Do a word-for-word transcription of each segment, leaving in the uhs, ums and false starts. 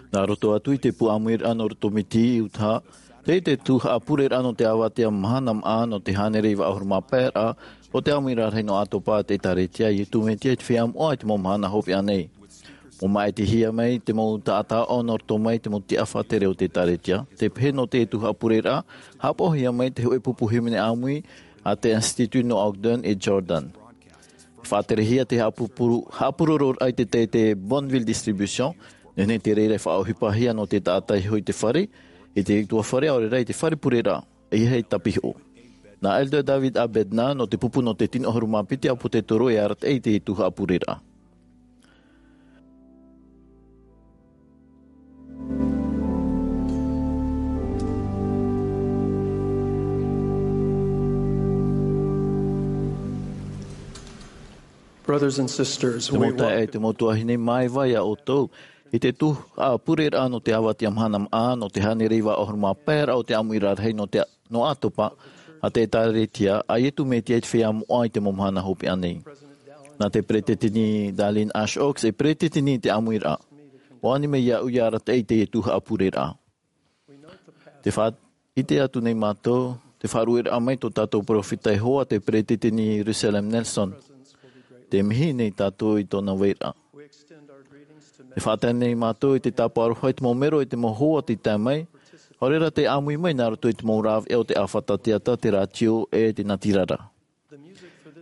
Nā roto atu i te pū ʻāmuiraʻa nō roto mai i Utaha, tei te tuhaʻa pureraʻa nō te avatea mahana maʻa nō te hānere iva ʻahuru mā pae raʻa o te ʻāmuiraʻa rahi nō ʻĀtopa a te ʻĒkālesia, ʻo Iesu Mesia i te feiā moʻa i te mau mahana hopeʻa nei. Mau māʻitihia mai te mau taʻata aʻo nō roto mai i te mau tiʻa faʻatere o te ʻĒkālesia. Tē pehe nō te tuhaʻa pureraʻa, haʻapaʻohia mai te hōʻē pupu hīmene ʻāmui a te Institut nō Ogden e Jordan. Faʻaterehia te haʻapūpū-, haʻapūrororaʻa i te, te, te Bonneville Distribution, nehenehe te reira e faʻaʻohipahia nō te taʻata i hoʻi i te fare, i te ʻutuāfare, ʻaore rā i te fare pureraʻa, ʻeiaha e tāpihoʻo. Nā Elder David A. Bednar, nō te pupu nō te tino ʻahuru mā piti ʻāpōsetolo, e arataʻi i te tuhaʻa pureraʻa. Brothers and sisters, te mau taeaʻe, te mau tuahine, māuiui iā ʻoutou i te tuhaʻa pureraʻa nō te avatea mahana maʻa nō te hānere iva ʻahuru mā pae raʻa o te ʻāmuiraʻa rahi nō te, nō ʻĀtopa a te ʻĒkālesia a Iesu Mesia i te feiā moʻa i te mau mahana hopeʻa nei. Nā te peresideni Dallin H. Oaks e peresideni i te ʻāmuiraʻa. ʻUa ani mai iāʻu ia arataʻi i te tuhaʻa pureraʻa. Tē faʻaʻite atu nei mātou, te faʻarueraʻa mai tō tātou peropheta Iehova, te peresideni Russell M. Nelson. Tē mihi nei tātou i tōna vairaʻa. Tē faʻatae nei mātou i te tāpaʻo aroha i te mau mero e te mau hoa tei tae mai, ʻaore rā tei ʻāmui mai nā roto i te mau rāveʻa o te ʻāfata teata, te rātio, e te natirara.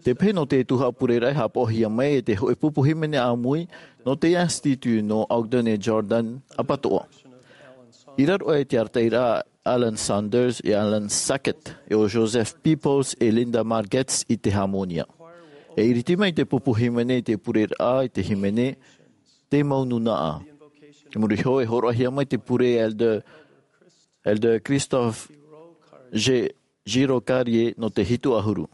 Tē pehe nō te tuhaʻa pureraʻa e haʻapaʻohia mai e te hōʻē pupu hīmene ʻāmui nō te Institut nō Ogden e Jordan ʻapatoʻa. I raro aʻe i te arataʻiraʻa a Allen Saunders e Allen Sackett, e ʻo Joseph Peoples e Linda Margetts i te hāmōnia. E iriti mai te pupu hīmene i te pureraʻa i te hīmene, Te Mau Nūnaʻa. I muri iho e hōroʻahia mai te pure a Elder, Elder Christophe G. Giraucarier nō te hitu ʻahuru.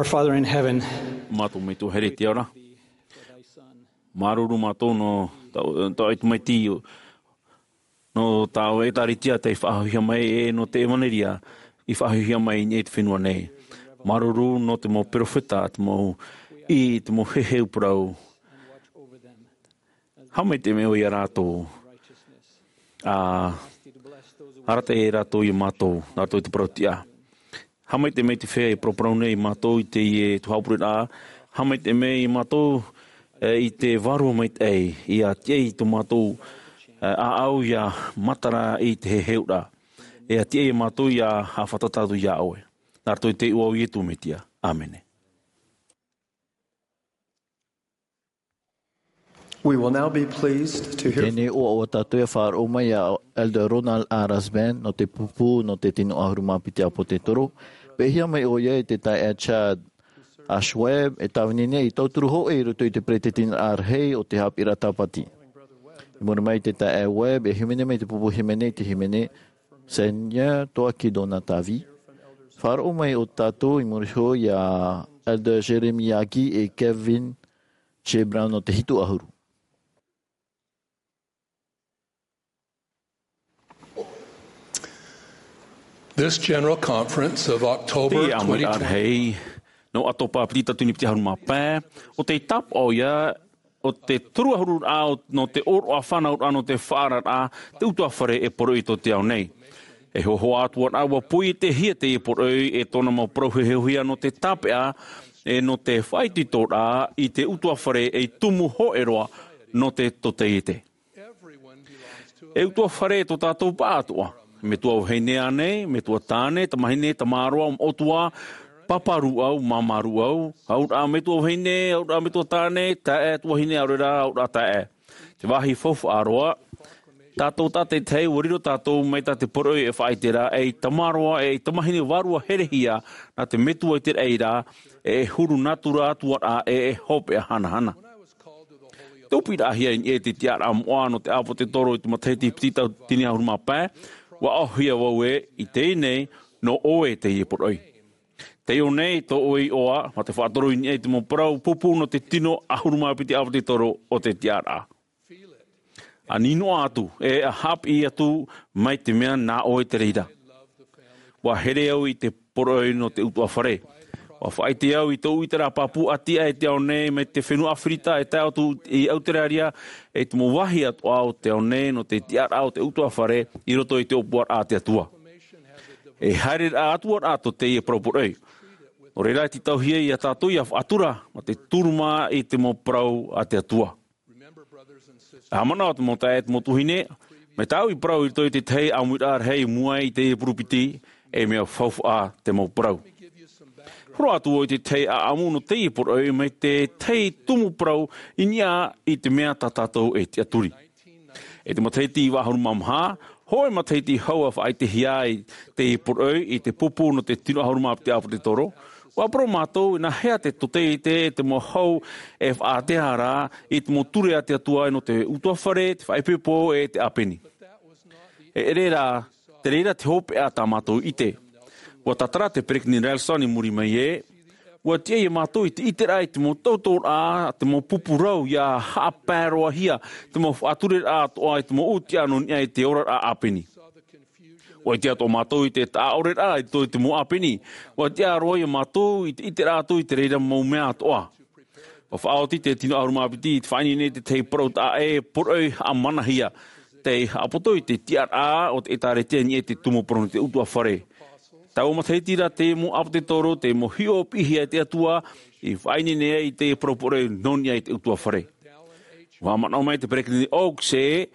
Father in heaven, Mātou Metua here i te ao ra. Māuruuru mātou nō tā, tā ʻoe tamaiti, nō tā ʻoe ʻēkālesia tei faʻahoʻihia mai, e nō te ʻevanelia i faʻahoʻihia mai i niʻa i te fenua nei. Māuruuru nō te mau perofeta, te mau ʻī, te mau heheu parau. Haʻamaitaʻi mai ʻoe ia rātou. ʻA arataʻi rātou ia mātou, nā roto i te parau tiʻa. Haʻamaitaʻi mai te feiā e paraparau nei ia mātou i teie tuhaʻa ʻāpureraʻa. Haʻamaitaʻi mai ia mātou, e, i te vārua maitaʻi, ʻia tiʻa i tō mātou, e, ʻāʻau ʻia matara i te heheuraʻa. ʻIa tiʻa ia mātou ʻia haʻafātata atu ia ʻoe. Nā roto i te iʻoa o Iesu Mesia. ʻĀmene. We will now be pleased to hear Teie nei ʻoaʻoa tātou e faʻaroʻo mai ia Elder Ronald A. Rasband nō te pupu nō te tino ʻahuru mā piti ʻāpōsetolo. Pēhia mai ʻoia e te taeaʻe Chad H. Webb, e tāvini nei ei tauturu hōʻē i roto i te peretiteniraʻa rahi o te haʻapiʻiraʻa Tāpati. I muri mai i te taeaʻe Webb, e hīmene mai te pupu hīmene i te hīmene Seigneur, toi qui donnes ta vie. Faʻaroʻo mai ʻo tātou i muri iho ia Elder Jeremy Agee e Kevin J. Brown nō te hitu ʻahuru. This General Conference of October Teie ʻāmuiraʻa twenty twenty. Rahi, nō ʻĀtōpā piti, tauatini piti ʻahuru mā pae, ʻo tei tāpaʻo ïa, ʻo te toru ʻahuru raʻa, ʻo, nō te ʻōroʻa fānauraʻa, nō te faʻaararaʻa, te ʻutuāfare e poroʻi i tō te ao nei. E hōhoʻa atu ā rā, ʻua poietehia teie poroʻi e tōna mau parau heheuhia nō te tāpeʻa, e nō te faʻaitoitoraʻa i te ʻutuāfare ei tumu hōʻē roa nō te totaiete. E ʻutuāfare tō tātou pāʻātoʻa. Metua vahine ānei, metua tāne, tamahine, tamāroa, ʻotua, pāpā rūʻau, māmā rūʻau, auraʻa metua vahine, auraʻa metua tāne, taeaʻe tuahine, ʻaore rā, auraʻa taeaʻe. Te vāhi faufaʻa roa, tātou tātaʻitahi, ʻua riro tātou mai tā te poroʻi e faʻaʻite ra, ei tamāroa, ei tamahine vārua herehia, nā te Metua i te raʻi ra, e huru nātura atu ā rā, e, e hopeʻa hanahana. Tē ʻōpuiraʻahia i niʻa i te tiʻaraʻa moʻa nō te ʻāpōsetolo i te matahiti piti tauatini ʻahuru mā pae, ʻua ʻaohia vau ē, i teie nei, nō ʻoe teie poroʻi. Tei ʻō nei tō ʻoe iʻoa, mā te faʻatoro i niʻa i te mau parau pupu nō te tino ʻahuru mā piti ʻāpōsetolo o te tiʻaraʻa. ʻA nīnoa atu, e ʻa haʻapiʻi atu mai te mea nā ʻoe te reira. ʻUa here au i te poroʻi nō te ʻutuāfare. ʻUa faʻaʻite au i tōʻu ʻiteraʻa pāpū ʻati aʻe i te ao nei mai te fenua ʻĀfirika e tae atu i ʻAuteraria, e te mau vāhi atoʻa o te ao nei nō te tiʻaraʻa o te ʻutuāfare i roto i te ʻōpuaraʻa a te Atua. E haereraʻa atu ā rā tō teie parau poroʻi. Nō reira, e tītauhia ia tātou ʻia faʻatura, mā te turu mā i te mau parau a te Atua. ʻA manaʻo te mau taeaʻe, te mau tuahine, mai tāʻu i parau i roto i te tahi ʻāmuiraʻa rahi i mua i teie purupiti, e mea faufaʻa te mau parau. Horo atu vau i te tahi ʻāʻamu nō teie poroʻi mai te tahi tumu parau i niʻa i te mea tā tātou e tiʻaturi. I te matahiti iva ʻahuru mā maha, hōʻē matahiti hau ʻa faʻaʻitehia ai teie poroʻi i te pupu nō te tino ʻahuru mā piti ʻāpōsetolo, ʻua parau mātou, e nāhea te totaiete, te mau hau e faʻaʻātea ra i te mau ture a te Atua nō te ʻutuāfare, te faʻaipoipo, e te ʻāpeni. E ʻere rā, te reira te hopeʻa tā mātou ʻite. ʻUa tātara te Peresideni Nelson i muri mai ē, ʻua tiʻa ia mātou i te ʻiteraʻa i te mau tautoraʻa, te mau pupu rau ʻia haʻapae roa hia, te mau faʻatureraʻa atoʻa i te mau ʻūtiʻa nō niʻa i te oraraʻa ʻāpeni. ʻUa ʻite atoʻa mātou i te taʻaʻoreraʻa i roto i te mau ʻāpeni. ʻUa tiʻa roa ia mātou i te ʻiteraʻa atu i te reira mau mea atoʻa. ʻUa faʻaoti te tino ʻahuru mā piti i te faʻaineine i te tahi parau taʻa ʻē, poroʻi haʻamanahia, tei haʻapoto i te tiʻaraʻa o te ʻĒtārētia i niʻa i te tumu parau nō te ʻutuāfare. Taua matahiti ra te mau ʻāpōsetolo, te mau hiʻo piʻihia e te Atua, i faʻaineine ai i te parau poroʻi nō niʻa i te ʻutuāfare. ʻUa manaʻo mai te Peresideni Oaks ē,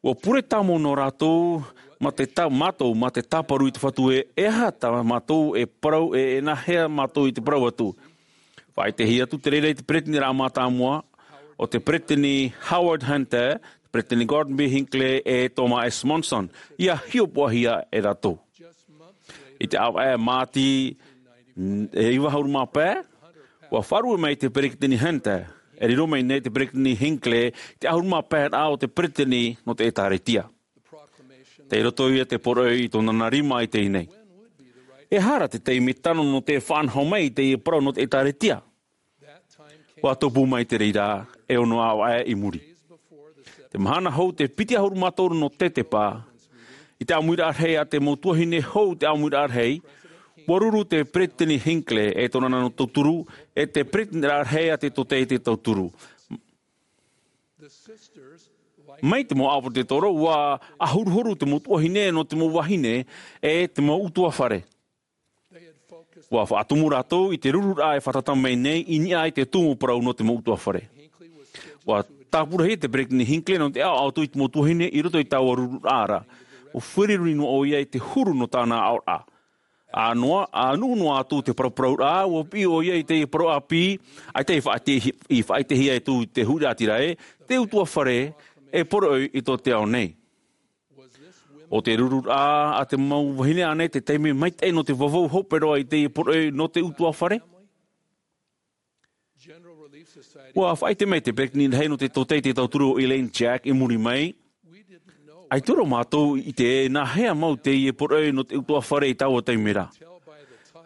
ʻua pure tāmau nō rātou, mā te tā-, mātou, mā te tāparu i te Fatu ē, e aha tā mātou e parau, e, e nāhea mātou i te parau atu. Faʻaʻitehia atu te reira i te Peresideniraʻa mātāmua, ʻo te Peresideni Howard Hunter, te Peresideni Gordon B. Hinckley, e Thomas S. Monson, ʻia hiʻopoʻahia e rātou. I te ʻāvaʻe Māti, n-, e iva ʻahuru mā pae, ʻua faʻarue mai te Peresideni Hunter, e riro mai nei te Peresideni Hinckley, te ʻahuru mā pae raʻa o te Peresideni nō te ʻĒtārētia. Tei roto ia te poroʻi i tōna nā rima i teie nei. E aha ra te taime tano nō te faʻanaho mai i teie parau nō te ʻĒtārētia? Ua tupu mai te reira e ono aʻo aʻe i muri. Te mahana hou te piti ʻahuru mā toru nō tetepa, i te ʻāmuiraʻa rahi a te mau tuahine hou te ʻāmuiraʻa rahi, ua ruru te peresideni Hinckley e tōna nā nō tauturu, e te peresideni rahi a te tōtaiete tauturu. Mai te mau ʻāpōsetolo, ua ʻahuruhuru te mau tuahine nō te mau vahine e te mau ʻutuāfare. Ua faʻatumu rātou i te rururaʻa e fātata mai nei i niʻa i te tumu parau nō te mau ʻutuāfare. Ua tāpura hia te peresideni Hinckley nō te ʻaʻoʻaʻo atu i te mau tuahine i roto i taua rururaʻa ra. Ua fāriʻi noa ʻoia i te huru nō tāna ʻaʻoraʻa. ʻĀnoa, ʻānuʻu noa atu te paraparauraʻa, ua piʻi ʻoia i te parau ʻāpī, ʻaita i faʻaʻite-, i faʻaʻitehia atu i te huiraʻatira ē, te ʻutuāfare e poroʻi i tō te ao nei. ʻO te rururaʻa a te mau vahine ānei te taime maitaʻi nō te vavau hope roa i teie poroʻi nō te ʻutuāfare? Ua faʻaʻite mai te peresideni rahi nō te tōtaiete tauturu ʻo Elaine Jack i muri mai, ʻaita roa mātou i ʻite nā hea mau teie poroʻi nō te ʻutuāfare i taua taime ra.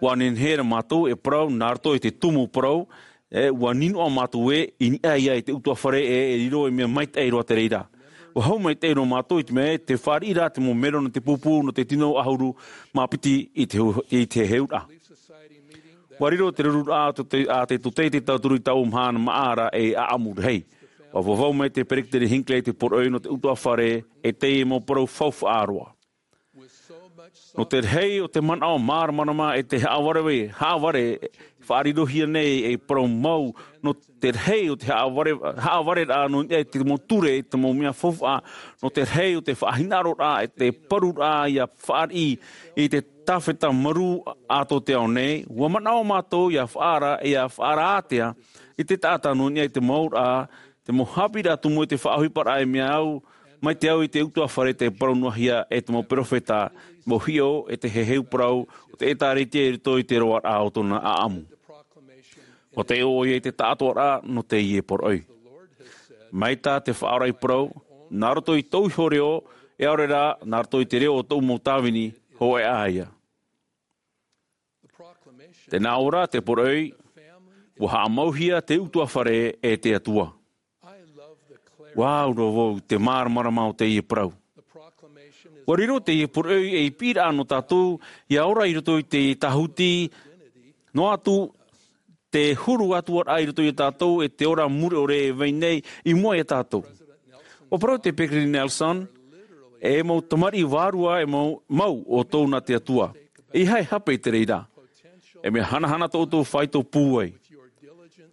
Ua nehenehe rā mātou e parau nā roto i te tumu parau, e, ua ninoʻa mātou ē i niʻa ia i te ʻutuāfare e, e riro ei mea maitaʻi roa te reira. Ua hau maitaʻi roa mātou i te mea ē, tē fāriʻi ra te mau melo nō te pūpū nō te tino ʻahuru mā piti i te hu-, i te heheuraʻa. Ua riro te rururaʻa a te, a te tōtaiete tauturu i taua mahana māʻa ra ei ʻaʻamu rahi. Ua vavau mai te peresideni Hinckley i te poroʻi nō te ʻutuāfare e teie mau parau faufaʻa roa. Nō te rahi o te manaʻo māramarama e te haʻavare, haʻavare faʻarirohia nei ei parau mau, nō te rahi o te haʻavare, haʻavareraʻa nō niʻa i te mau ture, i te mau mea faufaʻa, nō te rahi o te faʻahinaʻaroraʻa e te paruraʻa ʻia fāriʻi i te tāfeta marū a tō te ao nei, ua manaʻo mātou ʻia faʻaara, ʻia faʻaara ātea i te taʻata nō niʻa i te mau ra, te mau haʻapiʻiraʻa tumu e te faʻaʻohiparaʻa e mea au, mai te au i te ʻutuāfare tei parau noa hia e te mau perofeta, mau hiʻo e te heheu parau o te ʻĒtārētia i roto i te roaraʻa o tōna ʻaʻamu. ʻUa taiʻo ʻoia i te taʻatoʻaraʻa nō teie poroʻi. Mai tā te Faʻaora i parau, nā roto i tōʻu iho reo, e ʻaore rā, nā roto i te reo o tōʻu mau tāvini, hōʻē ā ia. Tē nā ʻō ra te poroʻi, ʻua haʻamauhia te ʻutuāfare e te Atua. ʻUa au roa vau i te māramarama o teie parau. ʻUa riro teie poroʻi ei piʻiraʻa nō tātou, ʻia ora i roto i te tāhuti, noa atu te huru atu ā i roto ia tātou e te ora mure ʻore e vai nei i mua ia tātou. ʻUa parau te Peresideni Nelson, e mau tamariʻi vārua e mau, mau ʻoutou nā te Atua. ʻEiaha e hape i te reira. E mea hanahana tō ʻoutou faito pūai.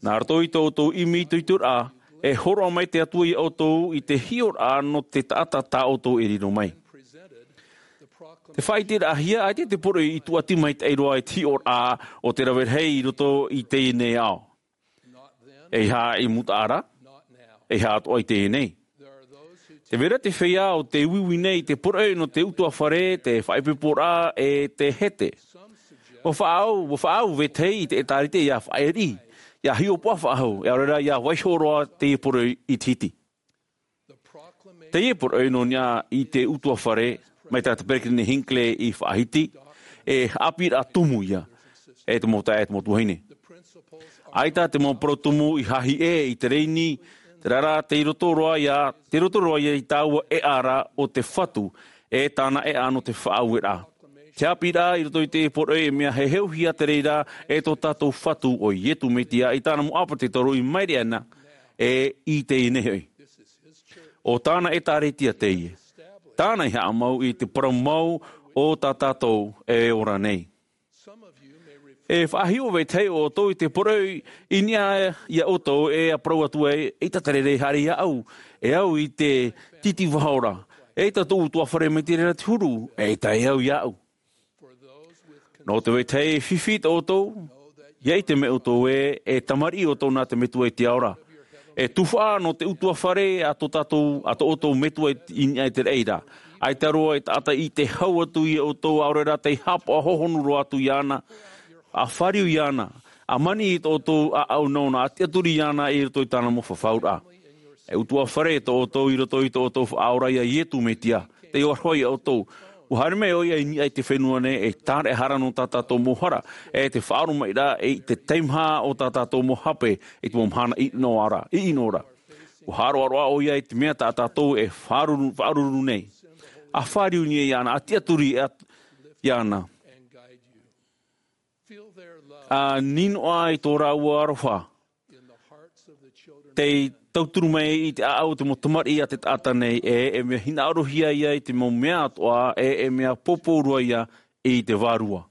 Nā roto i tō ʻoutou ʻimi itoitoraʻa, e hōroʻa mai te Atua ia ʻoutou i te hiʻoraʻa nō te taʻata tā ʻoutou e riro mai. Te faʻaʻiteraʻahia, ʻaita te poroʻi i tūʻati maitaʻi roa i te hiʻoraʻa o te rave rahi i roto i teie nei ao. ʻEiaha i mutaʻa ra, ʻeiaha atoʻa i teie nei. Tē vai ra te feiā ʻo tē uiui nei i te poroʻi nō te ʻutuāfare, te faʻaipoiporaʻa, e te hete. ʻUa faʻaau, ʻua faʻaau vetahi i te ʻĒtārētia ʻia faʻaʻī, ʻia hiʻopoʻa faʻahou, e ʻaore rā ʻia vaiiho roa teie poroʻi i te hiti. Teie poroʻi nō niʻa i te ʻutuāfare, mai tā te Peresideni Hinckley i faʻahiti, e haʻapiʻiraʻa tumu ia, e te mau taeaʻe, e te mau tuahine. ʻAita te mau parau tumu i hahi ʻē i te rēni, terā rā, tei roto roa ia, tei roto roa ia i taua ʻēʻa ra o te Fatu, e tāna ʻēʻa nō te faʻaueraʻa. Te haʻapiʻiraʻa i roto i te poroʻi e mea heheuhia te reira e tō tātou Fatu ʻo Iesu Mesia i tāna mau ʻāpōsetolo i mairi ana, e i teie nei hoʻi. ʻO tāna ʻĒtārētia teie. Tāna i haʻamau i te parau mau o tā tātou e ora nei. E faʻahiʻo vetahi o ʻoutou i te poroʻi i niʻa ia ʻoutou e ʻia parau atu ai, ʻeita te reira e haere iāʻu, e au i te titi vahaora, ʻeita tōʻu ʻutuāfare mai te reira te huru, ʻeita e au iāʻu. Nō te vetahi e fifi tō ʻoutou, ʻia ʻite mai ʻoutou ē, e tamariʻi ʻoutou nā te Metua i te ao ra. E tuhaʻa nō te ʻutuāfare a tō tātou, a tō ʻoutou Metua i, i niʻa i te reira. ʻAita roa e taʻata i te hau atu ia ʻoutou, ʻaore rā tei haʻapaʻo hohonu roa atu iāna, ʻa fāriu iāna, ʻa maniʻi i tō ʻoutou ʻāʻau nōna, ʻa tiʻaturi iāna i roto i tāna mau fafauraʻa. E ʻutuāfare tō ʻoutou i roto i tō ʻoutou Faʻaora ia Iesu Mesia, tei ora hoʻi ia ʻoutou. Ua haere mai ʻoia i niʻa i te fenua nei, e tāreʻahara nō tā tātou mau hara, e te faʻaromaʻiraʻa i te teimaha o tā tātou mau hape, i te mau mahana ʻino ra, ʻino ra. Ua haʻaroʻaroʻa ʻoia i te mea tā tātou e faʻaruru, faʻaruru nei. ʻA fāriu nei iāna, ʻa tiʻaturi iāna. ʻA nīnoa i tō rāua aroha. Tei tauturu mai i te ʻāʻau o te mau tamariʻi a te taʻata nei, e, e mea hinaʻarohia ia i te mau mea atoʻa, e, e mea pōpō roa ia i te vārua.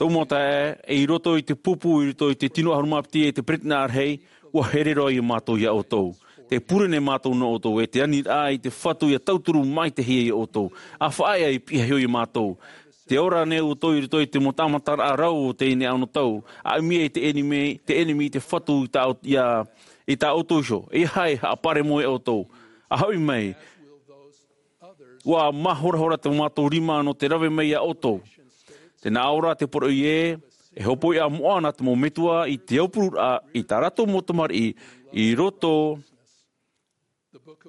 Tō mau taeaʻe, i roto i te pupu, i roto i te tino ʻahuru mā piti e te peretina ʻārahi, ua here roa ia mātou ia ʻoutou. Te pure nei mātou nō ʻoutou, e te aniraʻa i te Fatu ʻia tauturu maitaʻi ia ʻoutou. ʻA faʻaea i pihaʻi iho ia mātou. Te ora nei ʻoutou i roto i te mau tāmataraʻa rau o teie nei anotau. ʻA ʻimi i te ʻenemi, te ʻenemi i te Fatu i tā, ia, i tā ʻoutou iho. ʻEiaha e haʻaparemoe ʻoutou. ʻA hoʻi mai, ua māhorahora tō mātou rima nō te rave mai ia ʻoutou. Tē nā ʻō ra te poroʻi ē, e hopoiʻa moʻa na te mau metua i te aupururaʻa i tā rātou mau tamariʻi i roto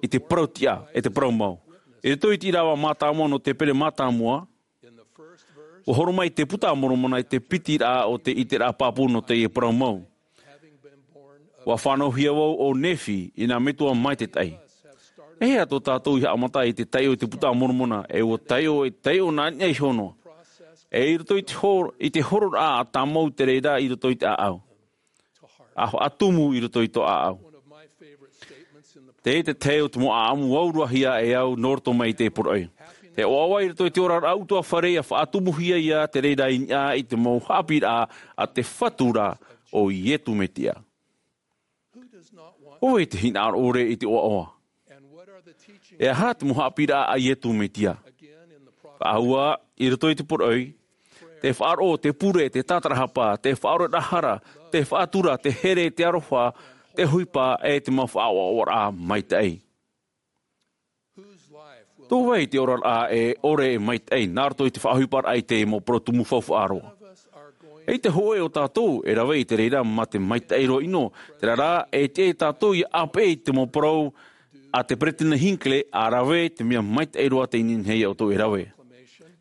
i te parau tiʻa, e te parau mau. I roto i te ʻīrava mātāmua nō te pene mātāmua, ua horo mai te Buka a Moromona i te piti ra o te ʻiteraʻa pāpū nō teie parau mau. Ua fānauhia vau ʻo Nephi i nā metua maitaʻi. E hea tō tātou i haʻamata i te taiʻo i te Buka a Moromona, e ua taiʻo, e taiʻo nā niʻa iho noa. E i roto i te hor-, i te hororaʻa ʻa tāmau te reira i roto i te ʻāʻau. ʻA faʻatumu i roto i tō ʻāʻau. Te, te tahi o te mau ʻāʻamu auruahia e au nō roto mai i te poroʻi. Te ʻoaʻoa i roto i te oraraʻa ʻutuāfare ʻia faʻatumuhia ia te reira i niʻa i te mau haʻapiʻiraʻa a te Fatu ra ʻo Iesu Mesia. ʻO vai tē hinaʻaro ʻore i te ʻoaʻoa? E aha te mau haʻapiʻiraʻa a Iesu Mesia? Faʻahou i roto i te poroʻi, te faʻaroʻo, te pure, te tātarahapa, te faʻaoreraʻa hara, te faʻatura, te here, te aroha, te ʻohipa, e te mau faʻaʻoaʻoaraʻa maitaʻi. Tō vai te oraraʻa e ʻore e maitaʻi, nā roto i te faʻaʻohiparaʻa i te mau parau tumu faufaʻa roa? ʻEita hōʻē o tātou e rave i te reira mā te maitaʻi roa ʻino, terā rā, e tiʻa ia tātou ʻia ʻāpeʻe i te mau parau a te Peresideni Hinckley, ʻa rave te mea maitaʻi roa tei nehenehe ia ʻoutou e rave.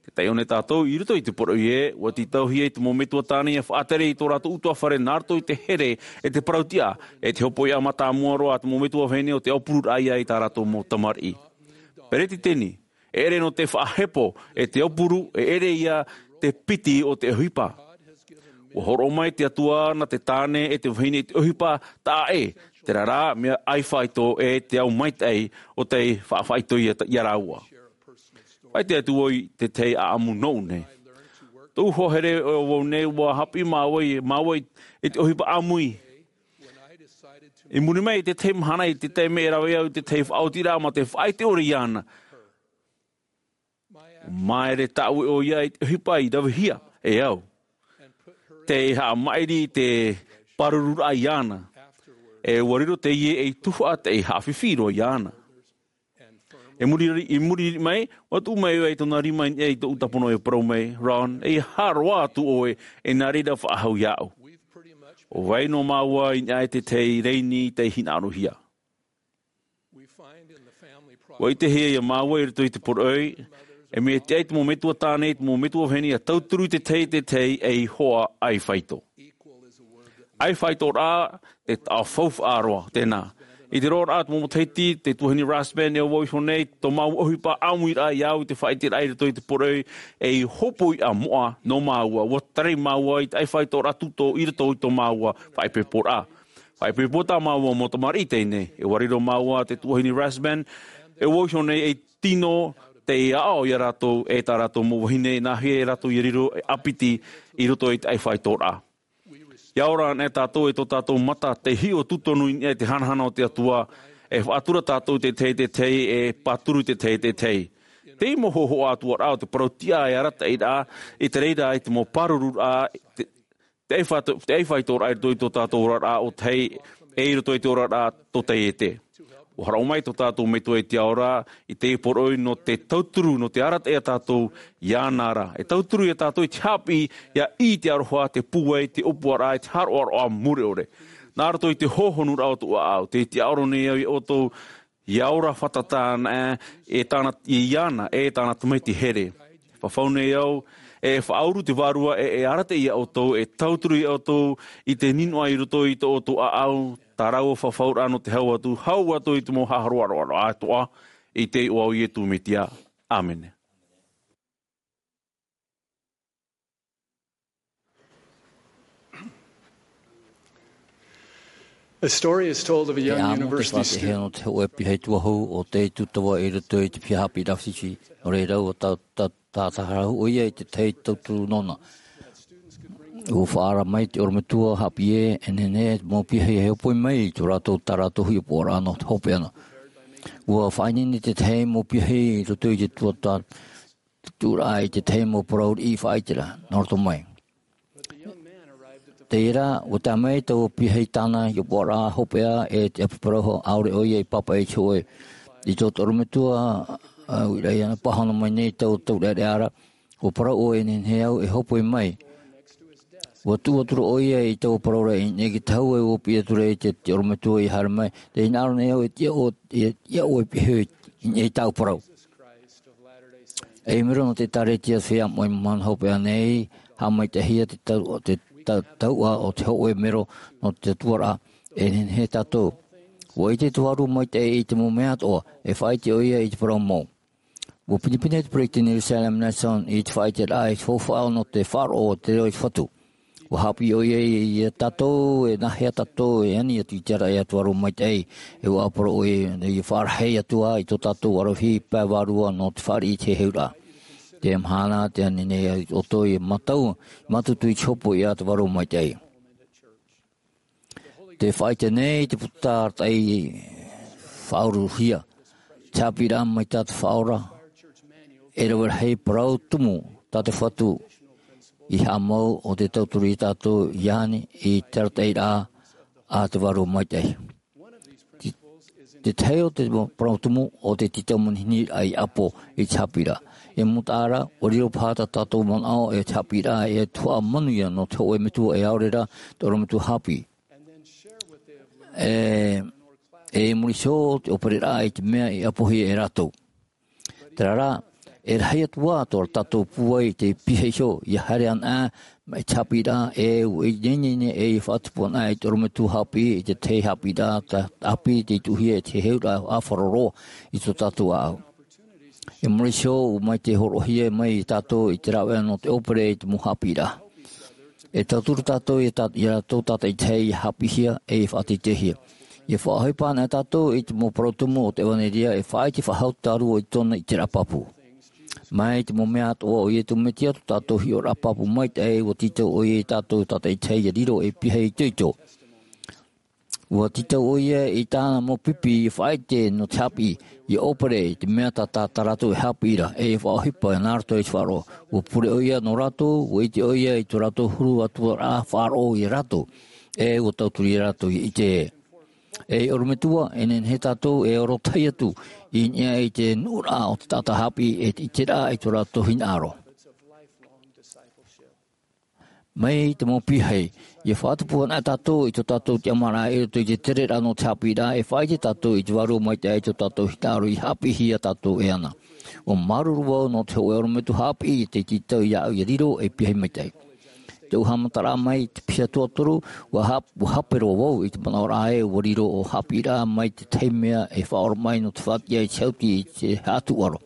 Tē taiʻo nei tātou i roto i te poroʻi ē, ua tītauhia te mau metua tāne ʻia faʻatere i tō rātou ʻutuāfare nā roto i te here, e te parau tiʻa, e te hopoiʻa mātāmua roa a te mau metua vahine o te aupururaʻa ia i tā rātou mau tamariʻi. Peresideni, e ʻere nō te faʻahepo, e te aupuru, e ʻere ia te piti o te ʻohipa. Ua hōroʻa mai te Atua nā te tāne e te vahine i te ʻohipa taʻa ʻē, terā rā, mea ʻaifāito e te ao maitaʻi o tei faʻaʻamu ia, ia rāua. Faʻaʻite atu vau i te tahi ʻāʻamu nōʻu nei. Tōʻu hoa here ʻo vau nei, ua haʻapiʻi māua i, māua i te ʻohipa ʻāmui. I muri mai i te tahi mahana, i te taime e rave au i te tahi faʻaotiraʻa mā te faʻaʻite ʻore iāna. Māere tāʻue ʻoia i te ʻohipa i ravehia e au. Tei haʻamaʻiri i te pārururaʻa iāna. E ua riro teie ei tuhaʻa tei haʻafifi roa iāna. I muri, i muri mai, ua tuʻu mai ʻoia i tōna rima i niʻa i tōʻu tāpono e parau mai, Ron, ʻeiaha roa atu ʻoe, e nā reira faʻahou iāʻu. ʻO vai noa māua i niʻa i te tahi rēni tei hinaʻarohia. Ua ʻitehia ia māua i roto i te poroʻi, e mea tiʻa i te mau metua tāne, i te mau metua vahine ʻia tauturu i te tahi, te tahi ei hoa ʻaifāito. ʻAifāitoraʻa, te taʻo faufaʻa roa, tēnā. I te roaraʻa o te mau matahiti, te tuahine Rasband, e vau iho nei, tō māua ʻohipa ʻāmuiraʻa ia au i te faʻaʻiteraʻa i roto i te poroʻi, ei hopoiʻa moʻa nō māua, ua tarai māua i te ʻaifāitoraʻa tūtō i roto i tō māua faʻaipoiporaʻa. Faʻaipoipo tā māua mau tamariʻi teie nei, e ua riro māua te tuahine Rasband, e vau iho nei ei tino tei aʻo ia rātou, e tā rātou mau vahine, nā hea ia rātou ʻia riro ei ʻāpiti i roto i te ʻaifāitoraʻa. ʻIa ora anaʻe tātou e tō tātou mata tei hiʻo tūtonu i niʻa i te hanahana o te Atua, e faʻatura tātou te tahi, te tahi, e pāturu te tahi, te tahi. Te mau hōhoʻa atoʻa rā o te parau tiʻa e arataʻi ra, i te reira i te mau pārururaʻa, te, te ʻaifā-, te ʻaifāitoraʻa i roto i tō tātou oraraʻa ʻo tahi, e i roto i te oraraʻa tō taiete. Ua hōroʻa mai tō tātou Metua i te Ao ra, i te poroʻi nō te tauturu, nō te arataʻi ia tātou iāna ra. E tauturu ia tātou i te haʻapiʻi, ʻia ʻī i te aroha, te pūai, te ʻōpuaraʻa, e te haroʻaroʻa mure ʻore. Nā roto i te hōhonuraʻa o tōʻu ʻāʻau, tē tiʻaoro nei au ia ʻoutou, Ia ora fātata ana e tāna, iāna e tāna tamaiti here. Fafau nei au, e faʻauru te Vārua e, e arataʻi ia ʻoutou, e tauturu ia ʻoutou i te ninoʻa i roto i tō ʻoutou ʻāʻau, tā rāua fafauraʻa nō te hau atu, hau atu i te mau haʻaroaroa atoʻa, i te iʻoa o Iesu Mesia. ʻĀmene. A story is told of a E young amo te university faʻatehe student. Nō te hōʻē piha tuahou o te tūtava i roto i te piha haʻapiʻiraʻa Fisi. Nō reira, ʻua tā, tā, tātaharahu ʻoia i te tahi tauturu nōna. ʻUa faʻaara mai te ʻorometua haʻapiʻi ē, e nehenehe te mau piahi e hōpoi mai i tō rātou, tā rātou hiʻopoʻaraʻa nō te hopeʻa na. ʻUa faʻaineine te tahi mau piahi i roto i te tuatāpapa tuʻuraʻa i te tahi mau parau riʻi faʻaiteraʻa, nā roto mai. Terā, ʻua tae mai taua piahi tāna hiʻopoʻaraʻa hopeʻa e te ʻapi parau ʻaore ʻoia i pāpaʻi i te hōʻē. I tō te ʻorometua, ā, uiraʻa iāna pāhono mai nei taua taureʻareʻa ra, ʻua parau ʻoia e nehenehe au e hōpoi mai. ʻUa tuʻu atu ra ʻoia i taua parau ra i niʻa i te hau e ʻua piʻi atu ra i te, te ʻorometua i haere mai. Tē hinaʻaro nei au e tiʻa ʻoe, e tiʻa ʻoe e piahi i niʻa i tāʻu parau. E mero nō te ʻĒkālesia Feiā Moʻe Mahana Hopeʻa nei, haʻamaitaʻihia te tau-, te ta-, tauʻa o te hōʻē mero nō te tuaraʻa, e nehenehe tātou. ʻUa ʻite te Vārua Maitaʻi i te mau mea atoʻa, e faʻaʻite ʻoia i te parau mau. ʻUa pinepine te peresideni Russell M. Nelson i te faʻaʻiteraʻa i te faufaʻa nō te faʻaroʻo o te reo i te Fatu. ʻUa haʻapiʻi ʻoia ia tātou, e nāhea tātou e ani atu i te araʻi a te Vārua Maitaʻi, e ʻua ʻāparau ʻoia ia faʻarahi atu ā i tō tātou aravihi pae vārua nō te fāriʻi i te heheuraʻa. Te mahana, tē ani nei ʻoutou e mātau, mātutu i te hōpoi a te Vārua Maitaʻi. Tē faʻaʻite nei te puta arataʻi faʻauruhia. Te haʻapiʻiraʻa mai tā te Faʻaora, e rave rahi parau tumu tā te Fatu i haʻamau ʻo tē tauturu ia tātou i ani i te arataʻiraʻa a te Vārua Maitaʻi. Te, te tahi o te parau tumu ʻo te tītau manihini i ʻapo i te haʻapiʻiraʻa. E mau taʻata, ʻua riro paha tā tātou manaʻo e te haʻapiʻiraʻa e tuhaʻa manuia nō te hōʻē metua e ʻaore rā te ʻorometua haʻapiʻi. E, e i muri iho te ʻōpereraʻa i te mea i ʻapohia e rātou. Terā rā, e rahi atu ā tō tātou pūai i te piha iho, ʻia haere anaʻe mai te haʻapiʻiraʻa, e ʻua ineine nei e faʻatupu anaʻe i te ʻorometua haʻapiʻi, i te tahi haʻapiʻiraʻa, tā, ʻāpī tei tuʻuhia e te heheuraʻa ʻāfaro roa i tō tātou ʻāʻau. E muri iho, ʻua mai tē hōroʻahia mai ia tātou i te rāveʻa nō te ʻōpere i te mau haʻapiʻiraʻa. E tauturu tātou ia tā, ia rātou tātaʻitahi ʻia haʻapiʻihia, e ʻia faʻateiteihia. ʻIa faʻaʻohipa anaʻe tātou i te mau parau tumu o te ʻevanelia, e faʻaʻite faʻahou tātou i tōna ʻiteraʻa pāpū. Mai te mau mea atoʻa o Iesu Mesia tō tātou hiʻoraʻa pāpū maitaʻi, ʻua tītau ʻoia ia tātou tātaʻitahi ʻia riro ei piha itoito. ʻUa tītau ʻoia i tāna mau pipi ʻia faʻaʻite nō te haʻapiʻi, ʻia ʻōpere i te mea tā, tā, tā rātou e haʻapiʻi ra, e ʻia faʻaʻohipa nā roto i te faʻaroʻo. ʻUa pure ʻoia nō rātou, ʻua ʻite ʻoia i tō rātou huru atu ra faʻaroʻo ia rātou, e ʻua tauturu ia rātou ʻia ʻite ē. Ei ʻorometua, e nehenehe tātou e oro tahi atu i niʻa i te nuʻuraʻa o te taʻata haʻapiʻi, e te ʻiteraʻa i tō rātou hinaʻaro. Mai te mau piahi, ʻia faʻatupu anaʻe tātou i tō tātou tiʻamāraʻa i roto i te tereraʻa nō te haʻapiʻiraʻa, e faʻaʻite tātou i te Vārua Maitaʻi i tō tātou hinaʻaro ʻia haʻapiʻihia tātou e ana. ʻUa māuruuru vau nō te hōʻē ʻorometua haʻapiʻi tei tītau iāʻu ʻia riro ei piahi maitaʻi. Te haʻamataraʻa mai te piha tuatoru, ʻua hap-, ʻua hape roa vau i te manaʻoraʻa ē ʻua riro ʻo haʻapiʻiraʻa mai te tahi mea e faʻaora mai nō te faʻatiʻa i te hauti i te haʻatuʻaro.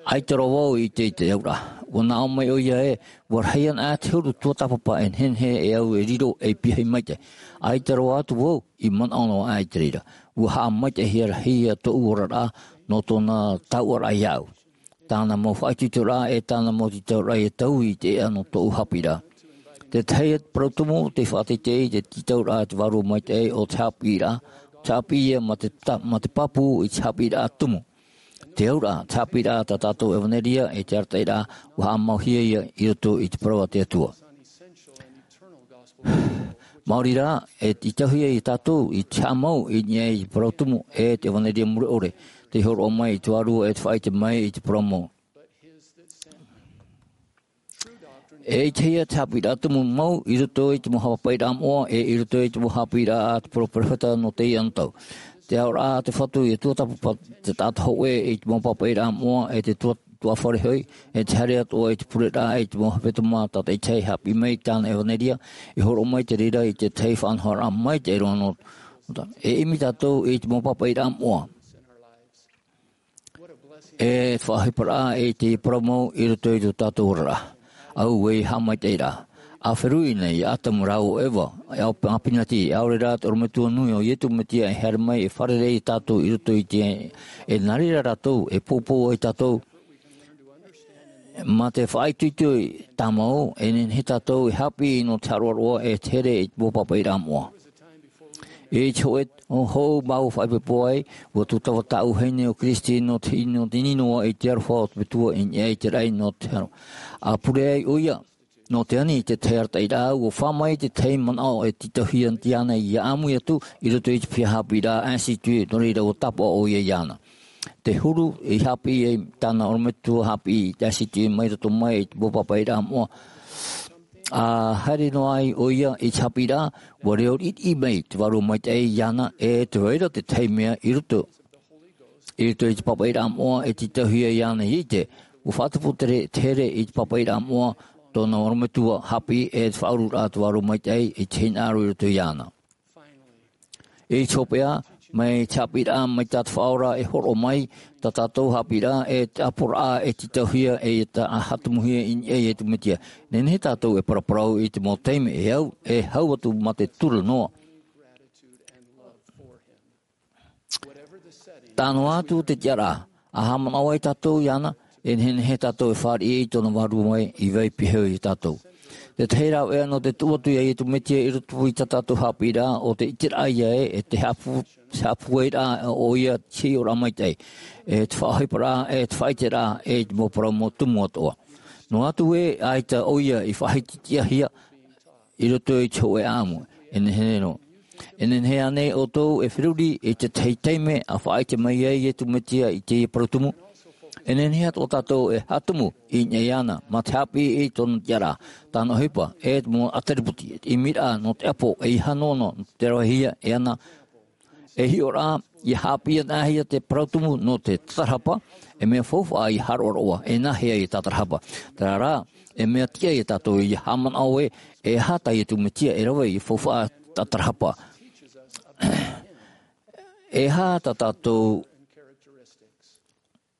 ʻAita roa vau i te, i te auraʻa. ʻUa nā ʻō mai ʻoia ē, ʻua rahi ana ā te huru tuatāpapa e nehenehe e au e riro ei piahi maitaʻi. ʻAita roa atu vau i manaʻo noa aʻe i te reira. ʻUa haʻamaitaʻihia rahi ia tōʻu oraraʻa nō tōna taoʻaraʻa iāʻu. Tāna mau faʻaitoitoraʻa e tāna mau tītauraʻa ʻia taui i te ʻēʻa nō tōʻu haʻapiʻiraʻa. Te tahi parau tumu tei faʻateitei i te tītauraʻa a te Vārua Maitaʻi ʻo te haʻapiʻiraʻa, te haʻapiʻi ia mā te ta-, mā te pāpū i te haʻapiʻiraʻa tumu. Te auraʻa, te haʻapiʻiraʻa tā tātou ʻevanelia e te arataʻiraʻa, ʻua haʻamauhia ia i roto i te parau a te Atua. Maori rā, e tītauhia ia tātou i te haʻamau i niʻa i te parau tumu e te ʻevanelia mure ʻore, tei hōroʻa mai i te Vārua e te faʻaʻite mai i te parau mau. E ʻitehia te haʻapiʻiraʻa tumu mau i roto i te mau haʻapaʻiraʻa moʻa, e i roto i te mau haʻapiʻiraʻa a te peropheta nō teie anotau. Te aʻoraʻa a te Fatu i te tuatāpapa, te taʻata hōʻē i te mau pāpaʻiraʻa moʻa, e te tua-, tuatāfare hoʻi, e te haere atoʻa i te pureraʻa i te mau hepetoma tātaʻitahi haʻapiʻi mai i tāna ʻevanelia, i hōroʻa mai te reira i te tahi faʻanahoraʻa maitaʻi roa nō, e ʻimi tātou i te mau pāpaʻiraʻa moʻa. E te faʻaʻohiparaʻa i te parau mau i roto i tō tātou oraraʻa. Auē e haʻamaitaʻiraʻa. A feruri nei iā Atamu rāua ʻo Eva, e au pāpinati, ʻaore rā te ʻorometua nui o Iesu Mesia e haere mai e fārerei iā tātou i roto i te, e nā reira rātou, e poupou ai tātou. Mā te faʻaitoito tāmau, e nehenehe tātou e haʻapiʻi nō te haʻaroaroa e te here i te mau pāpaʻiraʻa moʻa. I te hōʻē hou māua faʻaipoipo ai, ʻua tūtava tāʻu vahine ʻo Kristi nō te, nō te ʻino i te aroha o te Metua i niʻa i te raʻi nō te hau. A pure ai ʻoia, nō te ani i te tahi arataʻiraʻa, ʻua fā mai te tahi manaʻo e tītauhia iāna ʻia ʻāmui atu i roto i te piha haʻapiʻiraʻa Insitu, nō reira ʻua tāpaʻo ʻoia iāna. Te huru i haʻapiʻi ai tāna ʻorometua haʻapiʻi i te Insitu mai roto mai i te mau pāpaʻiraʻa moʻa. A haere noa ai ʻoia i te haʻapiʻiraʻa, ʻua reo riʻiriʻi mai te Vārua Maitaʻi iāna, e tē vai ra te tahi mea i roto. I roto i te pāpaʻiraʻa moʻa e tītauhia iāna ʻia ʻite, ʻua faʻatupu te re-, te here i te pāpaʻiraʻa moʻa, tōna ʻorometua haʻapiʻi, e te faʻaururaʻa a te Vārua Maitaʻi i te hinaʻaro i roto iāna. I te hopeʻa, mai te haʻapiʻiraʻa mai tā te Faʻaora e hōroʻa mai, tā tātou haʻapiʻiraʻa, e te ʻāpoʻoraʻa e tītauhia, e tā-, haʻatumuhia i niʻa iā Iesu Mesia. Nehenehe tātou e paraparau i te mau taime e au, e hau atu mā te tura noa. Tae noa atu te tiʻaraʻa, a haʻamanaʻo ai tātou iāna, e nehenehe tātou e fāriʻi i tōna vārua mai i vai piha iā tātou. Te tahi rāveʻa nō te tuʻu atu iā Iesu Mesia i roto i tā tātou haʻapiʻiraʻa, ʻo te ʻiteraʻa ïa ē, e te haʻapū-, haʻapūairaʻa ʻoia i te hiʻoraʻa maitaʻi, e te faʻaʻohiparaʻa, e te faʻaʻiteraʻa, e te mau parau mau tumu atoʻa. Noa atu ē, ʻaita ʻoia i faʻahitihia, i roto i te hōʻē ʻāʻamu, e nehenehe noa. E nehenehe ānei ʻoutou e feruri i te tahi taime a faʻaʻite mai ai Iesu Mesia i teie parau tumu? E nehenehe atoʻa tātou e haʻatumu i niʻa iāna, mā te haʻapiʻi i tōna tiʻaraʻa, tāna ʻohipa, e te mau ʻāterepoti, e te ʻimiraʻa nō te ʻapo, e ʻeiaha noa nō te ravehia, e ana, e hiʻoraʻa, ʻia haʻapiʻi anaʻe hia te parau tumu nō te tātarahapa, e mea faufaʻa ʻia haʻaroaroa, e nāhea ïa tātarahapa. Terā rā, e mea tiʻa iā tātou ʻia haʻamanaʻo ē, e aha tā Iesu Mesia e rave ʻia faufaʻa tātarahapa. E aha tā tātou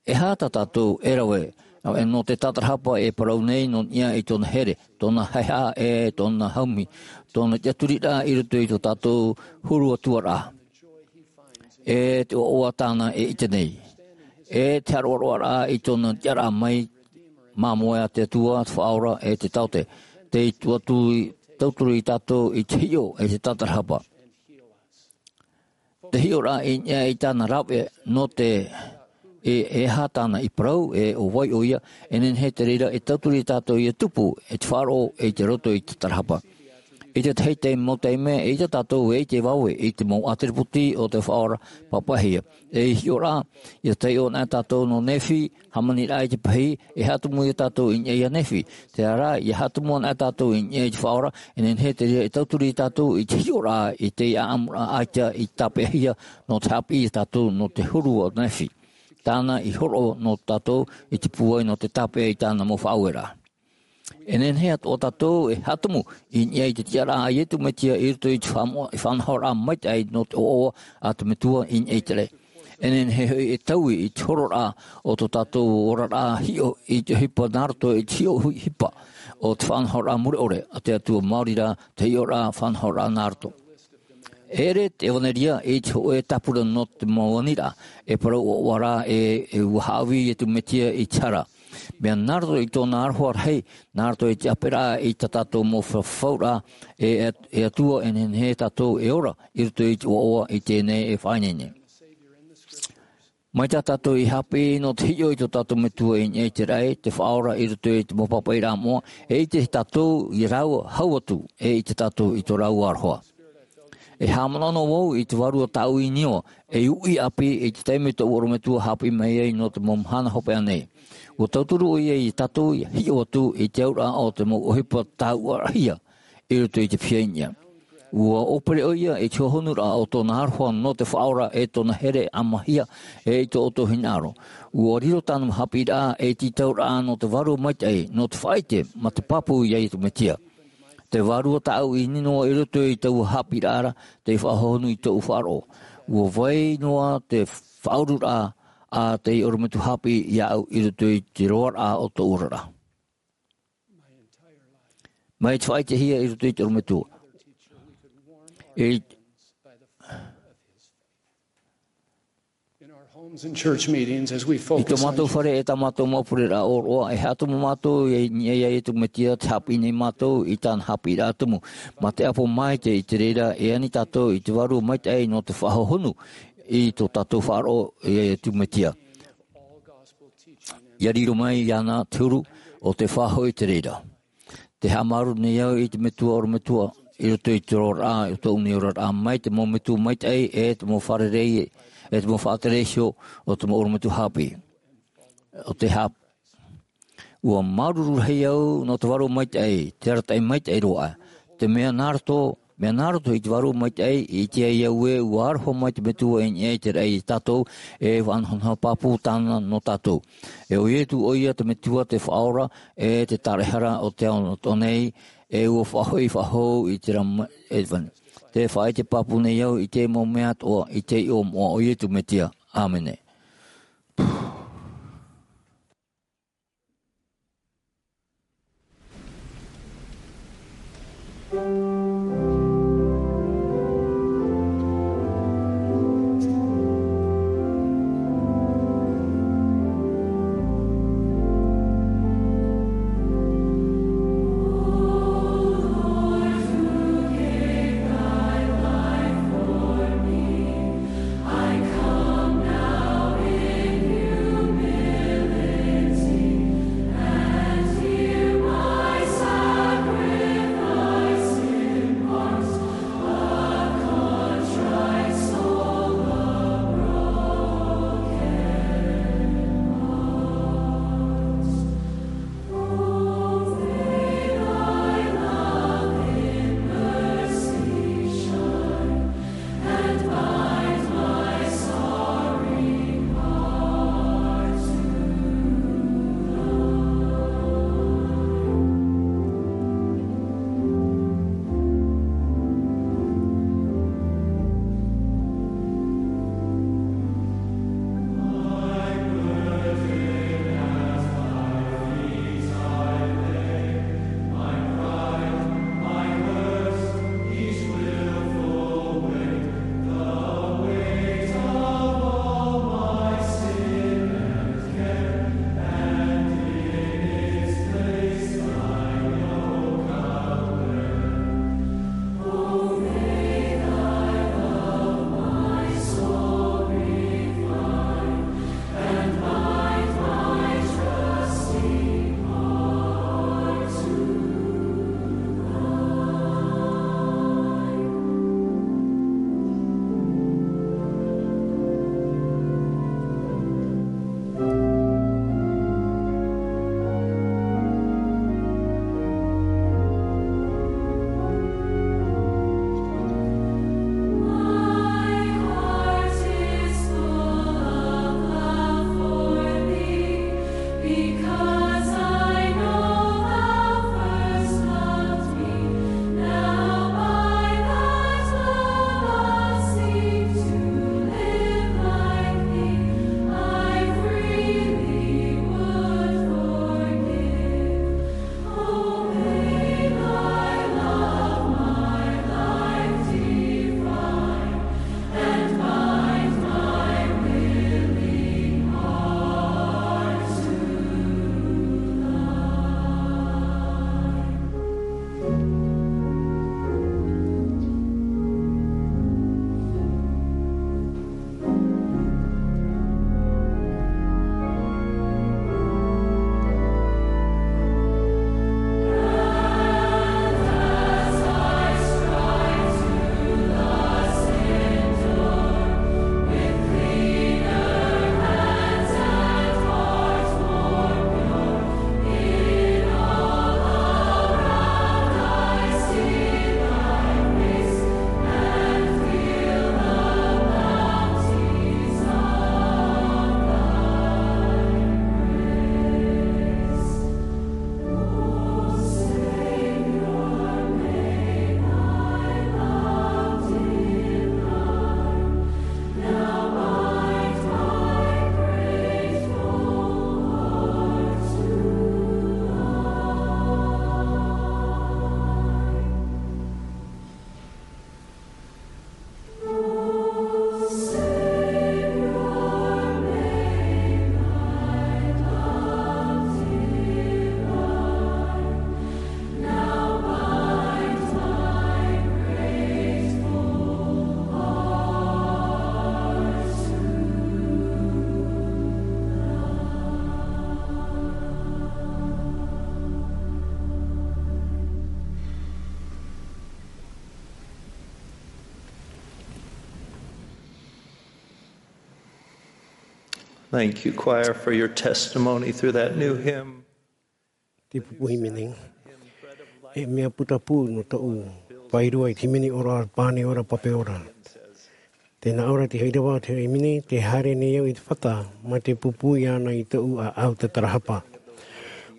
E aha tā tātou e rave, e nō te tātarahapa e parau nei nō niʻa i tōna here, tōna haʻehaʻa e tōna haumi, tōna tiʻaturiraʻa i roto i tō tātou huru atuaraʻa. E te ʻoaʻoa tāna e ʻite nei. E te haʻaroaroaraʻa i tōna tiʻaraʻa mai, māmoe a te Atua, te Faʻaora, e te taote. Tei tuʻu atu i, tauturu iā tātou i te hiʻo e te tātarahapa. Te hiʻoraʻa i niʻa i tāna rave nō te, e, e aha tāna i parau, e ʻo vai ʻoia, e nehenehe te reira e tauturu iā tātou ʻia tupu, e te faʻaroʻo, e te roto i te tātarahapa. I te tahi taime, mau taime, e ʻaita tātou e ʻite vave i te mau ʻāterepoti o te Faʻaora pāpaʻihia. E hiʻoraʻa, ʻia taiʻo anaʻe tātou nō Nephi, hāmaniraʻa i te pahī, e haʻatumu iā tātou i niʻa iā Nephi. Terā rā, ʻia haʻatumu anaʻe tātou i niʻa i te Faʻaora, e nehenehe te reira e tauturu iā tātou i te hiʻoraʻa i te ʻāʻamuraʻa ʻaita i tāpeʻahia nō te haʻapiʻi iā tātou nō te huru o Nephi. Tāna i hōroʻa nō tātou i te pūai nō te tāpeʻa i tāna mau faʻaueraʻa. E nehenehe atoʻa tātou e haʻatumu i niʻa i te tiʻaraʻa a Iesu Mesia i roto i te faʻamo-, i faʻanahoraʻa maitaʻi nō te ʻoaʻoa a te Metua i niʻa i te raʻi. E nehenehe hoʻi e taui i te hororaʻa o tō tātou oraraʻa hiʻo i te ʻohipa nā roto i te hiʻo hui ʻohipa o te faʻanahoraʻa mure ʻore a te Atua, maori rā te hiʻoraʻa faʻanahoraʻa nā roto. E ʻere te ʻevanelia i te hōʻē tāpura nō te mau aniraʻa, e parau ʻoaʻoa rā ē, e ʻua haʻavī Iesu Mesia i te hara. Mea nā roto i tōna aroha rahi, nā roto i te ʻāperaʻa i tā tātou mau fa-, fafauraʻa, e, e, e Atua, e nehenehe tātou e ora i roto i te ʻoaʻoa i teie nei e faʻaineine. Mai tā tātou i haʻapiʻi nō te hiʻo i tō tātou Metua i niʻa i te raʻi, te Faʻaora i roto i te mau pāpaʻiraʻa moʻa, e ʻite tātou i rāua hau atu, e ʻite tātou i tō rāua aroha. E haʻamanaʻo noa vau i te Vārua Tāʻu i Niua, ei uʻi ʻāpī i te taime tōʻu ʻorometua haʻapiʻi mai ai nō te mau mahana hopeʻa nei. Ua tauturu ʻoia ia tātou ia hiʻo atu i te auraʻa o te mau ʻohipa tāuʻarahia i roto i te pihaʻi niʻa. Ua ʻōpere ʻoia i te hohonuraʻa o tōna aroha nō te faʻaora e tōna here ʻāmahia e i tō ʻoutou hinaʻaro. Ua riro tāna haʻapiʻiraʻa ei tītauraʻa nō te vārua maitaʻi, nō te faʻaʻite mā te pāpū iā Iesu Mesia. Te vārua tāʻu i ʻimi noa i roto i taua haʻapiʻiraʻa ra, tei faʻahohonu i tōʻu faʻaroʻo. Ua vai noa te faʻaururaʻa a te ʻorometua haʻapiʻi iāʻu i roto i te roaraʻa o tōʻu oraraʻa. Mai te faʻaʻitehia i roto i te ʻorometua. I In our homes and church meetings, as we i tō focus on mātou fare e tā mātou mau pureraʻa ʻōroʻa, e haʻatumu mātou i niʻa iā Iesu Mesia, te haʻapiʻi nei mātou i tāna haʻapiʻiraʻa tumu. Mā te ʻapo maitaʻi i te reira, e ani tātou i te vārua maitaʻi nō te faʻahohonu i tō tātou faʻaroʻo iā Iesu Mesia. Ia riro mai iāna te huru o te faʻahoʻi i te reira. Te haʻamāuruuru nei au i te metua ʻorometua, i roto i te oraraʻa, i tōʻu nei oraraʻa, mai te mau metua maitaʻi, e te mau fārerei, e te mau faʻatere iho o te mau ʻorometua haʻapiʻi. O te hap-, ua māuruuru rahi au nō te vārua maitaʻi, te arataʻi maitaʻi roa. Te mea nā roto, mea nā roto i te vārua maitaʻi, i te ai au ē, ua aroha mai te metua i niʻa i te raʻi iā tātou, e faʻanahonaho pāpū tāna nō tātou. E ʻo Iesu ʻoia te metua, te faʻaora, e te tāraʻehara o te ao noa nei, e ua faʻahoʻi faʻahou i te rama, e vani. Te faʻaʻite pāpū nei au i te mau mea atoʻa, i te iʻoa moʻa o Iesu Mesia. ʻĀmene. Thank you, choir, for your testimony through that new hymn. Te pupu hīmene. E mea putapū nō tōʻu faʻaroʻo i te hīmene ora, Pane ora, Pape ora. Tēnā ora te haʻapiʻi, te hīmene, tē haere nei au i te fata, mā te pupu iāna i tōʻu ʻāʻau tatarahapa.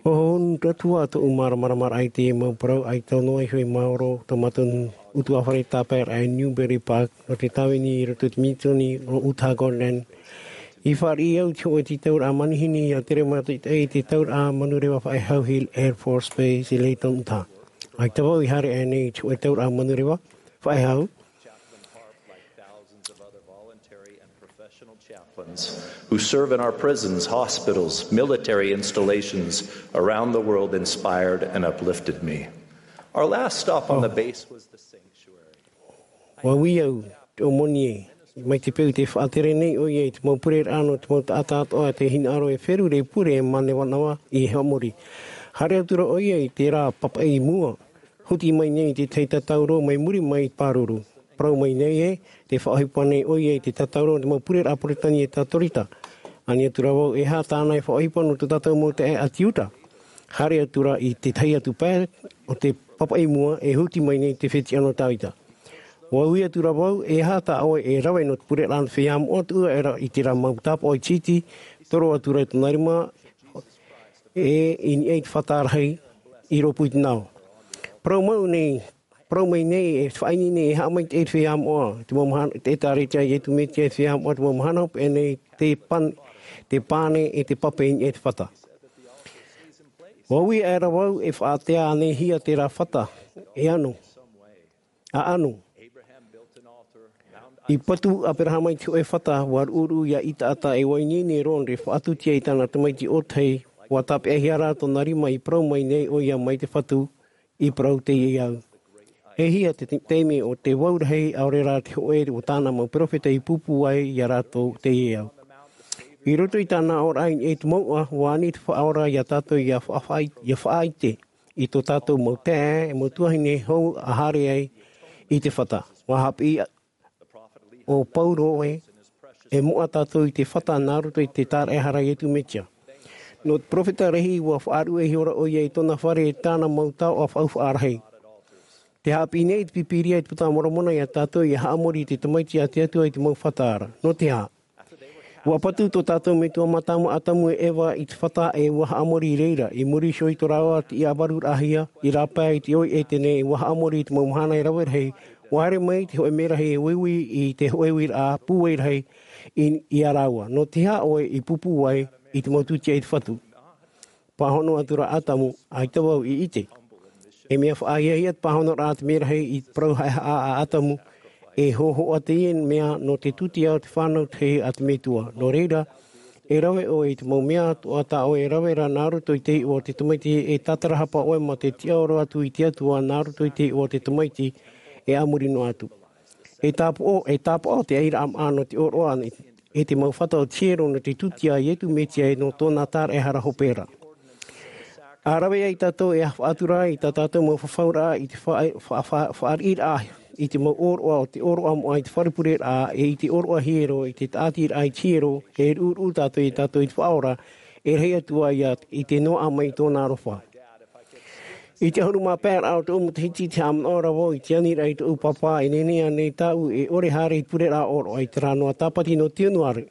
ʻUa hohonu atu ā tōʻu māramarama i te mau parau, ʻaita noa iho e maoro tō mātou ʻutuāfare tāpaeraʻa i Newbury Park, nō te tāvini i roto i te Minitoni o Otago Land. I fāriʻi au i te hōʻē tītauraʻa manihini ʻia tere mātou i te tauraʻa manureva faʻehau Hill Air Force Base i Layton, Utah. ʻAita vau i haere aʻe nei i te hōʻē tauraʻa manureva faʻehau. Chaplain Harp, like thousands of other voluntary and professional chaplains who serve in our prisons, hospitals, military installations around the world, inspired and uplifted me. Our last stop on the base was the sanctuary. ʻUa ui au, te ʻōmoni ē, mai te peu tē faʻatere nei ʻoia i te mau pureraʻa nō te mau taʻata atoʻa tē hinaʻaro e feruri pure e mānavanava i haʻamori. Haere atu ra ʻoia i terā papaʻi mua, huti mai nei i te tahi tatauro mai muri mai pāruru. Parau mai nei ē, tē faʻaʻohipa nei ʻoia i te tatauro nō te mau pureraʻa Peretānia Katorika. Ani atu ra vau, e aha tāna e faʻaʻohipa nō tō tātou mau taeaʻe ʻāti Iuta? Haere atu ra i te tahi atu pae o te papaʻi mua e huti mai nei te fetiʻa nō Tāvita. ʻUa ui atu ra vau, e aha tā ʻoe e rave nō te pureraʻa nō te feiā moʻa, tuʻu aʻera i terā mau tāpaʻo iti, toro atu ra i tōna rima, e i niʻa i te fata rahi i rōpū i te nao. Parau mau nei, parau mai nei, e faʻaineine e haʻamaitaʻi te feiā moʻa, te mau mahana, te ʻĒtārētia a Iesu Mesia i te feiā moʻa, te mau mahana hopeʻa nei, te pan-, te pane e te pape i niʻa i te fata. ʻUa ui aʻera vau, e faʻaātea ānei hia terā fata, e ʻano. ʻAʻano. I patu Aperahama i te hōʻē fata, ʻua ruʻuruʻu ia Isaaka, e ʻua ineine e Rōna, faʻatutia i tāna tamaiti ʻōtahi, ʻua tāpeʻahia rā tōna rima i parau mai nei ʻoia mai te Fatu, i parau teie au. E hia te te-, taime o te vau rahi, ʻaore rā te hōʻē o tāna mau peropheta i pūpū ai ia rātou teie au. I roto i tāna aʻoraʻa i niʻa i te mouʻa, ʻua ani te Faʻaora ia tātou ʻia faʻa-, ʻia faʻaʻite i tō tātou mau taeaʻe, mau tuahine hou a haere ai i te fata. ʻUa haʻapiʻi ʻo Paulo ē, e moʻa tātou i te fata nā roto i te tāraʻehara a Iesu Mesia. Nō te peropheta rahi, ʻua faʻaruʻe ihora ʻoia i tōna fare e tāna mau taoʻa faʻaufaʻa rahi. Tē haʻapiʻi nei te Pīpīria i te Puta Moromona ia tātou ʻia haʻamori i te tamaiti a te Atua i te mau fata ra. Nō te aha? ʻUa patu tō tātou metua mātāmua ʻĀtamu e Eva i te fata ʻe ʻua haʻamori i reira, i muri iho i tō rāua tiʻavaruraʻahia, i rāpae i te ʻoi ʻētene, ʻua haʻamori i te mau mahana e rave rahi, ʻua haere mai te hōʻē merahi e uiui i te hōʻē uiraʻa pūai rahi i, ia rāua. Nō te aha ʻoe i pūpū ai i te mau tūtia i te Fatu? Pāhono atu ra ʻĀtamu, ʻaita vau i ʻite. E mea faʻahiahia te pāhonoraʻa a te merahi i te parau haʻehaʻa a ʻĀtamu, e hōhoʻa teie mea nō te tūtia o te fānau tahi a te Metua. Nō reira, e rave ʻoe i te mau mea atoʻa tā ʻoe e rave ra nā roto i te iʻoa o te tamaiti, e tatarahapa ʻoe mā te tiʻaoro atu i te Atua nā roto i te iʻoa o te tamaiti, e a muri noa atu. E tāpaʻo, e tāpaʻo te airaʻa maʻa nō te ʻōroʻa e te mau fata o te hiero nō te tūtia a Iesu Mesia ʻe nō tōna tāraʻehara hopeʻa ra. ʻA rave ai tātou e faʻatura i tā tātou mau fafauraʻa i te fa-, fa-, fa-, fāriʻiraʻa i te mau ʻōroʻa o te ʻōroʻa moʻa i te fare pureraʻa ʻe i te ʻōroʻa hiero, i te tāʻatiraʻa i te hiero, e ruʻuruʻu tātou ia tātou i te Faʻaora, e rahi atu ā ia i te noaʻa mai i tōna aroha. I te ʻahuru mā pae raʻa o tōʻu matahiti, tē haʻamanaʻo ra vau i te aniraʻa i tōʻu pāpā, e nehenehe ānei tāʻu e ʻore haere i te pureraʻa ʻōroʻa i terā noa Tāpati nō Tianuare.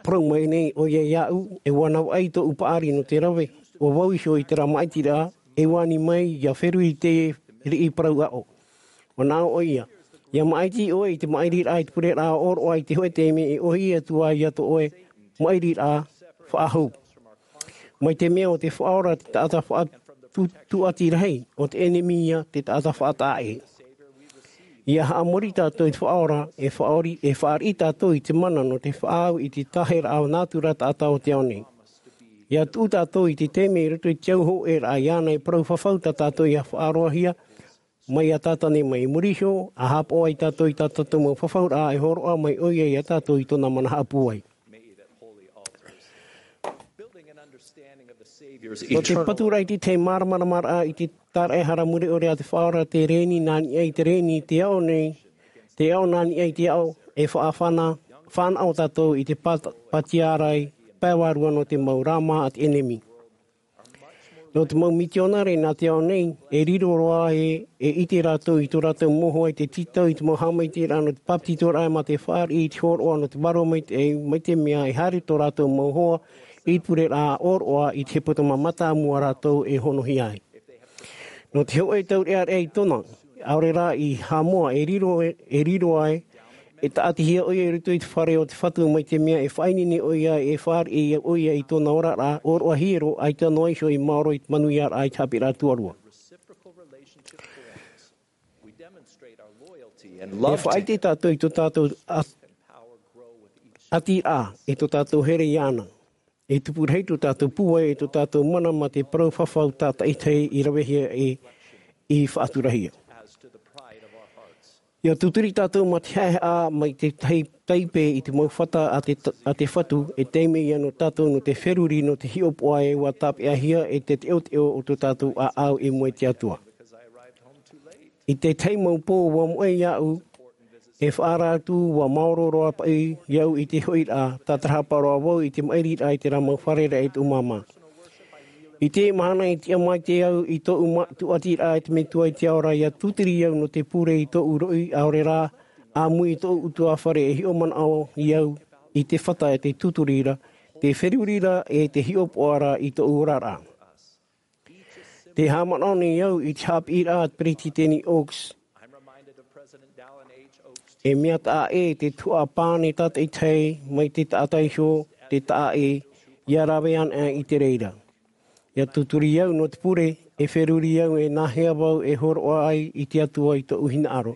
Parau mai nei ʻoia iāʻu, e ʻua navaʻi tōʻu paʻari nō te rave, ʻo vau iho i terā māʻitiraʻa, e ʻua ani mai ʻia feruri i te riʻi parau aʻo. ʻUa nā ʻō ʻoia, ʻia māʻiti ʻoe i te maʻiriraʻa i te pureraʻa ʻōroʻa i te hōʻē taime e ʻōhie atu ai iā tō ʻoe maʻiriraʻa faʻahou. Mai te mea ʻo te Faʻaora te taʻata faʻa-, tū-, tūʻati rahi, ʻo te ʻenemi ia te taʻata faʻataʻa ʻē. ʻIa haʻamori tātou i te Faʻaora, e faʻaori-, e fāriʻi tātou i te mana nō te faʻaau i te tāheraʻa nātura taʻata o te ao nei. ʻIa tuʻu tātou i te taime i roto i te au hōʻēraʻa iāna e parau fafau tā tātou ʻia faʻaroahia, mai iā Tātane mai. I muri iho, ʻa haʻapaʻo ai tātou i tā tātou mau fafauraʻa e hōroʻa mai ʻoia iā tātou i tōna mana haʻapūai. Nō te paturaʻa i te tahi māramaramaraʻa i te tāraʻehara mure ʻore a te Faʻaora, te rēni nā niʻa i te rēni, te aʻo nei, te aʻo nā niʻa i te aʻo, e faʻafana fānaʻo tātou i te pātiarai pae vārua nō te mau rāmā a te ʻenemi. Nō te mau mitionare nā te ao nei, e riro roa e ʻite rātou i tō rātou mau hoa i te tītau i te mau haʻamaitaʻiraʻa nō te pāpetitoraʻa mā te fāriʻi i te hōroʻa nō te vārua maitaʻi, mai te mea e haere tō rātou mau hoa i te pureraʻa ʻōroʻa i te hepetoma mātāmua rātou e honohia ai. Nō te hoʻe taureʻareʻa i tōna, ʻaore rā i haʻamoa e riro e riro ai, e taʻatihia ʻoia i roto i te fare o te fatu mai te mea e faʻaineine ʻoia e fāriʻi ʻoia i tōna oraraʻa ʻōroʻa hiero, ʻaita noa iho i maoro i te manuiaraʻa i te haʻapiʻiraʻa tuarua. E faʻaʻite tātou i tō tātou ʻatiraʻa e tō tātou here iāna. E tupu rahi tō tātou pūai e tō tātou mana mā te parau fafau tātaʻitahi i ravehia e i faʻaturahia. Ia tūturi tātou mā te haʻehaʻa mai te tahi taipe i te mau fata a te fatu e taime ia nō tātou nō te feruri nō te hiʻopoʻa e ua tāpeʻahia e te teʻoteʻo o tō tātou ʻāʻau i mua i te atua. I te tahi mau pō ua moʻe iāʻu e faʻaara atu ua maoro roa paʻi iāʻu i te hoʻiraʻa tātarahapa roa vau i te maʻiriraʻa i te rā mau fare raʻa i tōʻu māmā. I te mahana i tiʻa mai te au i tōʻu tūʻatiraʻa i te metua i te ao ra ia tūturi au nō te pure i tōʻu roʻi ʻaore rā ʻāmui i tōʻu utuafare e hiʻo manaʻo i au i te fata e te tūturi ra te feruri ra e te hiʻopoʻa ra i tōʻu oraraʻa. Te haʻamanaʻo nei au i te haʻapiʻiraʻa a te peretiteni Oaks. E mea taʻa ʻē te tuhaʻa pane tātaʻitahi mai te taʻata iho te taʻa ʻē ia rave ana i te reira. Ia tūturi au nō te pure e feruri au e nāhea vau e hōroʻa ai i te atua i tōʻu hinaʻaro.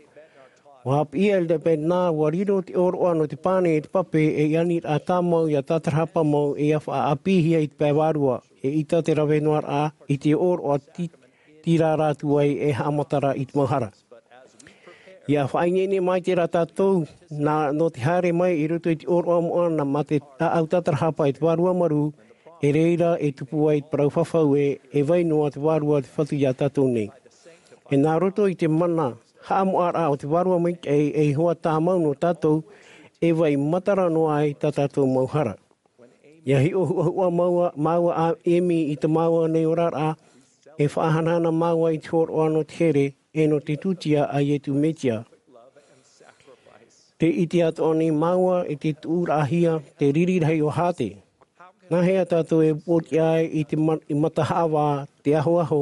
Ua haʻapiʻi a elder bednar ua riro te ʻōroʻa nō te pane e te pape e aniraʻa tāmau ia tātarahapa mau e ia faʻaʻāpīhia i te pae vārua. E ʻita te rave noa raʻa i te ʻōroʻa tīrā rātou ai e haʻamatara i te mau hara. Ia faʻaineine mai te rā tātou nō te haere mai i roto i te ʻōroʻa moʻa nā mā te ʻāʻau tātarahapa i te vārua marū. E reira e tupu ai te parau fafau e e vai noa te vārua te fatu iā tātou nei. E nā roto i te mana haʻamoʻaraʻa o te vārua maitaʻi e ihoa tāmau nō tātou e vai matara noa ai tā tātou mau hara. Ia hiʻo huʻahuʻa māua a emi i te māua nei oraraʻa e faʻahanahana māua i te hōroʻa nō te here e nō te tūtia a iesu mesia. Te ʻite atoʻa nei māua i te tuʻuraʻahia te riri rahi o hāte. Nāhea tātou e pōtiʻa ai i te matahaʻavā te ahoaho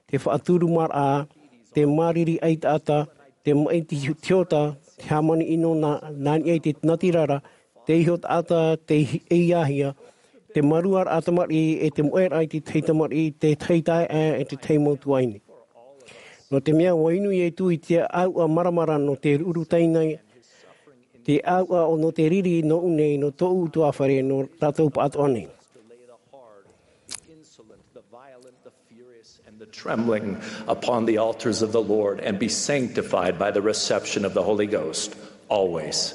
te faʻaturumaraʻa te māriri ʻaitaʻata te maʻi tiota te hāmani ʻino nā niʻa i te natirara te iho taʻata te ʻeiahia te maruaraʻa tamariʻi e te moʻeraʻa i te tahi tamariʻi te tahi taeaʻe e te tahi mau tuaʻine. Nō te mea ua inu iesu i te ʻāuʻa maramara nō te ruru taina te ʻāuʻa nō te riri nō ʻu nei nō tōʻu utuafare nō rātou pāʻatoʻa nei. And the trembling upon the altars of the Lord and be sanctified by the reception of the Holy Ghost always.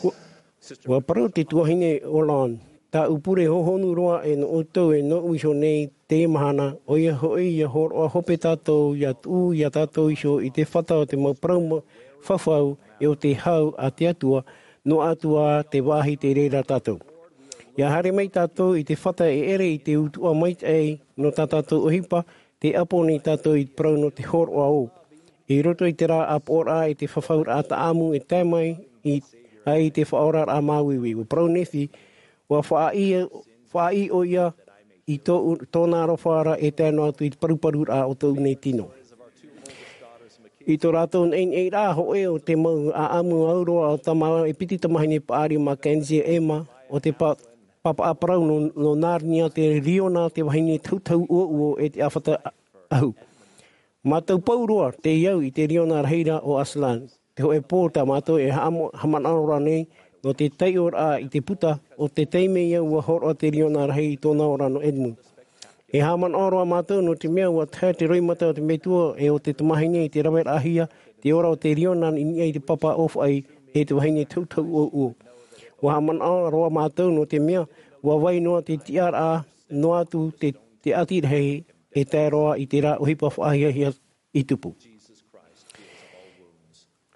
Ua parau te tuahine Holland, tāʻu pure hohonu roa e nō ʻoutou e nō ʻu iho nei teie mahana, ʻoia hoʻi ia hōroʻa hope tātou ia tuʻu iā tātou iho i te fata o te mau parau fafau e o te hau a te atua noa atu ā te vāhi tei reira tātou. Ia haere mai tātou i te fata e ʻere i te utuʻa maitaʻi nō tā tātou ʻohipa te ʻapo nei tātou i te parau nō te hōroʻa ō. I roto i te rā ʻāpoʻoraʻa i te fafauraʻa taʻamu e tae mai ai te faʻaoraraʻa māuiui ua parau nephi ua faʻaʻī ʻoia i tōna aroha ra e tae noa atu i te paruparuraʻa o tōʻu nei tino. I tō rātou neʻineʻiraʻa hoʻē o te mau ʻaʻamu auroa o tamaʻa e piti tamahine paʻari mā kenzie ema o te papaʻa parau nō nārnia te riona te vahine tautau uouo e te ʻāfata ahu. Mātou pau roa te iau i te riona rahi ra o aslan. Te hoʻē pō tā mātou e haʻamanaʻo ra nei nō te taiʻoraʻa i te puta o te taime ia ua hōroʻa te riona rahi i tōna ora nō edmu. E haʻamanaʻo roa mātou nō te mea ua tae te roimata o te metua e o te tamahine i te raveraʻahia te ora o te riona i niʻa i te papa ʻōfaʻi e te vahine tautau uouo. Ua haʻamanaʻo roa mātou nō te mea ua vai noa te tiʻaraʻa noa atu te ʻati rahi e tae roa i te rā ʻohipa faʻahiahia i tupu.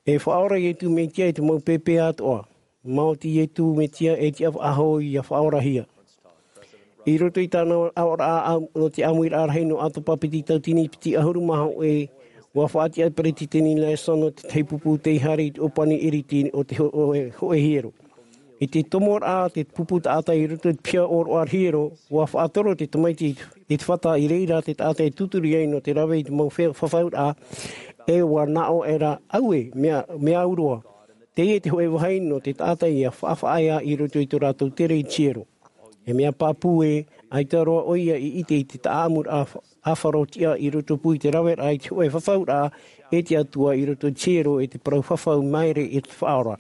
E faʻaora iesu mesia i te mau pēpē atoʻa. Maoti Iesu Mesia e tiʻa faʻahou ia faʻaorahia. I roto i tāna aʻoraʻa nō te ʻāmuiraʻa rahi nō Ato Papeti tauatini piti ʻahuru mā hōʻē, ua faʻatiʻa Peretiteni Nelson te tahi pupu tei haere i te ʻōpani ʻiriti o te hōʻē hiero. I te tomoraʻa te pupu taʻata i roto i te piha ʻōroʻa hiero, ua faʻatoro te tamaiti i te fata i reira te taʻata e tūturi ai nō te rave i te mau fafauraʻa, e ua naʻo ʻera, auē, mea au roa. Teie te hōʻē vāhi nō te taʻata ia faʻafaʻaea i roto i tō rātou tere i te hiero. E mea pāpū ē, ʻaita roa ʻoia i ʻite i te taʻamuraʻa ʻāfaro tiʻa i roto pū i te raveraʻa i te hōʻē fafauraʻa e te Atua i roto i te hiero e te parau fafau maere i te faʻaora.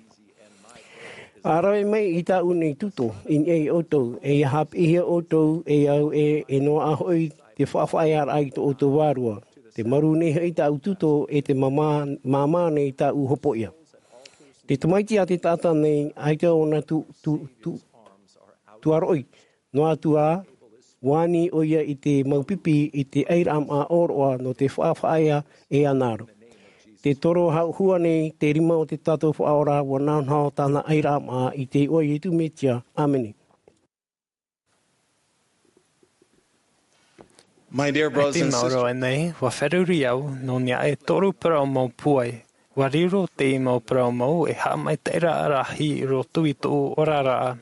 A rave mai i tāʻu nei tuto, i niʻa iā ʻoutou, e ia haʻapiʻihia ʻoutou e au ē, e noaʻa hoʻi te faʻafaʻaearaʻa i tō ʻoutou vārua. Te marū nei hoʻi tāʻu tuto e te māmā nei tāʻu hopoiʻa. Te tamaiti a te taʻata nei, ʻaita ʻōna tuaroʻi, noa atu ā, ua ani ʻoia i te mau pipi i te ʻairaʻa ʻōroʻa nō te faʻafaʻaea e ana ra. Te toro hauhua nei te rima o te tātou Faʻaora, ua nahonaho tāna ʻairaʻa i te iʻoa o Iesu Mesia. ʻĀmene. My dear brothers and sisters, maoro nei, ua feruri au nō niʻa e toru parau mau pūai. Ua riro teie mau parau mau e haʻamaitaʻiraʻa rahi i roto i tōʻu oraraʻa.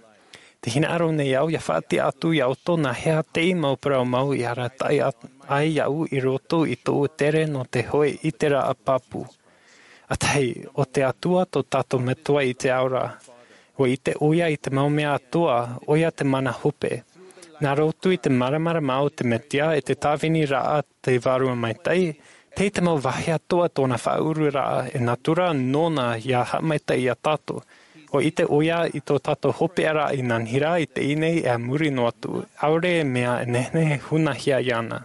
Te hinaʻaro nei au ia faʻatiʻa atu iā ʻoutou nā hea teie mau parau mau i arataʻi ai iaʻu i roto i tōʻu tere nō te hōʻē ʻiteraʻa pāpū. ʻA tahi, ʻo te Atua tō tātou Metua i te ao ra. Ua ʻite ʻoia i te mau mea atoʻa, ʻoia te mana hope. Nā roto i te māramarama o te Mesia e te tāviniraʻa te Vārua Maitaʻi, tei te mau vāhi atoʻa tōna faʻaururaʻa e nātura nōna ia haʻamaitaʻi iā tātou. Ua ʻite ʻoia i tō tātou hopeʻaraʻa i nā niʻa i teie nei e a muri noa atu, ʻaore e mea e nehenehe hunahia iāna.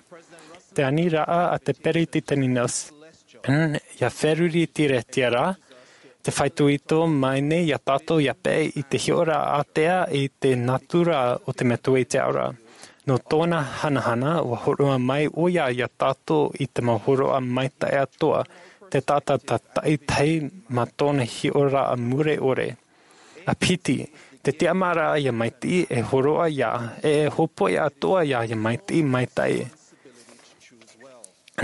Te aniraʻa a te Peretiteni Nelson, ia feruri tīretiʻa ra, te faʻaitoito mai nei iā tātou ia peʻe i te hiʻoraʻa ātea i te nātura o te Metua i te ao ra. Nō tōna hanahana, ua hōroʻa mai ʻoia iā tātou i te mau hōroʻa maitaʻi atoʻa, te taʻata tātaʻitahi mā tōna hiʻoraʻa mure ʻore. ʻA piti, te tiʻamāraʻa ia maitaʻi e hōroʻa ia, e e hopoiʻa atoʻa ia ia maitaʻi maitaʻi.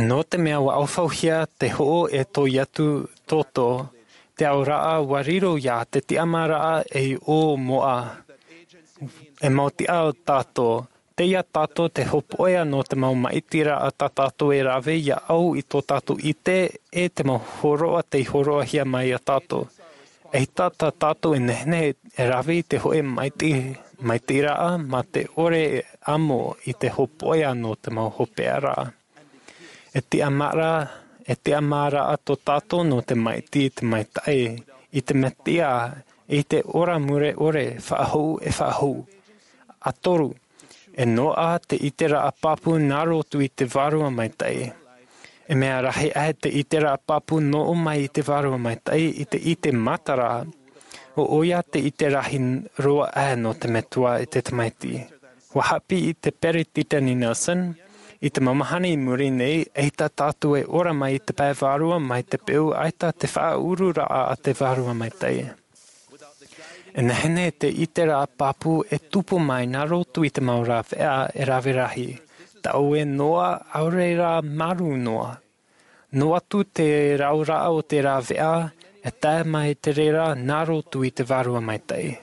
Nō te mea ua ʻaufauhia te hoʻo e tō Iesu toto, te aoraʻa ua riro ia te tiʻamāraʻa ei ʻō moʻa. E mau tiʻa o tātou, tei iā tātou te hopoiʻa nō te mau maitaʻiraʻa tā tātou e rave ia au i tō tātou ʻite e te mau hōroʻa tei hōroʻahia mai iā tātou. ʻAita tā tātou e nehenehe e rave i te hōʻē maitaʻi, maitaʻiraʻa mā te ʻore e amo i te hopoiʻa nō te mau hopeʻaraʻa. E tiʻamāraʻa, e tiʻamāraʻa tō tātou nō te maitaʻi i te maitaʻi, i te Mesia, i te ora mure ʻore, faʻahou e faʻahou. ʻA toru, e noaʻa te ʻiteraʻa pāpū nā roto i te Vārua Maitaʻi. E mea rahi aʻe te ʻiteraʻa pāpū nō ʻō mai i te Vārua Maitaʻi i te ʻite matara, ʻo ʻoia te ʻite rahi roa aʻe nō te Metua e te Tamaiti. Ua haʻapiʻi te Peretiteni Nelson, i te mau mahana i muri nei, ʻaita tātou e ora mai i te pae vārua mai te peu ʻaita te faʻaururaʻa a te Vārua Maitaʻi. E nehenehe te ʻiteraʻa pāpū e tupu mai nā roto i te mau rāveʻa e rave rahi, taʻu e noa, ʻaore rā marū noa. Noa atu te rauraʻa o te rāveʻa e tae mai te reira nā roto i te Vārua Maitaʻi.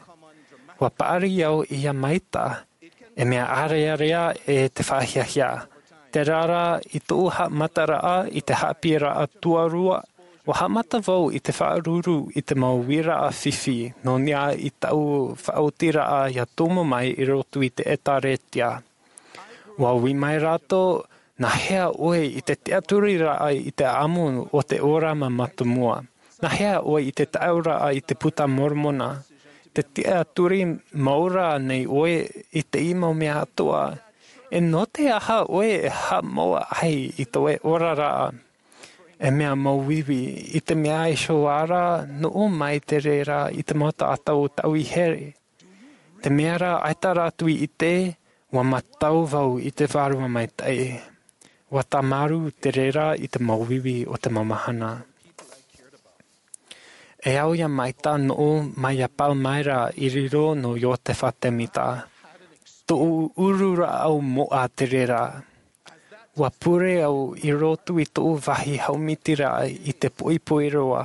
Ua paʻari au ia maitaʻi, e mea ʻārearea e te faʻahiahia. Terā rā i tōʻu haʻamataraʻa i te haʻapiʻiraʻa tuarua, ua haʻamata vau i te faʻaruru i te mau uiraʻa fifi, nō niʻa i tāʻu faʻaotiraʻa ia tomo mai i roto i te ʻĒtārētia. Ua ui mai rātou, nā hea ʻoe i te tiʻaturiraʻa i te ʻāʻamu o te ora mātāmua? Nā hea ʻoe i te taʻauraʻa i te Puta Moromona? Te tiʻaturi mau ra nei ʻoe i te mau mea atoʻa? E nō te aha ʻoe e haʻamau ai i tō ʻoe oraraʻa? E mea mau uiui, i te mea e hōroʻa ra, nō ʻō mai te reira i te mau taʻata o tāʻu i here. Te mea rā ʻaita rātou i ʻite, ua mātau vau i te Vārua Maitaʻi. Ua tāmarū te reira i te mau uiui o te mau mahana. E au ia maita noʻu mai ia Palmyra i riro nō Iosepha Semita. Tōʻu uru rāʻau moʻa te reira. Ua pure au i roto i tōʻu vāhi haʻamitiraʻa i te poʻipoʻi roa.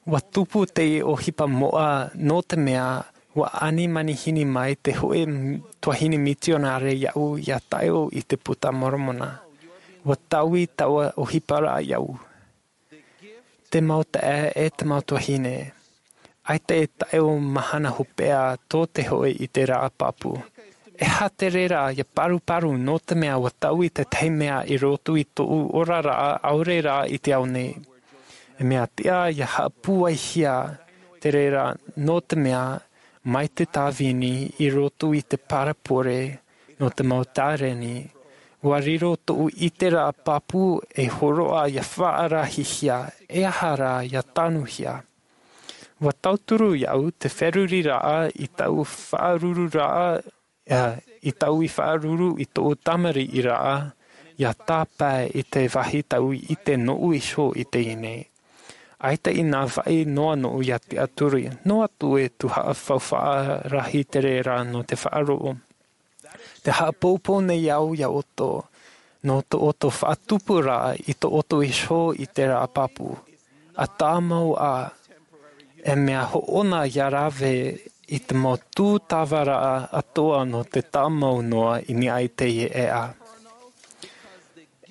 Ua tupu te ʻohipa moʻa nō te mea ua ani manihini mai te hōʻē tuahine mitionare iaʻu ia taʻeo i te puta Moromona. Ua taui taua ʻohipa rā iaʻu. Te mau taʻa e te mau tuahine. ʻAita e taʻeo mahana hopeʻa tō te hōʻē ʻiteraʻa pāpū. E aha te reira ia paruparu nō te mea ua taui tētahi mea i roto i tōʻu oraraʻa ʻaore rā i te ao nei. E mea tiʻa ia haʻapūaihia te reira nō te mea mai te tāvini i roto i te parapore nō te mau tāreni. Ua riro tōʻu ʻiteraʻa pāpū e hōroʻa ia faʻarahihia e aha rā ia tanuhia. Ua tauturu iaʻu te feruriraʻa i taʻu faʻarururaʻa i taʻu i faʻaruru i tōʻu tamariʻiraʻa ia tāpae i te vāhi taʻu i ʻite noʻu iho i teie nei. ʻAita i nā vaʻi noa noʻu ia tiʻaturi noa atu e tuhaʻa faufaʻa rahi te reira nō te faʻaroʻo. Te haʻapoupou nei au ia ʻoutou nō tō ʻoutou faʻatupuraʻa i tō ʻoutou iho ʻiteraʻa pāpū. A tāmau ā e mea hoʻona ia rave i te mau tūtavaraʻa atoʻa nō te tāmau noa i niʻa i teie ʻēʻa.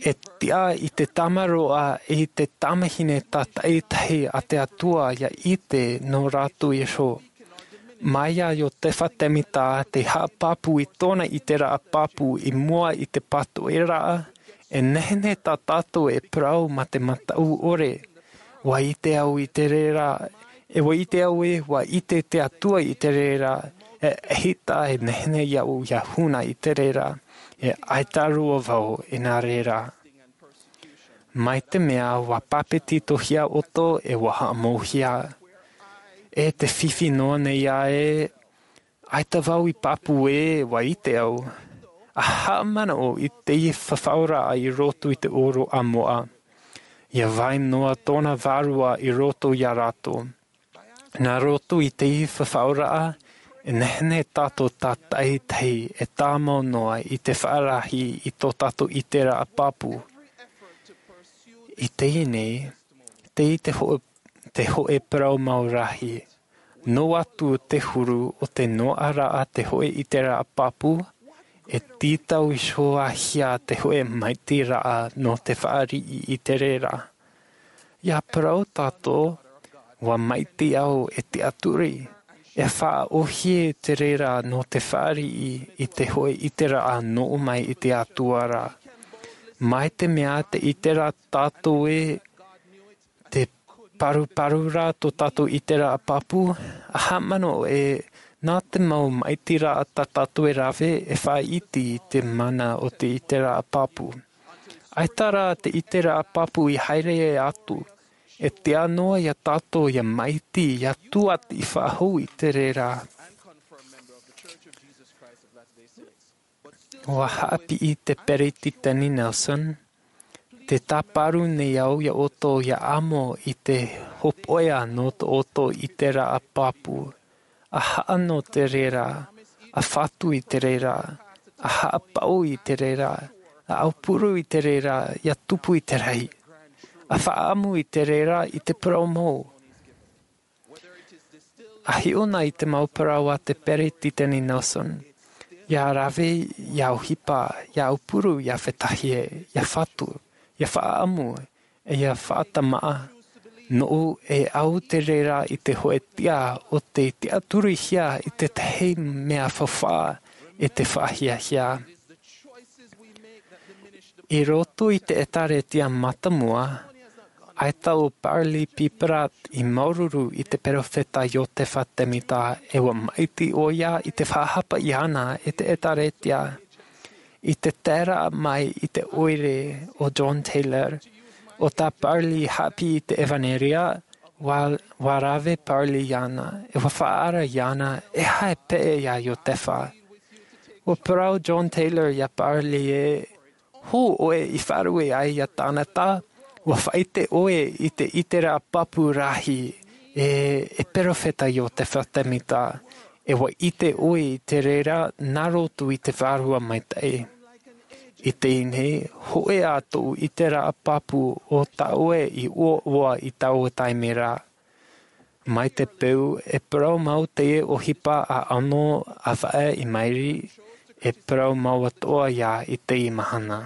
E tiʻa i te tamaroa e i te tamahine tātaʻitahi a te Atua ia ʻite nō rātou iho. Mai ia Iosepha Semita te haʻapāpū i tōna ʻiteraʻa pāpū i mua i te pātoʻiraʻa, e nehenehe tā tātou e parau mā te mataʻu ʻore. Ua ʻite au i te reira, e ua ʻite au e ua ʻite te Atua i te reira, e ʻaita e nehenehe iaʻu ia huna i te reira, e ʻaita roa vau i nā reira. Mai te mea ua pāpetitohia ʻoutou e ua haʻamauhia. E te fifi noa nei ā e, ʻaita vau i pāpū e ua ʻite au. A haʻamanaʻo i teie fafauraʻa i roto i te ʻōroʻa moʻa. Ia vai noa tōna vārua i roto ia rātou. Nā roto i teie fafauraʻa, e nehenehe tātou tātaʻitahi e tāmau noa i te faʻarahi i tō tātou ʻiteraʻa pāpū. I teie nei, tei te hōʻē, te hōʻē parau mau rahi. Noa atu te huru o te noaʻaraʻa te hōʻē ʻiteraʻa pāpū, e tītau iho ā hia te hōʻē maitiraʻa nō te fāriʻi i te reira. Ia parau tātou, ua maiti au e tiʻaturi, e faʻaʻohie te reira nō te fāriʻi i te hōʻē ʻiteraʻa nō ʻō mai i te Atua ra. Mai te mea te ʻiteraʻa tātou e te paruparu rā tō tātou ʻiteraʻa pāpū, a haʻamanaʻo e nā te mau maitiraʻa tā tātou e rave e faʻaiti i te mana o te ʻiteraʻa pāpū. ʻAita rā te ʻiteraʻa pāpū i haere atu, e tiʻa noa ia tātou ia maiti, ia tūʻati faʻahou i te reira. Ua haʻapiʻi te Peretiteni Nelson, tē tāparu nei au ia ʻoutou ia amo i te hōpoiʻa nō tō ʻoutou ʻiteraʻa pāpū, a haʻa nō te reira, a fatu i te reira, a haʻapaʻo i te reira, a aupuru i te reira, ia tupu i te rahi, a faʻaʻamu i te reira i te parau mau. A hiʻo na i te mau parau a te Peretiteni Nelson, ia rave, ia ʻohipa, ia aupuru, ia fetahia, ia fatu, ia faʻaʻamu, e ia faʻatamaʻa. Noʻu e au te reira i te hōʻē tiʻa o te tiʻaturihia i tētahi mea faufaʻa e te faʻahiahia. I roto i te ʻētāretia mātāmua, ʻaita ʻo Parley P. Pratt i māuruuru i te peropheta Iosepha Semita e ua maiti ʻoia i te faʻahapa iāna e te ʻētāretia. I te taeraʻa mai i te ʻoire o John Taylor, ʻo tā Parley haʻapiʻi i te ʻevanelia, ua, ua rave Parley iāna, e ua faʻaara iāna, e aha e peʻe ia Iosepha. Ua parau John Taylor ia Parley e, hou ʻoe i faʻarue ai ia tāna taʻata, ua faʻaʻite ʻoe i te ʻiteraʻa pāpū rahi, E, e perofeta Iotefa Temita, e ʻua ʻite ʻoe i te reira nā roto i te Vārua Maitaʻi. I teie nei, hōʻē ā tōʻu ʻiteraʻa pāpū ʻo tā ʻoe i ʻoaʻoa i taua taime ra. Mai te peu, e parau mau teie ʻohipa ʻa ʻAno, ʻa Vaʻa, i maʻiri, e parau mau atoʻa ia i teie mahana.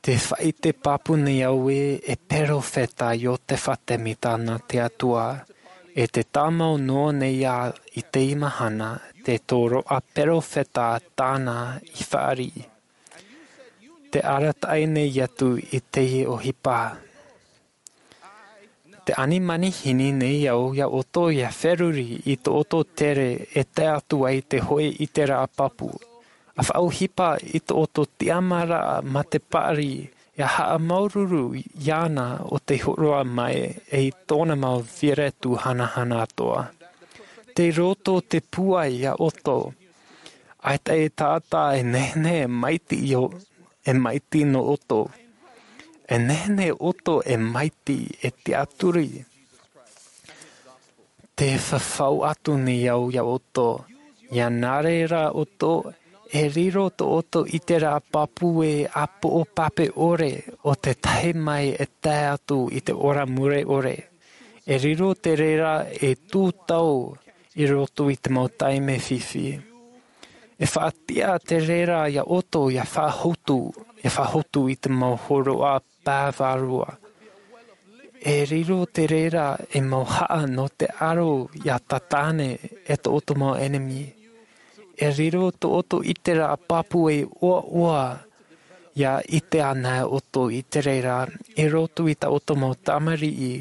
Tē faʻaʻite pāpū nei au ē, e perofeta Iotefa Temita nā te Atua, e tē tāmau noa nei ā i teie mahana, te tōroʻa perofeta tāna i fāriʻi. Tē arataʻi nei atu i teie ʻohipa. Tē ani manihini nei au ia ʻoutou ʻia feruri i tō ʻoutou tere e tae atu ai te hōʻē ʻiteraʻa pāpū. ʻA faʻaʻohipa i tō ʻoutou tiʻamāraʻa mā te paʻari, ʻia haʻamāuruuru iāna ʻo tei hōroʻa mai e i tōna mau feiā tū hanahana atoʻa. Tei roto te pūai ia ʻoutou. ʻAita e taʻata e nehenehe e maitaʻi ʻo, e maitaʻi nō ʻoutou. E nehenehe ʻoutou e maitaʻi, e tiʻaturi. Tē fafau atu nei au ia ʻoutou. ʻIa nā reira ʻoutou, e riro tō ʻoutou ʻiteraʻa pāpū e ʻāpoʻo pape ʻore ʻo te tahi mai e tae atu i te ora mure ʻore. E riro te reira e tūtau i roto i te mau taime fifi. E faʻatiʻa te reira ia ʻoutou ʻia faʻahotu, ʻia faʻahotu i te mau hōroʻa pae vārua. E riro te reira e mau haʻa nō te aro ʻia tātane e tō ʻoutou mau ʻenemi. E riro tō ʻoutou ʻiteraʻa pāpū e ʻoaʻoa ʻia ʻite anaʻe ʻoutou i te reira, i roto i tā ʻoutou mau tamariʻi,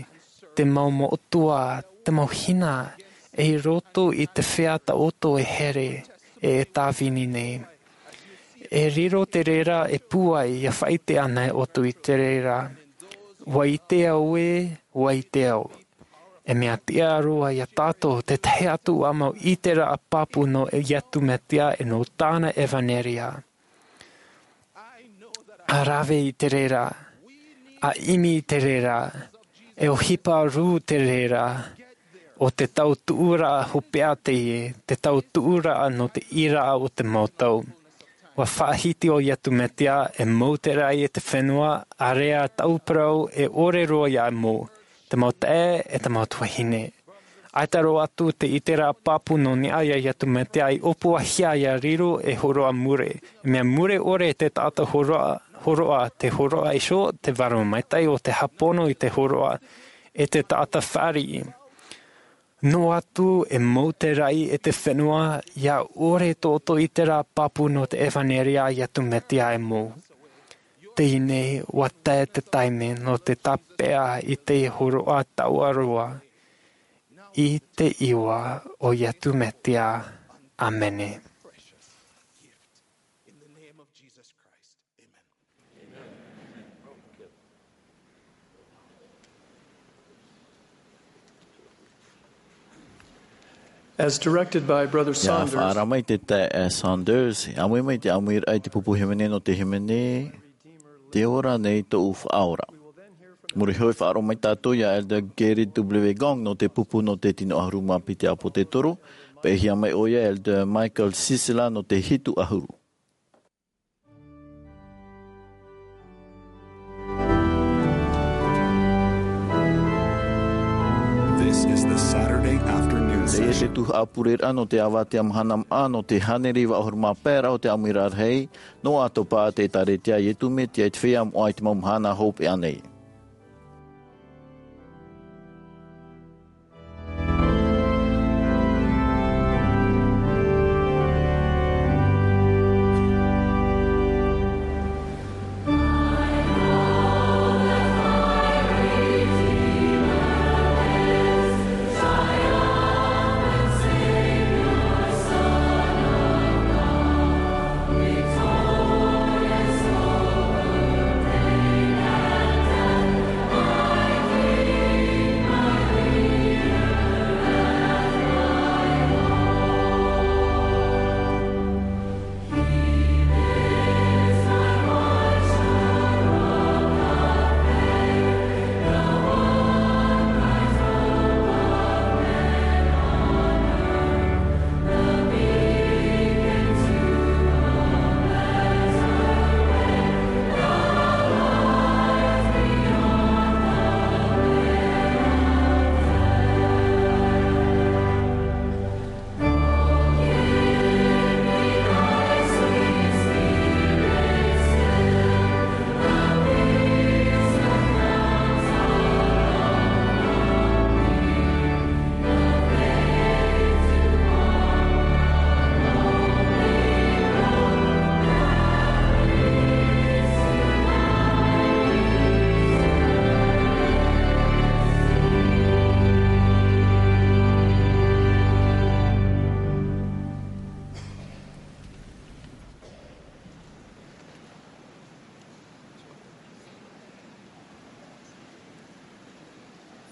te mau moʻotua, te mau hina, e i roto i te feiā tā ʻoutou e here, e e tāvini nei. E riro te reira e pūai ʻia faʻaʻite anaʻe ʻoutou i te reira. ʻUa ʻite au ē, ʻua ʻite au. E mea tiʻa roa ia tātou te tahi atu ā mau ʻiteraʻa pāpū nō Iesu Mesia e nō tāna ʻevaneria. ʻA rave i te reira, ʻa ʻimi i te reira, e ʻohipa rū te reira, ʻo te tautuʻuraʻa hopeʻa teie, te tautuʻuraʻa nō te ʻīraʻa o te mau tau. ʻUa faʻahiti ʻo Iesu Mesia e mau teraʻi e te fenua, ʻāreʻa tāʻu parau e ʻore roa ia mou, te mau taeaʻe e te mau tuahine. ʻAita roa atu te ʻiteraʻa pāpū nō niʻa ia Iesu Mesia i ʻōpuahia ʻia riro e hōroʻa mure. E mea mure ʻore te taʻata hōroʻa, hōroʻa, te hōroʻa iho, te Vārua Maitaʻi ʻo tē hāpono i te hōroʻa, e te taʻata fāriʻi. Noa atu e mau teraʻi e te fenua, ʻia ʻore tō ʻoutou ʻiteraʻa pāpū nō te ʻevaneria a Iesu Mesia e mou. Teie nei, ʻua tae te taime nō te tāpeʻa i te hōroʻa taua roa. I te iʻoa o Iesu Mesia. ʻĀmene. As directed by Brother Saunders. Ia faʻaara mai te taeaʻe Saunders, ʻāmui mai te ʻāmuiraʻa i te pupu hīmene nō te hīmene, Tē ora nei tōʻu Faʻaora. Muri iho e faʻaroʻo mai tātou ia Elder Gary W. Gong nō te pupu nō te tino ʻahuru mā piti ʻāpōsetolo, pēhia mai ʻoia Elder Michael Sisela nō te hitu ʻahuru. This is the Saturday afternoon session. Teie te tuhaʻa pureraʻa nō te avatea mahana maʻa nō te hānere iva ʻahuru mā pae ra o te ʻāmuiraʻa rahi, nō ʻAtopa, te ʻĒtārētia a Iesu Mesia i te feiā moʻa i te mau mahana hopeʻa nei.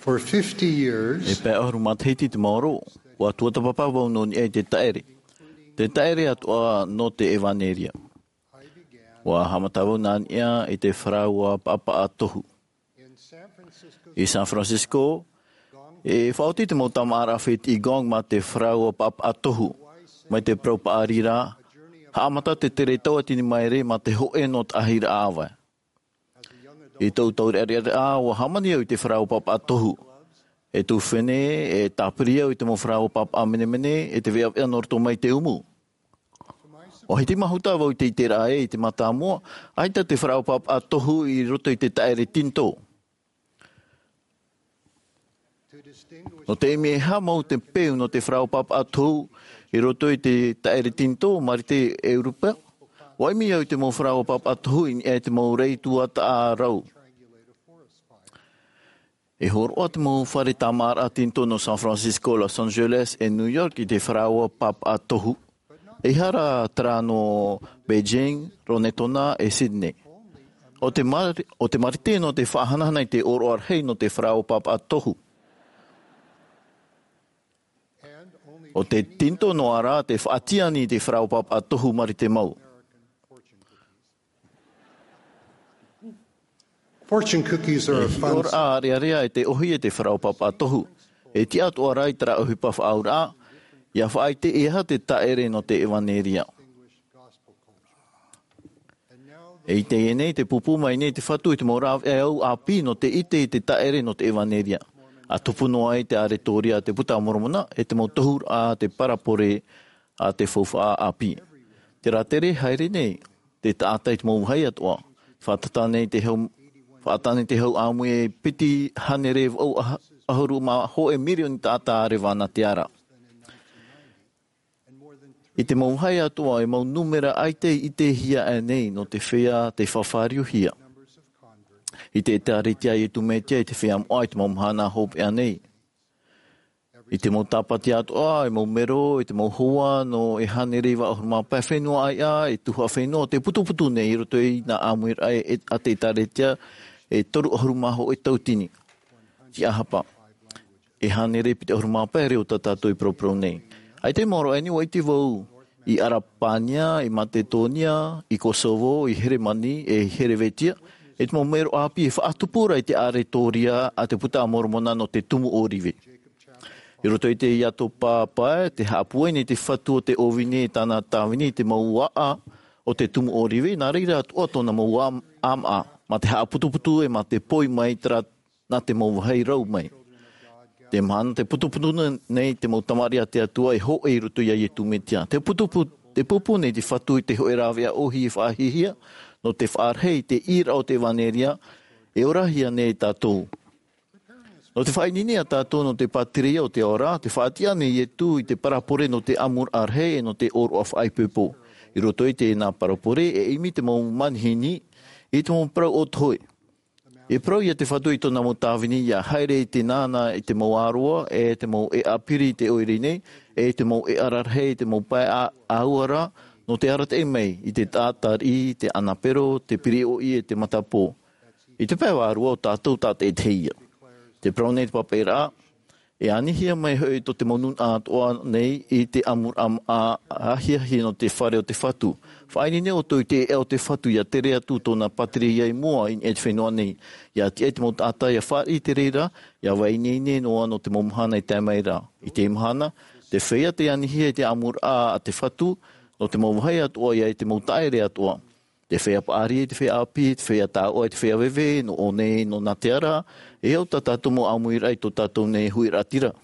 For fifty years, e pae ʻahuru matahiti te maoro, ua tuatāpapa vau nō niʻa i te taʻere. Te taʻere atoʻa nō te ʻevaneria. Ua haʻamata vau nā niʻa i te faraua paʻapaʻa tohu. I San Francisco, e faʻaoti te mau tāmāʻaraʻa fētiʻi gong mā te faraua paʻapaʻa tohu. Mai te parau paʻari ra, haʻamata te tere tauatini maere mā te hōʻē nō te ʻāhiraʻa ʻāvae. I tōʻu taureʻareʻa, ua hāmani au i te faraua paʻapaʻa tohu. E tuʻu fēnei, e tāpiri au i te mau faraua paʻapaʻa menemene, e te veʻaveʻa nō roto mai te umu. ʻUa hiti mahuta vau i te iteraʻa ē i te mātāmua, ʻaita te faraua paʻapaʻa tohu i roto i te taʻere tinitō. Nō te ʻimi e aha mau te peu nō te faraua paʻapaʻa tohu i roto i te taʻere tinitō, marite ʻEuropa, ua ʻimi au i te mau faraua paʻapaʻa tohu i niʻa i te mau rei tuatāʻa rau. E hōroʻa te mau fare tāmāʻaraʻa tinitō nō San Francisco, Los Angeles, e New York i te faraua paʻapaʻa tohu. ʻEiaha rā terā nō Beijing, Rarotonga, e Sydney. ʻO te mar-, ʻo te marite nō te faʻahanahana i te ʻōroʻa rahi nō te faraua paʻapaʻa tohu. ʻO te tinitō noa rā te faʻatiani i te faraua paʻapaʻa tohu marite mau. Fortune cookies are a fun hiʻoraʻa ʻārearea e te ʻohi e te faraua paʻapaʻa tohu. E tiʻa atoʻa rā i terā ʻohipa faʻaauraʻa, ʻia faʻaʻite e aha te taʻere nō te ʻevaneria. E i teie nei, te pūpū mai nei te Fatu i te mau rāveʻa e au ʻāpī nō te ʻite i te taʻere nō te ʻevaneria. ʻA tupu noa ai te ʻaretoria a te Buka a Moromona, e te mau tohuraʻa a te parabole a te faufaʻa ʻāpī. Terā tere haere nei, te taʻata i te mau vāhi atoʻa. Faʻataʻa nei te hau, faʻataʻa nei te hau ʻāmui e piti hānere vaʻu ʻah-, ʻahuru mā hōʻē mirioni taʻata ʻārevaʻa nā te ara. I te mau vāhi atoʻa, e mau nūmera ʻaita i ʻitehia aʻe nei nō te feiā tei fāriuhia i te ʻĒtārētia a Iesu Mesia i te feiā moʻa i te mau mahana hopeʻa nei. I te mau tāpati atoʻa, e mau mero, i te mau hoa, nō e hānere iva ʻahuru mā pae fenua ʻāiʻa, e tuhaʻa fenua, tē putuputu nei i roto i nā ʻāmuiraʻa e, a te ʻĒtārētia, e toru ʻahuru mā hōʻē tauatini. Tiʻahapa. E hānere piti ʻahuru mā pae reo tā tātou i paraparau nei. ʻAita i maoro aʻe nei, ʻua ʻite vau, i ʻArapānia, i Matetōnia, i Kosovo, i Heremani, e i Herevetia, e te mau mero ʻāpī e faʻatupu ra i te ʻaretoria a te Buka a Moromona nō te tumu ʻōrive. I roto i te Iatopa pae, tē haʻapūai nei te Fatu o te ʻōvini e tāna tāvini i te mau ʻāʻa o te tumu ʻōrive, nā reira atoʻa tōna mau ʻā-, ʻāmaʻa, mā te haʻaputuputu e mā te poi mai terā nā te mau vāhi rau mai. Te mahana tē putuputu nei te mau tamariʻi a te Atua e hōʻē i roto ia Iesu Mesia. Tē putupu-, tē pūpū nei te Fatu i te hōʻē rāveʻa ʻohi e faʻahiahia, nō te faʻarahi i te ʻīraʻa o te ʻevaneria, e orahia nei tātou. Nō te faʻaineine ia tātou nō te pātireia o te ao ra, tē faʻatiʻa nei Iesu i te parabole nō te ʻamuraʻa rahi e nō te ʻōroʻa faʻaipoipo. I roto i teie nā parabole, e ʻimi te mau manihini i te mau parau ʻōtohe. E parau ia te Fatu i tōna mau tāvini ʻia haere i te nānā i te mau ʻāroa, e te mau ʻēʻa piri i te ʻoire nei, e te mau ʻēʻa rarahi i te mau pae ʻa-, ʻāua ra, nō te arataʻi mai i te taʻata riʻi, te anapero, te piriʻoʻi, e te matapō. I te pae vārua ʻo tātou tātaʻitahi ïa. Tē parau nei te papaʻiraʻa, e anihia mai hoʻi tō te mau nūnaʻa atoʻa nei i te ʻamuraʻa ahiahi nō te fare o te Fatu. Faʻaineine ʻoutou i te ʻēʻa o te Fatu ʻia tere atu tōna pātireia i mua i niʻa i te fenua nei. ʻIa tiʻa i te mau taʻata ʻia fāriʻi i te reira, ʻia faʻaineine noa nō te mau mahana i tae mai ra. I teie mahana, te feiā tei anihia i te ʻamuraʻa a te Fatu, nō te mau vāhi atoʻa ʻia i te mau taʻere atoʻa. Te feiā paʻari, te feiā ʻāpī, te feiā tāuʻa, te feiā veve, nō ʻō nei, nō nā te ara, e au tā tātou mau ʻāmuiraʻa i tō tātou nei huiraʻatira.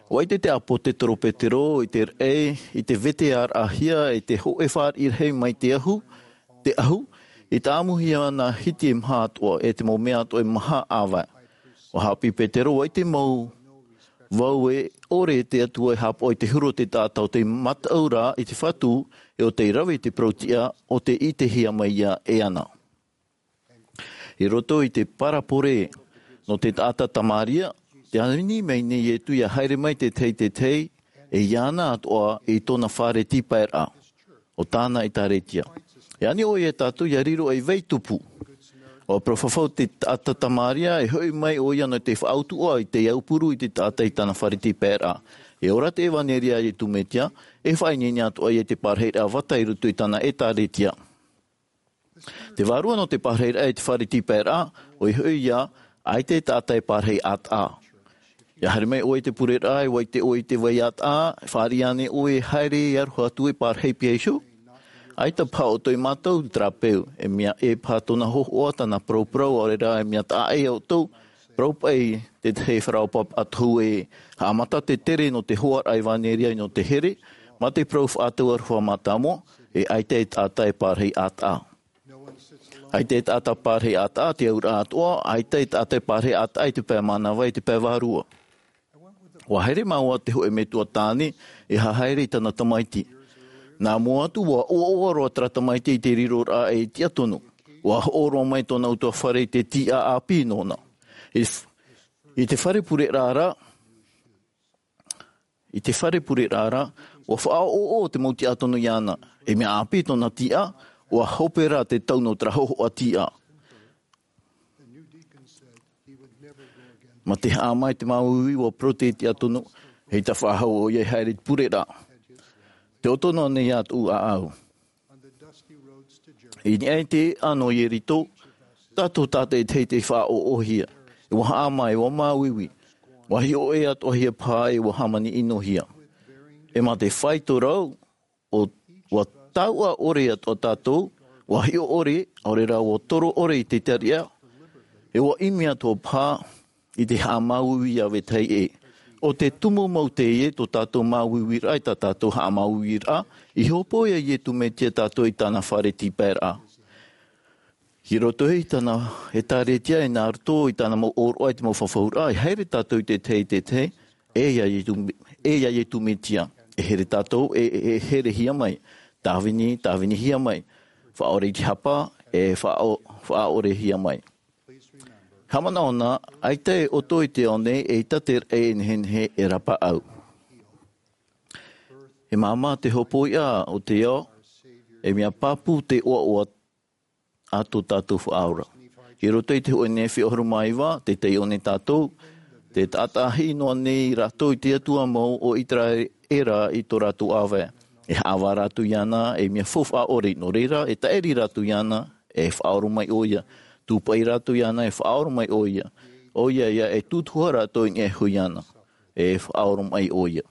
ʻUa ʻite te ʻāpōsetolo Petero, i te raʻi, i te vetearaʻahia, i te hōʻē fāriʻi rahi mai te ahu, te ahu, i tāʻamuhia nā hiti e maha atoʻa, e te mau mea atoʻa e maha ʻāvae. ʻUa haʻapiʻi Petero, ʻua ʻite mau vau e ʻore te Atua e haʻapaʻo i te huru o te taʻata ʻo tei mataʻu ra i te Fatu, e ʻo tei rave i te parau-tiʻa, ʻo tei ʻitehia mai ïa e ana. I roto i te parabole nō te taʻata Tamaria, tē ani mai nei Iesu ʻia haere mai te tahi, te tahi, e iāna atoʻa i tōna fare tīpaeraʻa, ʻo tāna ʻĒtārētia. E ani ʻoia ia tātou ʻia riro ei vai tupu. ʻUa parau fafau te taʻata Tamaria, e hoʻi mai ʻoia nō te faʻautuʻa i te aupuru i te taʻata i tāna fare tīpaeraʻa. E ora te ʻevanelia a Iesu Mesia, e faʻaineine atoʻa ia i te pārahiraʻa vata i roto i tāna ʻētāretia. Te vārua nō te pārahiraʻa i te fare tīpaeraʻa, ʻoia hoʻi ia, ʻaita e taʻata e pārahi ʻātaʻa. ʻIa haere mai ʻoe i te pureraʻa, ʻua ʻite ʻoe i te vai ʻātaʻa, e fāriʻi ānei ʻoe e haere e aroha atu e pārahi paʻi iho? ʻAita paha ʻoutou e mātau terā peu, e mea ʻē paha tōna hōhoʻa, tāna parauparau, ʻaore rā e mea taʻa ʻē ia ʻoutou, parau paʻi te tahi e faraopa atohu e haʻamata te tere nō te hoʻaraʻa ʻevanelia nō te here, mā te parau faʻatau aroha mātāmua, e ʻaita e taʻata e pārahi ʻātaʻa. ʻAita e taʻata pārahi ʻātaʻa, te auraʻa atoʻa, ʻaita e taʻata e pārahi ʻātaʻa i te pae mānava, i te pae vārua. ʻUa haere māua te hōʻē metua tāne, e hahaere i tāna tamaiti. Nā mua atu, ʻua ʻoaʻoa roa terā tamaiti i te riroraʻa e tiʻa tonu. ʻUa hoʻo roa mai tōna ʻutuāfare i te tiʻa ʻāpī nōna. I, i te fare pureraʻa ra, i te fare pureraʻa ra, ʻua faʻaʻoʻoʻo te mau tiʻa tonu iāna. E mea ʻāpī tōna tiʻa, ʻua hope rā te tau nō terā hōhoʻa tiʻa. Mā te haʻamā i te māuiui, ʻua parau te tiʻa tonu, ʻeita faʻahou ʻoia e haere i te pureraʻa. Tē ʻoto noa nei ā tōʻu ʻāʻau. I niʻa i te ʻēʻa nō Ieriko, tātou tātaʻitahi tei faʻaʻoʻohia. E ʻua haʻamā, e ʻua māuiui. ʻUa hiʻo ʻē atoʻahia paha, e ʻua hāmani ʻinohia. E mā te faito rau, ʻo, ʻua tauʻa ʻore atoʻa tātou, ʻua hiʻo ʻore, ʻaore rā ʻua toro ʻore i te tariʻa, e ʻua ʻimi atoʻa paha i te haʻamāuiui iā vetahi ʻē. ʻO te tumu mau teie tō tātou māuiuiraʻa, i tā tātou haʻamāuiuiraʻa, i hōpoi ia Iesu Mesia tātou i tāna fare tīpaeraʻa. I roto i tāna ʻētāretia, e nā roto i tāna mau ʻōroʻa i te mau fafauraʻa, e haere tātou i te tahi, te tahi, e ia Iesu, e ia Iesu Mesia. E here tātou, e, e, e herehia mai. Tāvini, tāvinihia mai. Faʻaʻore i te hapa, e faʻa-, faʻaʻorehia mai. Haʻamanaʻo na, ʻaita e ʻoto i te ao nei, ʻeita te raʻi e nehenehe e rapaʻau. E māmā te hōpoiʻa o te ao, e mea pāpū te ʻoaʻoa a tō tātou Faʻaora. I roto i te hōʻē Nephi ʻahuru mā iva, tē taiʻo nei tātou, tē taʻataʻahiʻi noa nei rātou i te Atua mau o ʻĪteraʻera i tō rātou ʻāvae. E haʻavā rātou iāna, e mea faufaʻa ʻore, nō reira, e taʻiri rātou iāna, e faʻaoromaʻi ʻoia. Tūpaʻi rātou iāna, e faʻaoromaʻi ʻoia. ʻOia ia, e tūtuhā rātou i niʻa iho iāna. E faʻaoromaʻi ʻoia.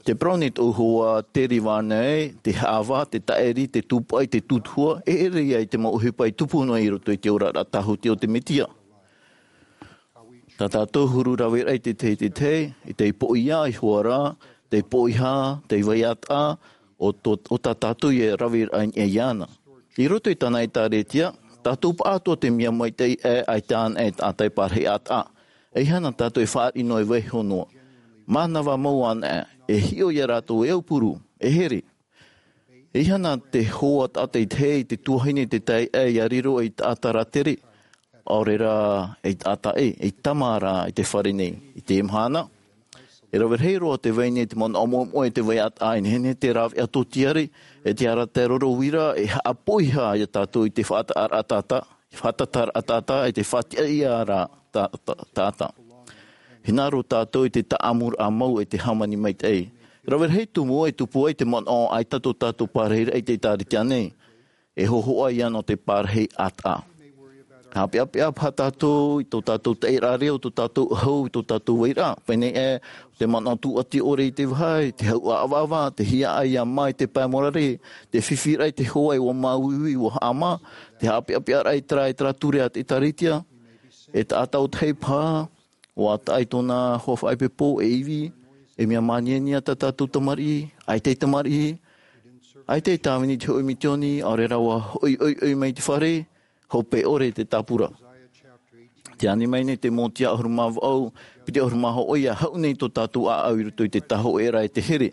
Tē parau nei tōʻu hoa Terry Varner, te haʻavā, te taʻiri, te tūpaʻi, te tūtuhā, e ʻere ia i te mau ʻohipa i tupu noa i roto i te oraraʻa tāhuti o te Mesia. Tā tātou huru raveraʻa i te tahi, te tahi, i te poʻia, i hoara, te poʻihā, te vai ʻātaʻa, o tō, o tā tātou ia raveraʻa i niʻa iāna. I roto i tāna ʻētāretia, tātou paʻatoʻa te mea maitaʻi ʻē, ʻaita anaʻe e taʻata e pārahi ʻātaʻa. ʻEiaha na tātou e fāriʻi noa e vaiiho noa. Mānava mau anaʻe, e hiʻo ia rātou e aupuru, e here. ʻEiaha na te hoa tātaʻitahi, te tuahine, te taeaʻe, ʻia riro ei taʻata rātere, ʻaore rā ei taʻata ʻē, ei tama rā i te fare nei, i teie mahana. E rave rahi roa te vai nei, te manaʻo moemoe, te vai ʻātaʻa, e nehenehe te rāveʻa tōtiare, e te arataʻi roro uira, e haʻapoʻihā ia tātou i te faʻataʻaraʻa taʻata, faʻataʻaraʻa taʻata, e te faʻatiʻaʻiraʻa tā-, tā-, taʻata. Hinaʻaro tātou i te taʻamuraʻa mau e te hāmani maitaʻi. Rave rahi tumu e tupu ai te manaʻo ʻaita tō tātou pārahiraʻa i te ʻētāretia nei. E hōhoʻa ia nō te pārahi ʻātaʻa. Haʻapeʻapeʻa paha tātou i tō tātou taʻiraʻa reo, tō tātou ʻahu, i tō tātou vairaʻa. Pēnei ē, te manaʻo tūʻati ʻore i te vahi, te hau ʻāvaʻava, te hiaʻai ia mā i te pae morare, te fifi raʻa i te hoa e ʻua māuiui, ʻua haʻamā, te haʻapeʻapeʻaraʻa i terā, i terā ture a te ʻētāretia. E taʻata ʻōtahi paha, ʻua taʻa i tōna hoa faʻaipoipo, e ivi, e mea māniania tā tātou tamariʻi, ʻaita e tamariʻi, ʻaita e tāvini i te hōʻē misiōni, ʻaore rā ʻua hoʻi ʻoiʻoi mai i te fare, hope ʻore te tāpura. Tē ani mai nei te Mōtia ʻahuru mā vaʻu, piti ʻahuru mā hōʻē, ʻia haʻu nei tō tātou ʻāʻau i roto i te tāhōʻēraʻa e te here.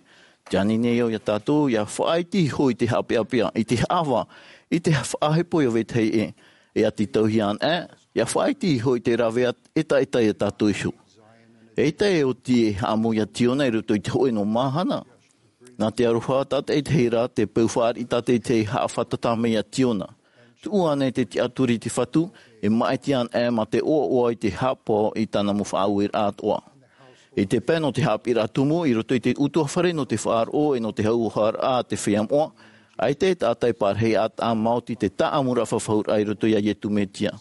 Tē ani nei au ia tātou, ʻia faʻaiti iho i te haʻapeʻapeʻa, i te haʻavā, i te faʻahepo ia vetahi ʻē, e ʻati tauihaʻa anaʻe, ʻia faʻaiti iho i te rāveʻa ʻetaʻeta ia tātou iho. ʻEita e oti e haʻamou ia Tiona i roto i te hōʻē noa mahana. Nā te aroha tātaʻitahi ra, te peu fāriʻi tātaʻitahi haʻafātata mai ia Tiona. tuʻu ana i te tiʻaturi i te Fatu, e māʻiti ana ʻē mā te ʻoaʻoa i te haʻapaʻo i tāna mau faʻaueraʻa atoʻa. I te pae nō te haʻapiʻiraʻa tumu, i roto i te ʻutuāfare nō te faʻaroʻo e nō te hauharaʻa a te feiā moʻa, ʻaita e taʻata e pārahi ʻātaʻa maoti te tāʻamuraʻa fafauraʻa i roto iā Iesu Mesia.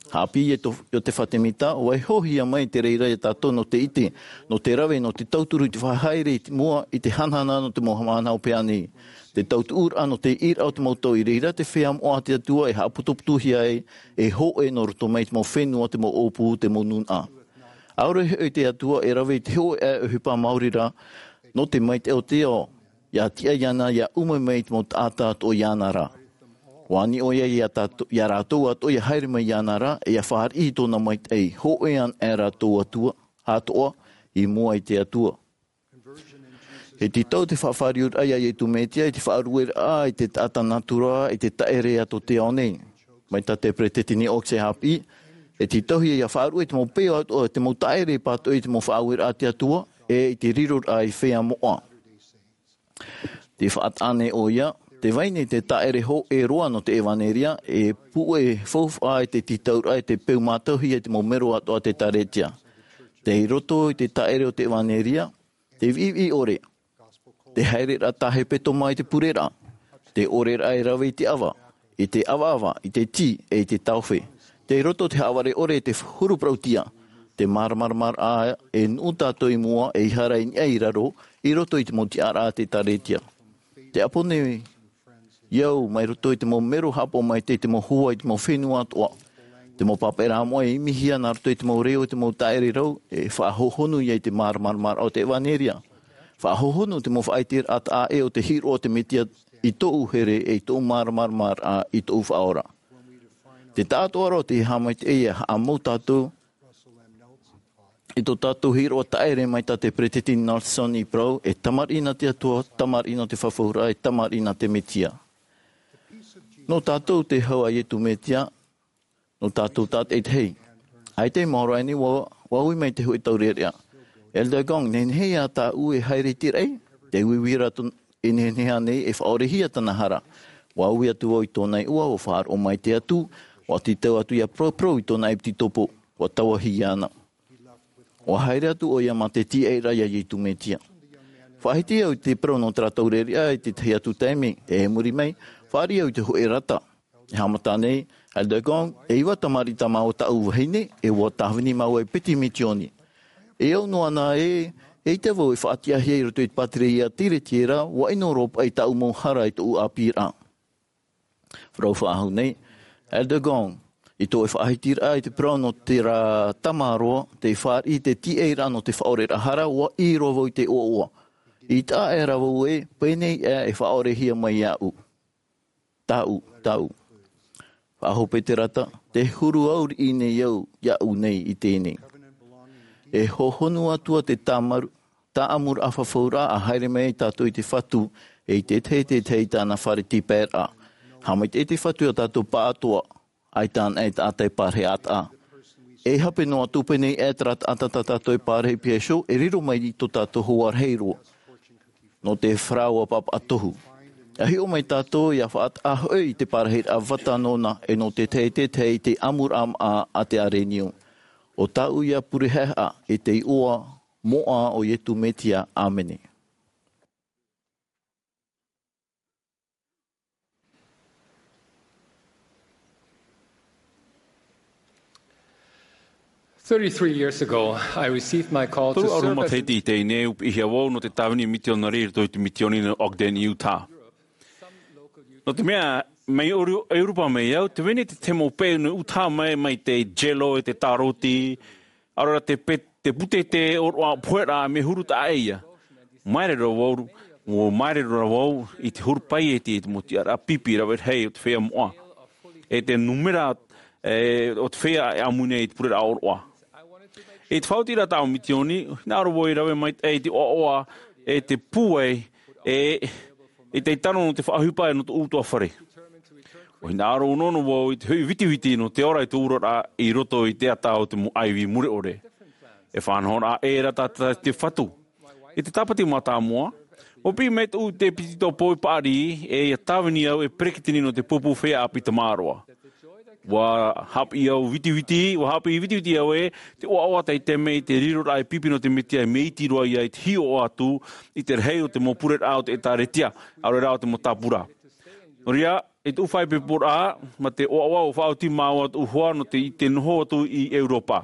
Haʻapiʻi iā Iosepha Semita, ʻua hiʻohia mai te reira iā tātou nō te ʻite, nō te rave, nō te tauturu i te faʻahaere i mua i te hanahana nō te mau haʻamanaʻo pēnei. Te tautuʻuraʻa nō te ʻīraʻa o te mau tau i reira te feiā moʻa a te Atua e haʻapotopotohia ai, e hōʻē nō roto mai te mau fenua, te mau ʻōpū, te mau nūnaʻa. ʻAore hoʻi te Atua e rave i te hōʻē ʻohipa maori rā, nō te maitaʻi o te ao, ʻia tiʻa iāna, ʻia ʻuma mai te mau taʻata atoʻa iāna rā. ʻUa ani ʻoia iā tātou, iā rātou atoʻa ʻia haere mai iāna rā, e ʻia fāriʻi i tōna maitaʻi, hōʻē ana ʻē rātou atoʻa, atoʻa, i mua i te Atua. E tītau te faʻafāriuraʻa iā Iesu Mesia i te faʻarueraʻa i te taʻata nātura, i te taʻere a tō te ao nei. Mai tā te peresideni Oaks e haʻapiʻi, e tītauhia ʻia faʻarue i te mau peʻo atoʻa, te mau taʻere pātoʻi i te mau faʻaueraʻa a te Atua, e i te riroraʻa i feiā moʻa. Tē faʻataʻa nei ʻoia, tē vai nei te taʻere hōʻē roa nō te ʻevanelia, e puʻe faufaʻa i te tītauraʻa, e te peu mātauhia i te mau mero atoʻa a te ʻēkālesia. Tei roto i te taʻere o te ʻevanelia, te viʻiviʻi ʻore, te haereraʻa tā hepetoma i te pureraʻa, te ʻoreraʻa e rave i te ʻava, i te ʻavaʻava, i te tī, e i te taofe. Tei roto te haʻavare ʻore, te huru parauʻtiʻa, te māramaramaraʻa e nuʻu tātou i mua, ʻeiaha rā i niʻa i raro, i roto i te mau tiʻaraʻa a te ʻēkālesia. Tē ʻapo nei au mai roto i te mau mero haʻapaʻo maitaʻi, te mau hoa i te mau fenua atoʻa. Te mau pāpaʻiraʻa moʻa e imihia nā roto i te mau reo, i te mau taʻere rau, e faʻahohonu ia i te māramaramaraʻa o te ʻevanelia. Faʻahohonu te mau faʻaʻiteraʻa taʻa ʻē o te hiʻo o te Mesia i tōʻu here, e i tōʻu māramaramaraʻa i tōʻu faʻaora. Te taʻatoʻaraʻa o te haʻamaitaʻi e haʻamau tātou, i tō tātou hiʻoraʻa taʻere mai tā te peresideni Nelson i parau, e tamariʻi na te Atua, tamariʻi nō te fafauraʻa, e tamariʻi na te Mesia. Nō tātou te hau a Iesu Mesia, nō tātou tātaʻitahi. ʻAita e maoro aʻe nei, ʻua, ʻua ui mai te hōʻē taurearea. Elder Gong, nehenehe ïa tāʻu e haere i te raʻi, te uiui ra tō, e nehenehe ānei e faʻaorehia tāna hara. ʻUa ui atu vau i tōna iʻoa, ʻua faʻaroʻo mai te Atua, ʻua tītau atu ʻia paraparau i tōna ʻepitetopo, ʻua tauahi iāna. ʻUa haere atu ʻoia mā te tīaʻiraʻa iā Iesu Mesia. Faʻahiti au i te parau nō terā taurearea i te tahi atu taime, e muri mai, fāriʻi au i te hōʻē rata. E haʻamata nei, Elder Gong, e iva tamariʻi tā māua tāʻu vahine, e ua tāvini māua e piti misioni. E au noa na ē, eʻita vau e faʻatiʻahia i roto i te pātireia a Tiretiera, ʻua ʻino roa paʻi tāʻu mau hara i tōʻu ʻāpīraʻa. Parau faʻahou nei, Elder Gong, i tō ʻoe faʻahitiraʻa i te parau nō terā tamaroa, tei fāriʻi i te tīaʻiraʻa nō te faʻaoreraʻa hara, ʻua ʻī roa vau i te ʻoaʻoa. ʻItaʻa aʻera vau ē, pēnei aʻe e faʻaorehia mai iāʻu. Tāʻu, tāʻu. Faʻahope te rata, tē huru au riʻi nei au, iāʻu nei i teie nei. E hohonu atu ā te tāmaru, tāʻamuraʻa fafauraʻa a haere mai ai tātou i te Fatu, e i te tahi, te tahi i tāna fare tīpaeraʻa. Haʻamaitaʻi te Fatu iā tātou pāʻatoʻa, ʻaita anaʻe taʻata e pārahi ʻātaʻa. E hape noa atu pēnei aʻe terā taʻata tā tātou e pārahi piha iho, e riro mai i tō tātou hoa rahi roa. Nō te faraoa pāpaʻa tohu. ʻA hiʻo mai tātou ʻia faʻataʻa hoʻi i te pārahiraʻa vata nōna, e nō te tahi, te tahi i te ʻamuraʻa maʻa a te ʻarenio. ʻO tāʻu ia pure haʻehaʻa, i te iʻoa moʻa o Iesu Mesia. ʻĀmene. Thirty-three years ago, I received my call to Toru ʻahuru serve as matahiti i teie nei, ʻua piʻihia vau nō te tāvini mitionare i roto i te misioni nō Ogden, Utah. Nō te mea, mai Euro-, ʻEuropa mai au, tē vai nei te tahi mau peʻe nō Utah mai, mai te jello, e te tāroti, ʻaore rā te pe-, te pūtete ʻōroʻa, poheraʻa, mea huru taʻa ʻē ia. Māere roa vau, ʻua māere roa vau i te huru paieti, i te mau tiʻaraʻa pipi rave rahi o te feiā moʻa. E te nūmera, e, o te feiā e ʻāmui nei i te pureraʻa ʻōroʻa. I te faʻaotiraʻa tāʻu misioni, hinaʻaro vau i rave mai, e, i te ʻoaʻoa, e te pūai, e, i te tano nō te faʻaʻohipa nō tōʻu ʻutuāfare. ʻUa hinaʻaro ʻōnoʻono vau i te hoʻi vitiviti nō te ora i tōʻu oraraʻa i roto i te ata o te mau ʻaivi mure ʻore. E faʻanahoraʻa ʻē ra tātou i te Fatu. I te Tāpati Mātāmua, ʻua piʻi mai tōʻu ʻēpitetopo i paʻari, e ʻia tāvini au e peretiteni nō te pupu feiā ʻāpī tamaroa. Ua haʻapiʻi au vitiviti, ua haʻapiʻi vitiviti au ē, te ʻoaʻoa tei te mea i te riroraʻa e pipi nō te Metia e mea iti roa ia i te hiʻo atu i te rahi o te mau pureraʻa o te ʻĒtāretia, ʻaore rā o te mau tāpura. Nō reira, i tōʻu faʻaipoiporaʻa, mā te ʻoaʻoa ʻua faʻaoti māua tōʻu hoa nō te, i te noho atu i Europa.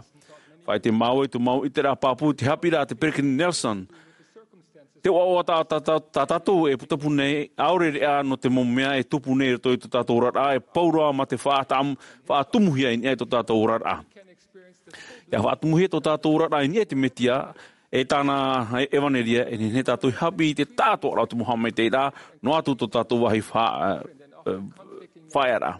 Faʻaʻite māua i tō mau ʻiteraʻa pāpū i te haʻapiʻiraʻa a te Peresideni Nelson. Te ʻoaʻoa tā, tā, tā, tā tātou e putapū nei, ʻaore rā nō te mau mea e tupu nei i roto i tō tātou oraraʻa, e pau roa mā te faʻatam-, faʻatumuhia i niʻa i tō tātou oraraʻa. ʻIa faʻatumuhia tō tātou oraraʻa i niʻa i te Metia, e tāna e-, ʻevanelia, e nehenehe tātou e haʻapiʻi i te taʻatoʻaraʻa o te mau haʻamaitaʻiraʻa, noa atu tō tātou vāhi fa-, e, e, faʻaearaʻa.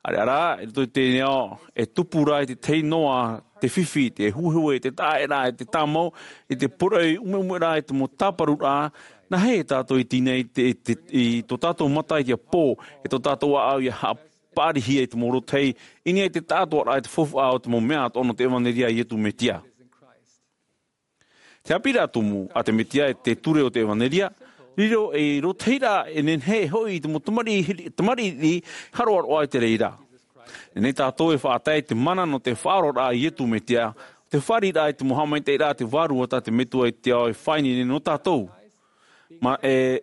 ʻAreʻa rā, i roto i teie nei ao, e tupu rā i te tahi noa te fifi, te huehue, te taʻaʻēraʻa, te tāmau, i te poroʻi ʻumeʻume rā, i te mau tāparuraʻa, nāhea tātou e tīnai i te, i te, i tō tātou mata i te pō, e tō tātou ʻāʻau ʻia haʻapāriʻihia i te mau rotahi, i niʻa i te taʻatoʻaraʻa i te faufaʻa o te mau mea atoʻa nō te ʻevanelia a Iesu Metia. Te haʻapiʻiraʻa tumu a te Metia e te ture o te ʻevanelia, riro ei rotahiraʻa e nehenehe e hoʻi i te mau tamariʻi, tamariʻi haroʻaroʻa i te reira. Nehenehe tātou e faʻatae i te mana nō te faʻaoraraʻa a Iesu Metia, te fāriʻiraʻa i te mau haʻamaitaʻiraʻa a te Vārua tā te Metua i te ao e faʻaineine nō tātou. Mā, e,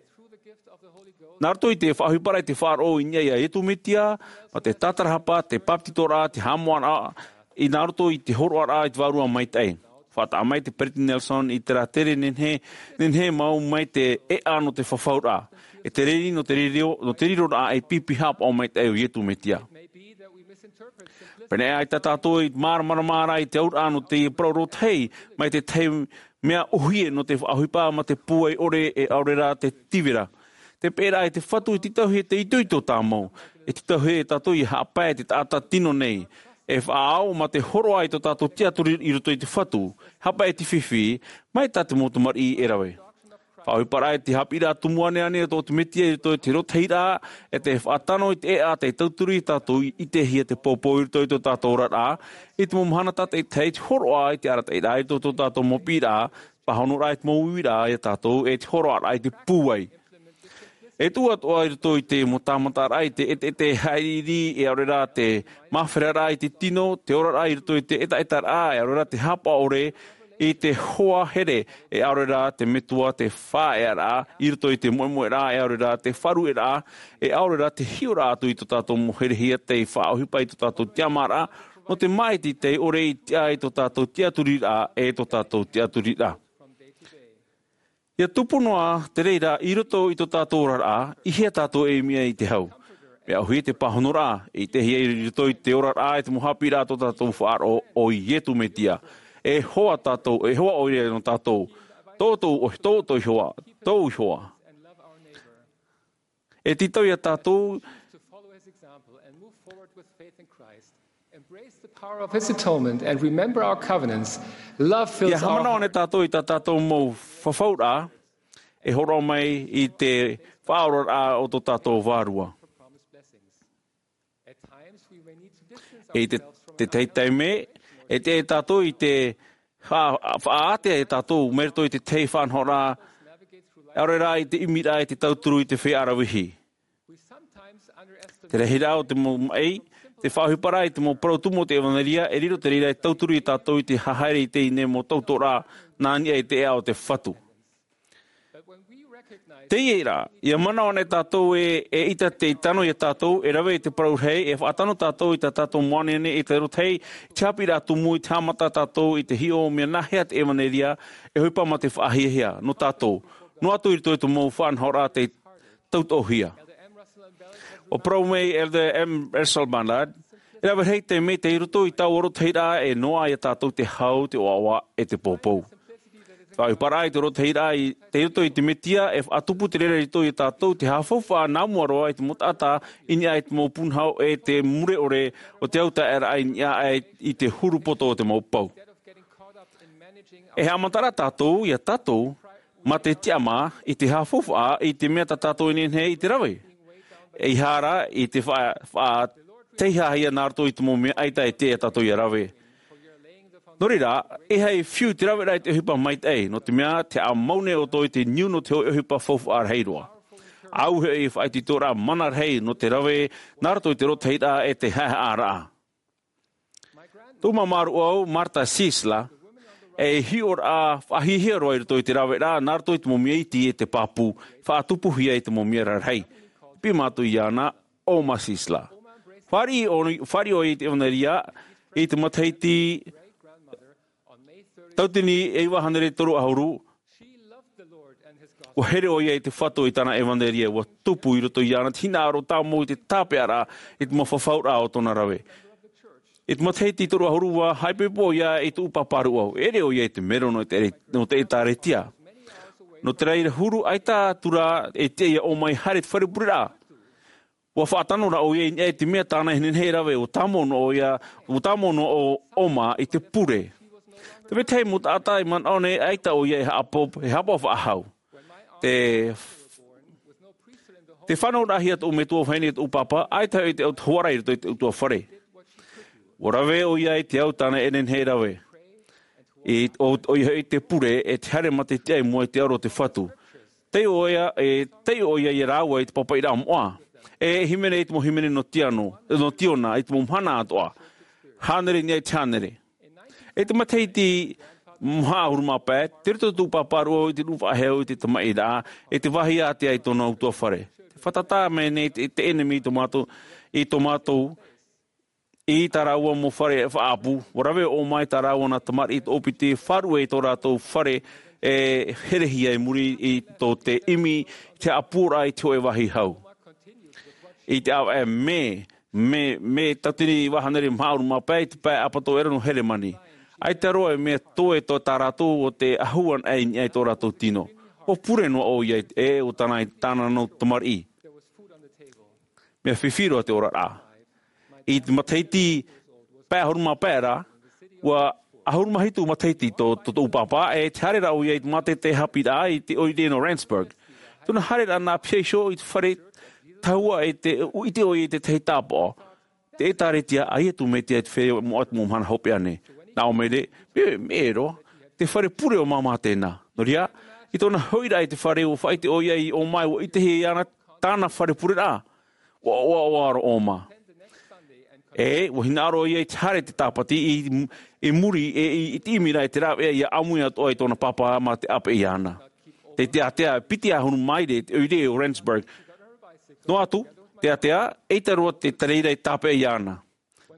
nā roto i te faʻaʻohiparaʻa i te faʻaroʻo i niʻa ia Iesu Metia, mā te tātarahapa, te bāpetizoraʻa, te haʻamoʻaraʻa, i nā roto i te hōroʻaraʻa i te Vārua Maitaʻi. Faʻataʻa mai te Peresideni Nelson i terā tere nehenehe, nehenehe mau mai te ʻēʻa nō te fafauraʻa. E te riri nō te riro, nō te riroraʻa ei pipi haʻapaʻo maitaʻi o Iesu Metia. Pēneiaʻe tā tātou e māramarama ra i te auraʻa nō te parau rotahi, mai te tahi mea ʻohie nō te faʻaʻohipa mā te pūai ʻore e ʻaore rā te tīvira. Te peʻeraʻa i te Fatu e tītauhia te itoito tāmau. E tītauhia e tātou ʻia haʻapae te taʻata tino nei. E faʻaau mā te hōroʻa i tō tātou tiʻaturi i roto i te Fatu. Haʻapae te fifi, mai tā te mau tamariʻi e rave. Faʻaʻohiparaʻa i te haʻapiʻiraʻa tumu āneāne o tō te Metia i roto i te rotahiraʻa, e te faʻatano i te ʻēʻa tei tauturu ia tātou i ʻitehia te poupou i roto i tō tātou oraraʻa, i te mau mahana tātaʻitahi te hōroʻa i te arataʻiraʻa i tō, tō tātou mau piʻiraʻa, pāhonoraʻa i te mau uiraʻa ia tātou, e te hōroʻaraʻa i te pūai. E tuʻu atoʻa i roto i te mau tāmataraʻa i te ʻeteʻete haʻiriʻiri, e ʻaore rā te māferaraʻa i te tino, te oraraʻa i roto i te ʻetaʻetaraʻa, e ʻaore rā te haʻapaʻo ʻore, i te hoa here, e ʻaore rā te Metua te faʻaearaʻa, i roto i te moemoeraʻa, e ʻaore rā te faʻarueraʻa, e ʻaore rā te hiʻoraʻa atu i tō tātou mau herehia tei faʻaʻohipa i tō tātou tiʻamāraʻa, nō te māʻiti tei ʻore i tiʻa i tō tātou tiʻaturiraʻa, e tō tātou tiʻaturiraʻa. ʻIa tupu noa te reira i roto i tō tātou oraraʻa, i hea tātou e ʻimi ai i te hau. Mea ʻohie te pāhonoraʻa, i ʻitehia i roto i te oraraʻa e te mau haʻapiʻiraʻa tō tātou faʻaroʻo, ʻo Iesu Metia. E hoa tātou, e hoa ʻoia nō tātou. Tō, tō, tō, tō Ihoa, tō Ihoa. E tītau ia tātou. To follow his example and move forward with faith in Christ. Embrace the power of his atonement and remember our covenants. Love fills our hearts. Ia haʻamanaʻo ānei tātou i tā tātou mau fafauraʻa, e hōroʻa mai i te faʻaoraraʻa o tō tātou Vārua. E te, te tahi taime, e te, e tātou i te fa-, faʻaātea e tātou, mai roto i te tahi faʻanahoraʻa, ʻaore rā i te ʻimiraʻa i te tauturu i te feiā ravehi. Te rahiraʻa o te mau maʻi, te faʻaʻohiparaʻa i te mau parau tumu o te ʻevanelia, e riro te reira e tauturu ia tātou i te haere i teie nei mau tautoʻoraʻa, nā niʻa i te ʻēʻa o te Fatu. Teie rā, ʻia manaʻo ānei tātou ē, eʻita tei tano ia tātou, e rave i te parau rahi, e faʻatano tātou i tā tātou mau āneāne, i te rotahi, i te haʻapiʻiraʻa tumu, i te haʻamata tātou i te hiʻo mea nāhea te ʻevanelia, e ʻohipa mā te faʻahiahia, nō tātou. Noa atu i roto i te mau faʻanahoraʻa tei tautoʻohia. ʻUa parau mai Elder M. Russell Ballard, e rave rahi te mea i roto i taua rotahiraʻa e noaʻa ia tātou te hau, te ʻoaʻoa, e te poupou. Faʻaʻohiparaʻa i te rotahiraʻa i, tei roto i te Metia, e faʻatupu te reira i roto ia tātou te haʻafaufaʻa nā mua roa i te mau taʻata, i niʻa i te mau pūnaho e te mure ʻore o te autaʻeraʻa i niʻa aʻe i te huru poto o te mau pou. E haʻamata rā tātou, ia tātou, mā te tiʻamā, i te haʻafaufaʻa, i te mea tā tātou e nehenehe i te rave. ʻEiaha rā, i te fa-, faʻateiaha ia nā roto i te mau mea ʻaita e tiʻa ia tātou ia rave. Nō reira, ʻeiaha e fiu te raveraʻa i te ʻohipa maitaʻi, nō te mea, te haʻamau nei ʻoutou i te niu nō te hōʻē ʻohipa faufaʻa rahi roa. Au he faʻaitoitoraʻa mana rahi nō te rave nā roto i te rotahiraʻa e te haʻehaʻaraʻa. Tōʻu māmā rūʻau, Martha Sisler, e hiʻoraʻa faʻahiahia roa i roto i te raveraʻa nā roto i te mau mea iti e te pāpū, faʻatupuhia i te mau mea rarahi. Piʻi mātou iāna, Oma Sisler. Fāriʻi ʻo-, fāriʻi ʻoia i te ʻevanelia i te matahiti tauatini e iva hānere toru ʻahuru, ʻua here ʻoia i te Fatu i tāna ʻevanelia, ʻua tupu i roto iāna te hinaʻaro tāmau i te tāpeʻaraʻa i te mau fafauraʻa o tōna rave. I te matahiti toru ʻahuru ʻua haʻaipoipo ʻoia i tōʻu pāpā rūʻau, ʻere ʻoia i te mero nō te, nō te ʻĒtārētia. Nō te reira huru, ʻaita atu rā e tiʻa iā Oma e haere i te fare pureraʻa. ʻUa faʻatano rā ʻoia i niʻa i te mea tāna e nehenehe e rave, ʻua tāmau noa ʻoia, ʻua tāmau noa ʻo Oma i te pure. Te vetahi mau taʻata i manaʻo nei, ʻaita ʻoia e haʻapaʻo, e haʻapaʻo faʻahou. Te, te fānauraʻahia tōʻu metua vahine e tōʻu pāpā, ʻaita hoʻi te au te hoara i roto i te ʻutuāfare. ʻUa rave ʻoia i te au tāna e nehenehe e rave. I, ʻo, ʻoia hoʻi te pure, e te haere mā te tiʻa i mua i te aro o te Fatu. Taiʻo ʻoia, e, taiʻo ʻoia iā rāua i te pāpaʻiraʻa moʻa. E hīmene i te mau hīmene nō Tiano, nō Tiona, i te mau mahana atoʻa. Hānere i niʻa i te hānere. I te matahiti maha ʻahuru mā pae, tei roto tōʻu pāpā rūʻau i te nuʻu faʻahou i te tamaʻiraʻa, i te vāhi ātea i tōna ʻutuāfare. Te fātata mai nei te, te ʻenemi i tō mātou, i tō mātou, i tā rāua mau fare faʻaʻapu, ʻua rave ʻo Oma i tā rāua nā tamariʻi toʻopiti, faʻaruʻe i tō rātou fare e herehia i muri i tō te ʻimi, te haʻapūraʻa i te hōʻē vāhi hau. I te ʻāvaʻe mē, mē, mē tauatini iva hānere maha ʻahuru mā pae, i te pae ʻapatoʻera nō Heremani. ʻAita roa e mea toe tō tā rātou ʻo te ʻahu anaʻe i niʻa i tō rātou tino. ʻUa pure noa ʻoia e, ʻo tāna, tāna nau tamariʻi. Mea fifi roa te oraraʻa. I te matahiti pae ʻahuru mā pae ra, ʻua ʻahuru mā hitu matahiti tō, tō tōʻu pāpā, e te haere ra ʻoia i te mātete haʻapiʻiraʻa i te ʻoire nō Randsburg. Tōna haereraʻa nā Piha iho i te fare tahua e te, ʻite ʻoia i te tahi tāpaʻo. Te ʻĒtārētia, ʻaita atu mai te, te feiā moʻa i te mau mahana hopeʻa nei. Nā ʻō mai ra, mē, mē roa, te fare pure o māmā tēnā. Nō reira, i tōna hoʻiraʻa i te fare ʻua faʻaʻite ʻoia i Oma e ʻua ʻitehia iāna tāna fare pureraʻa. ʻUa, ʻua, ʻua ʻoaʻoa roa Oma. E, ʻua hinaʻaro ʻoia i te haere i te tāpati i, i muri, e, i, i te ʻimiraʻa i te rāveʻa ʻia ʻāmui atoʻa i tōna pāpā mā te ʻāpeʻe iāna. Te, te ātea, piti ʻahuru māere te ʻoire o Randsburg. Noa atu, te ātea, ʻeita roa te tareira i tāpeʻa iāna.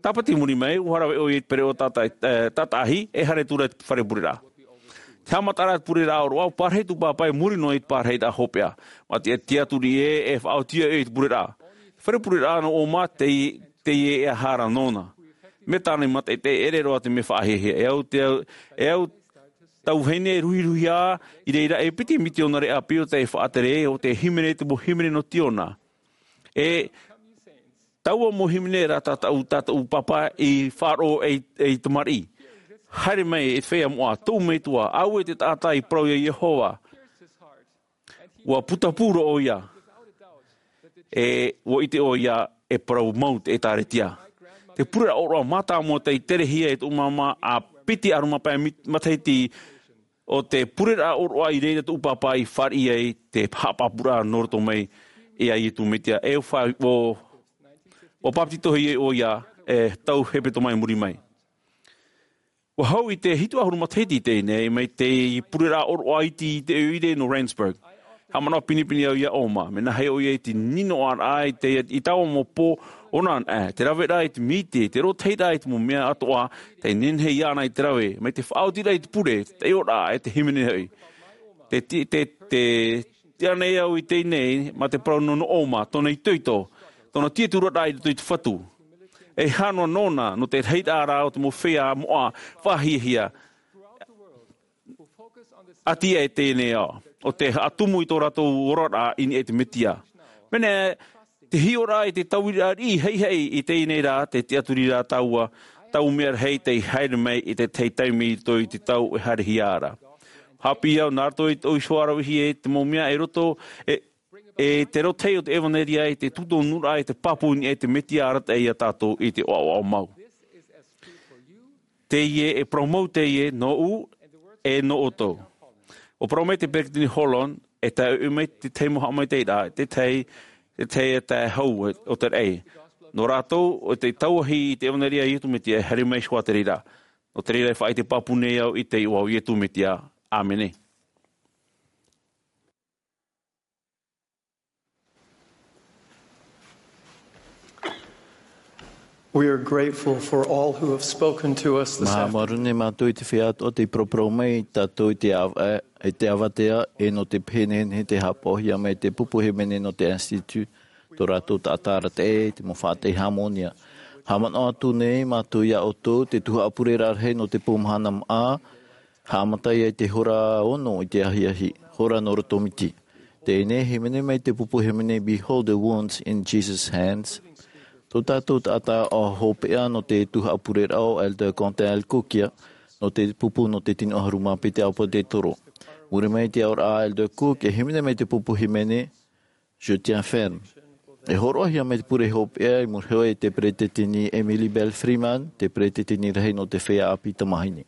Tāpati i muri mai, ʻua rave ʻoia i te pereʻoʻo tāta-, e, tātaʻahi, e haere atu ra i te fare pureraʻa. Te haʻamataraʻa i te pureraʻa ʻōroʻa, ʻua parahi tōʻu pāpā i muri noa i te parahiraʻa hopeʻa. Mā te, te tiʻaturi ē, e faʻaoti ʻoia i te pureraʻa. Te fare pureraʻa nō Oma, tei, teie e aha ra nōna. Mea tāna i mataʻitaʻi, ʻere roa te mea faʻahiahia. E au te au, e au tau vahine ruhiruhia, i reira e piti mitiōnare ʻāpī ʻo tē faʻatere, ʻo tē hīmene i te mau hīmene nō Tiona. E taua mau hīmene ra tā tāʻu, tā tāʻu pāpā i faʻaroʻo ei, ei tamariʻi. Haere mai e te feiā moʻa, tōʻu metua, ʻaore te taʻata i parau iā Iehova. ʻUa putapū roa ʻoia. E ʻua ʻite ʻoia e parau mau te ʻĒtārētia. Te pureraʻa ʻōroʻa mātāmua tei terehia e tōʻu māmā ʻa piti ʻahuru mā pae mit-, matahiti ʻo te pureraʻa ʻōroʻa i reira tōʻu pāpā i fāriʻi ai te haʻapāpūraʻa nō roto mai iā Iesu Mesia. E ʻua fa-, ʻua, ʻua pāpetitohia ʻoia e tau hepetoma i muri mai. ʻUa hau i te hitu ʻahuru matahiti i teie nei, mai te pureraʻa ʻōroʻa iti i te ʻoire nō Randsburg. Haʻamanaʻo pinepine au iā Oma, mea nāhea ʻoia i te ninoʻaraʻa i te, i taua mau pō ʻōna, e, te raveraʻa i te mīti, te rotahiraʻa i te mau mea atoʻa, tei nehenehe iāna i te rave, mai te faʻaotiraʻa i te pure, te taiʻoraʻa, e te hīmene hoʻi. Te, te, te, te, tiʻa nei au i teie nei, mā te parau nō, nō Oma, tōna itoito, tōna tiʻaturiraʻa i roto i te Fatu. E hānere nōna, nō te rahiraʻa ra o te mau feiā moʻa faʻahiahia. ʻAti e teie nei ao, ʻo tē haʻatumu i tō rātou oraraʻa i niʻa i te Mesia. Mea nā, te hiʻoraʻa i te tauiraʻa riʻi haʻihaʻi i teie nei rā, te tiʻaturiraʻa taua, taua mea rahi tei haere mai i te tahi taime i roto i te tau e haerehia ra. Haʻapiʻi au nā roto i tōʻu iho ravehia i te mau mea e roto, e, e te rotahi o te ʻevanelia i te tūtonuraʻa i te pāpū i niʻa i te Mesia arataʻi iā tātou i te ʻoaʻoa mau. Teie e parau mau teie nōʻu e nō ʻoutou. ʻUa parau mai te Peresideni Holland, E tae mai te tahi mau haʻamaitaʻiraʻa, te tahi, te tahi e tae hau o te raʻi. Nō rātou, ʻo te tauahi i te ʻevanelia a Iesu Mesia, e haere mai hoʻi te reira. Nō te reira e faʻaʻite pāpū nei au i te iʻoa o Iesu Mesia. ʻĀmene. We are grateful for all who have spoken to us this afternoon. Māuruuru nei mātou i te feiā atoʻa tei paraparau mai ia tātou i te ava-, i te avatea, e nō te pēneineine tei haʻapaʻohia mai te pupu hīmene nō te Institut, tō rātou taʻata arataʻi, te mau faʻataʻi hāmōnia. Haʻamanaʻo atu nei mātou ia ʻoutou, te tuhaʻa pureraʻa rahi nō te pou mahana maʻa, haʻamata ia i te hora ono i te ahiahi, hora nō roto miti. Teie nei, hīmene mai te pupu hīmene, Behold the Wounds in Jesus' Hands. Tō tātou taʻata hopeʻa nō te tuhaʻa pureraʻa, ʻo Elder Quentin L. Cook ia, nō te pupu nō te tino ʻahuru mā piti ʻāpōsetolo. Muri mai i te aʻoraʻa a Elder Cook, e hīmene mai te pupu hīmene, Je tiens ferme. E hōroʻahia mai te pure hopeʻa i muri iho i te peretiteni Emily Belle Freeman, te peretiteni rahi nō te feiā ʻāpī tamāhine.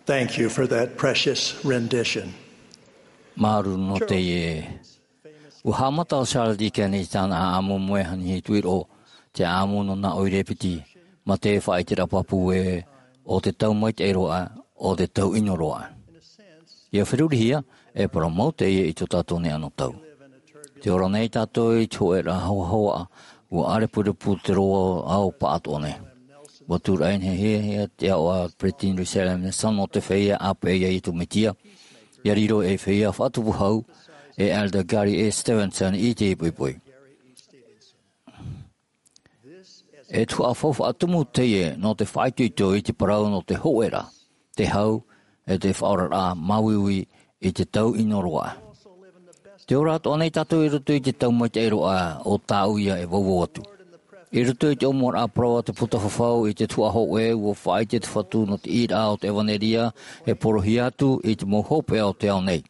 Thank you for that precious rendition. Māuruuru nō teie. Ua haʻamata ʻo Charles Dickens i tāna ʻāʻamu moeʻa ʻāpī tuiroʻo, te ʻāʻamu nō nā ʻoire piti, mā te faʻaʻiteraʻa pāpū ē, ʻo te tau maitaʻi roa, ʻo te tau ʻino roa. ʻIa ferurihia, e parau mau teie i tō tātou nei anotau. Tē ora nei tātou i te hōʻē ra hoahoa, ua ʻārepurepu te roa ao pāʻatoʻa nei. Ua tūraʻi nei hia te ao a Peresideni Russell M. Nelson nō te feiā ʻāpeʻe ia Iesu Mesia, ʻia riro ei feiā faʻatupu hau, e Elder Gary E. Stevenson i te poʻipoʻi. E tuhaʻa faufaʻa tumu teie nō te faʻaitoito i te parau nō te hōʻē ra, te hau, e te faʻaoraraʻa māuiui i te tau ʻino roa. Tē ora atoʻa nei tātou i roto i te tau maitaʻi roa o tāʻu ia e vauvau atu. I roto i te ʻōmuaraʻa parau a te puta fafau i te tuhaʻa hōʻē, ua faʻaʻite te Fatu nō te ʻīraʻa o te ʻevanelia, e porohia atu i te mau hopeʻa o te ao nei.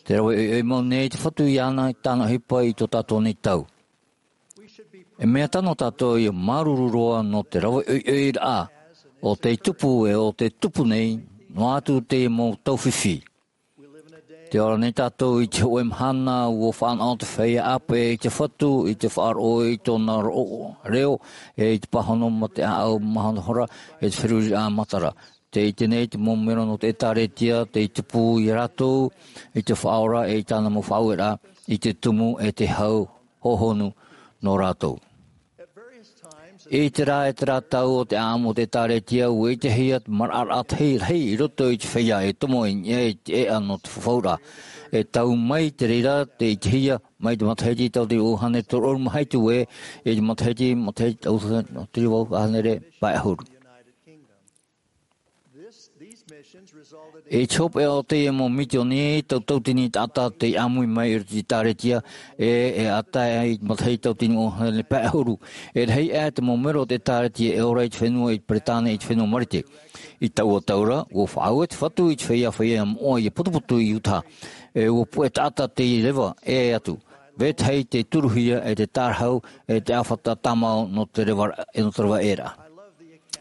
Tē rave ʻoiʻoi mau nei te Fatu iāna i tāna ʻohipa i tō tātou nei tau. E mea tano tātou ʻia māuruuru roa nō te rave ʻoiʻoiraʻa o tei tupu e ʻo tē tupu nei, noa atu teie mau tau fifi. Tē ora nei tātou i te hōʻē mahana, ua faʻanaho te feiā ʻāpeʻe i te Fatu, i te faʻaroʻo i tōna roʻo, reo, e i te pāhono mā te ʻāʻau mahana hora, e te feruriraʻa matara. Tē ʻite nei te mau mero nō te ʻĒtārētia, tei tupu ia rātou i te Faʻaora e i tāna mau faʻaueraʻa, i te tumu e te hau hohonu nō rātou. I terā, e terā tau o te ʻāʻamu o te ʻĒtārētia, ua ʻitehia te maraʻaraʻa tahi rahi i roto i te feiā e tomo i niʻa i te ʻēʻa nō te fafauraʻa. E tau mai te reira, tē ʻitehia, mai te matahiti tauatini ʻahuru mā hitu ē, i te matahiti, matahiti tauatini ʻahuru mā hānere pae ʻahuru. I te hopeʻa o teie mau misioni, tauatini taʻata tei ʻāmui mai i roto i te ʻĒtārētia, e, e ʻātae ai matahiti tauatini ʻahuru mā hānere pae ʻahuru. E rahi aʻe te mau mero o te ʻĒtārētia e ora i te fenua i Peretāne, i te fenua Marite. I taua tau ra, ua faʻaue te Fatu i te feiā, feiā moʻa ʻia putuputu i Utah. E ua puʻe taʻata tei reva ʻē atu. Vetahi tei turuhia e te tārahu, e te ʻāfata tāmau nō te reva, e nō te reva ʻē ra.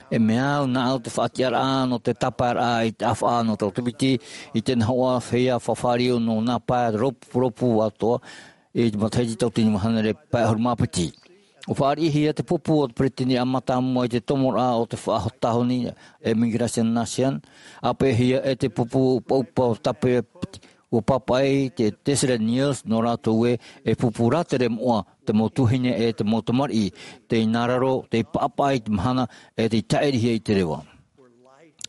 E mea au nāʻu te faʻatiʻaraʻa nō te tāpaeraʻa i te ʻāfaʻa nō Tautepiti, i te nahoʻa feiā faʻafāriu nō nā pae rōpūrōpū atoʻa, i te matahiti tauatini mā hānere pae ʻahuru mā piti. Ua fāriʻihia te pupu o te peretiteniraʻa mātāmua i te tomoraʻa o te faʻatāhoni, e Migration National, ʻāpeʻehia e te pupu ʻupaʻupa o Tautepiti, ua pāpaʻi te Tessereth Neels nō rātou ē, e pupu rātere moʻa, te mau tuahine e te mau tamariʻi, tei nā raro, tei pāpaʻi i te mahana, e tei tāʻirihia i te reva.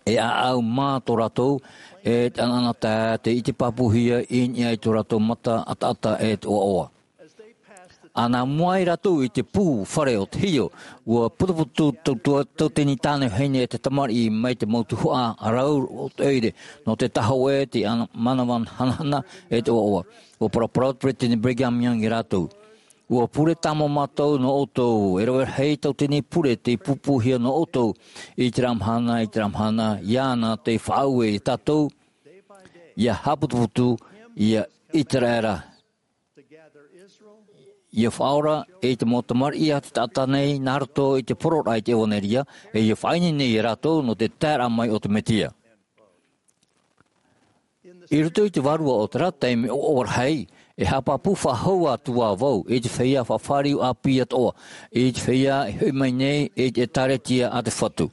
E ʻāʻau mā tō rātou, e te ʻanaʻanatae, tei ʻite pāpūhia i niʻa i tō rātou mata ʻataʻata e te ʻoaʻoa. ʻAna mua ai rātou i te pū fare o te hio, ua putuputu tautua, tauatini tāne vahine e te tamariʻi mai te mau tuhaʻa rau o te ʻoire, nō te tahoʻe, te ana-, mānava hanahana e te ʻoaʻoa. Ua paraparau te Peretiteni Brigham Young ia rātou. Ua pure tāmau mātou nō ʻoutou, e rave rahi tauatini pure tei pūpūhia nō ʻoutou, i terā mahana, i terā mahana, iāna tei faʻaue ia tātou, ʻia haʻaputuputu, ʻia ʻĪteraʻera, ʻia faʻaora, e i te mau tamariʻi a te taʻata nei, nā roto i te poroʻraʻa i te ʻevanelia, e ʻia faʻaineine ia rātou nō te taeraʻa mai o te Mesia. I roto i te vārua o terā taime ʻoaʻoa rahi, e haʻapāpū faʻahou atu ā vau, i te feiā faʻafāriu ʻāpī atoʻa, i te feiā e hoʻi mai nei, i te ʻĒtārētia a te Fatu.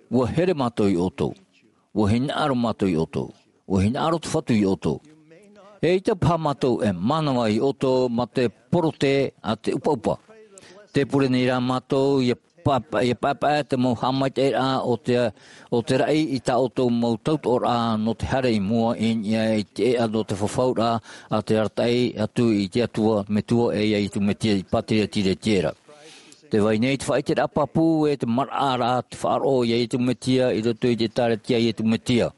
Ua here mātou ia ʻoutou. Ua hinaʻaro mātou ia ʻoutou. Ua hinaʻaro te Fatu ia ʻoutou. E ʻaita paha mātou e mānava ia ʻoutou mā te porote a te ʻupaʻupa. Tē pure nei rā mātou ʻia pa-, ʻia paepae te mau haʻamaitaʻiraʻa o te, o te raʻi i tā ʻoutou mau tautoʻoraʻa nō te haere i mua i niʻa i te ʻēʻa nō te fafauraʻa a te arataʻi atu i te Atua, Metua e ia Iesu Mesia i pātiretia ra. Tē vai nei te faʻaʻiteraʻa pāpū e te maraʻaraʻa te faʻaroʻo ia Iesu Mesia i roto i te ʻĒtārētia a Iesu Mesia.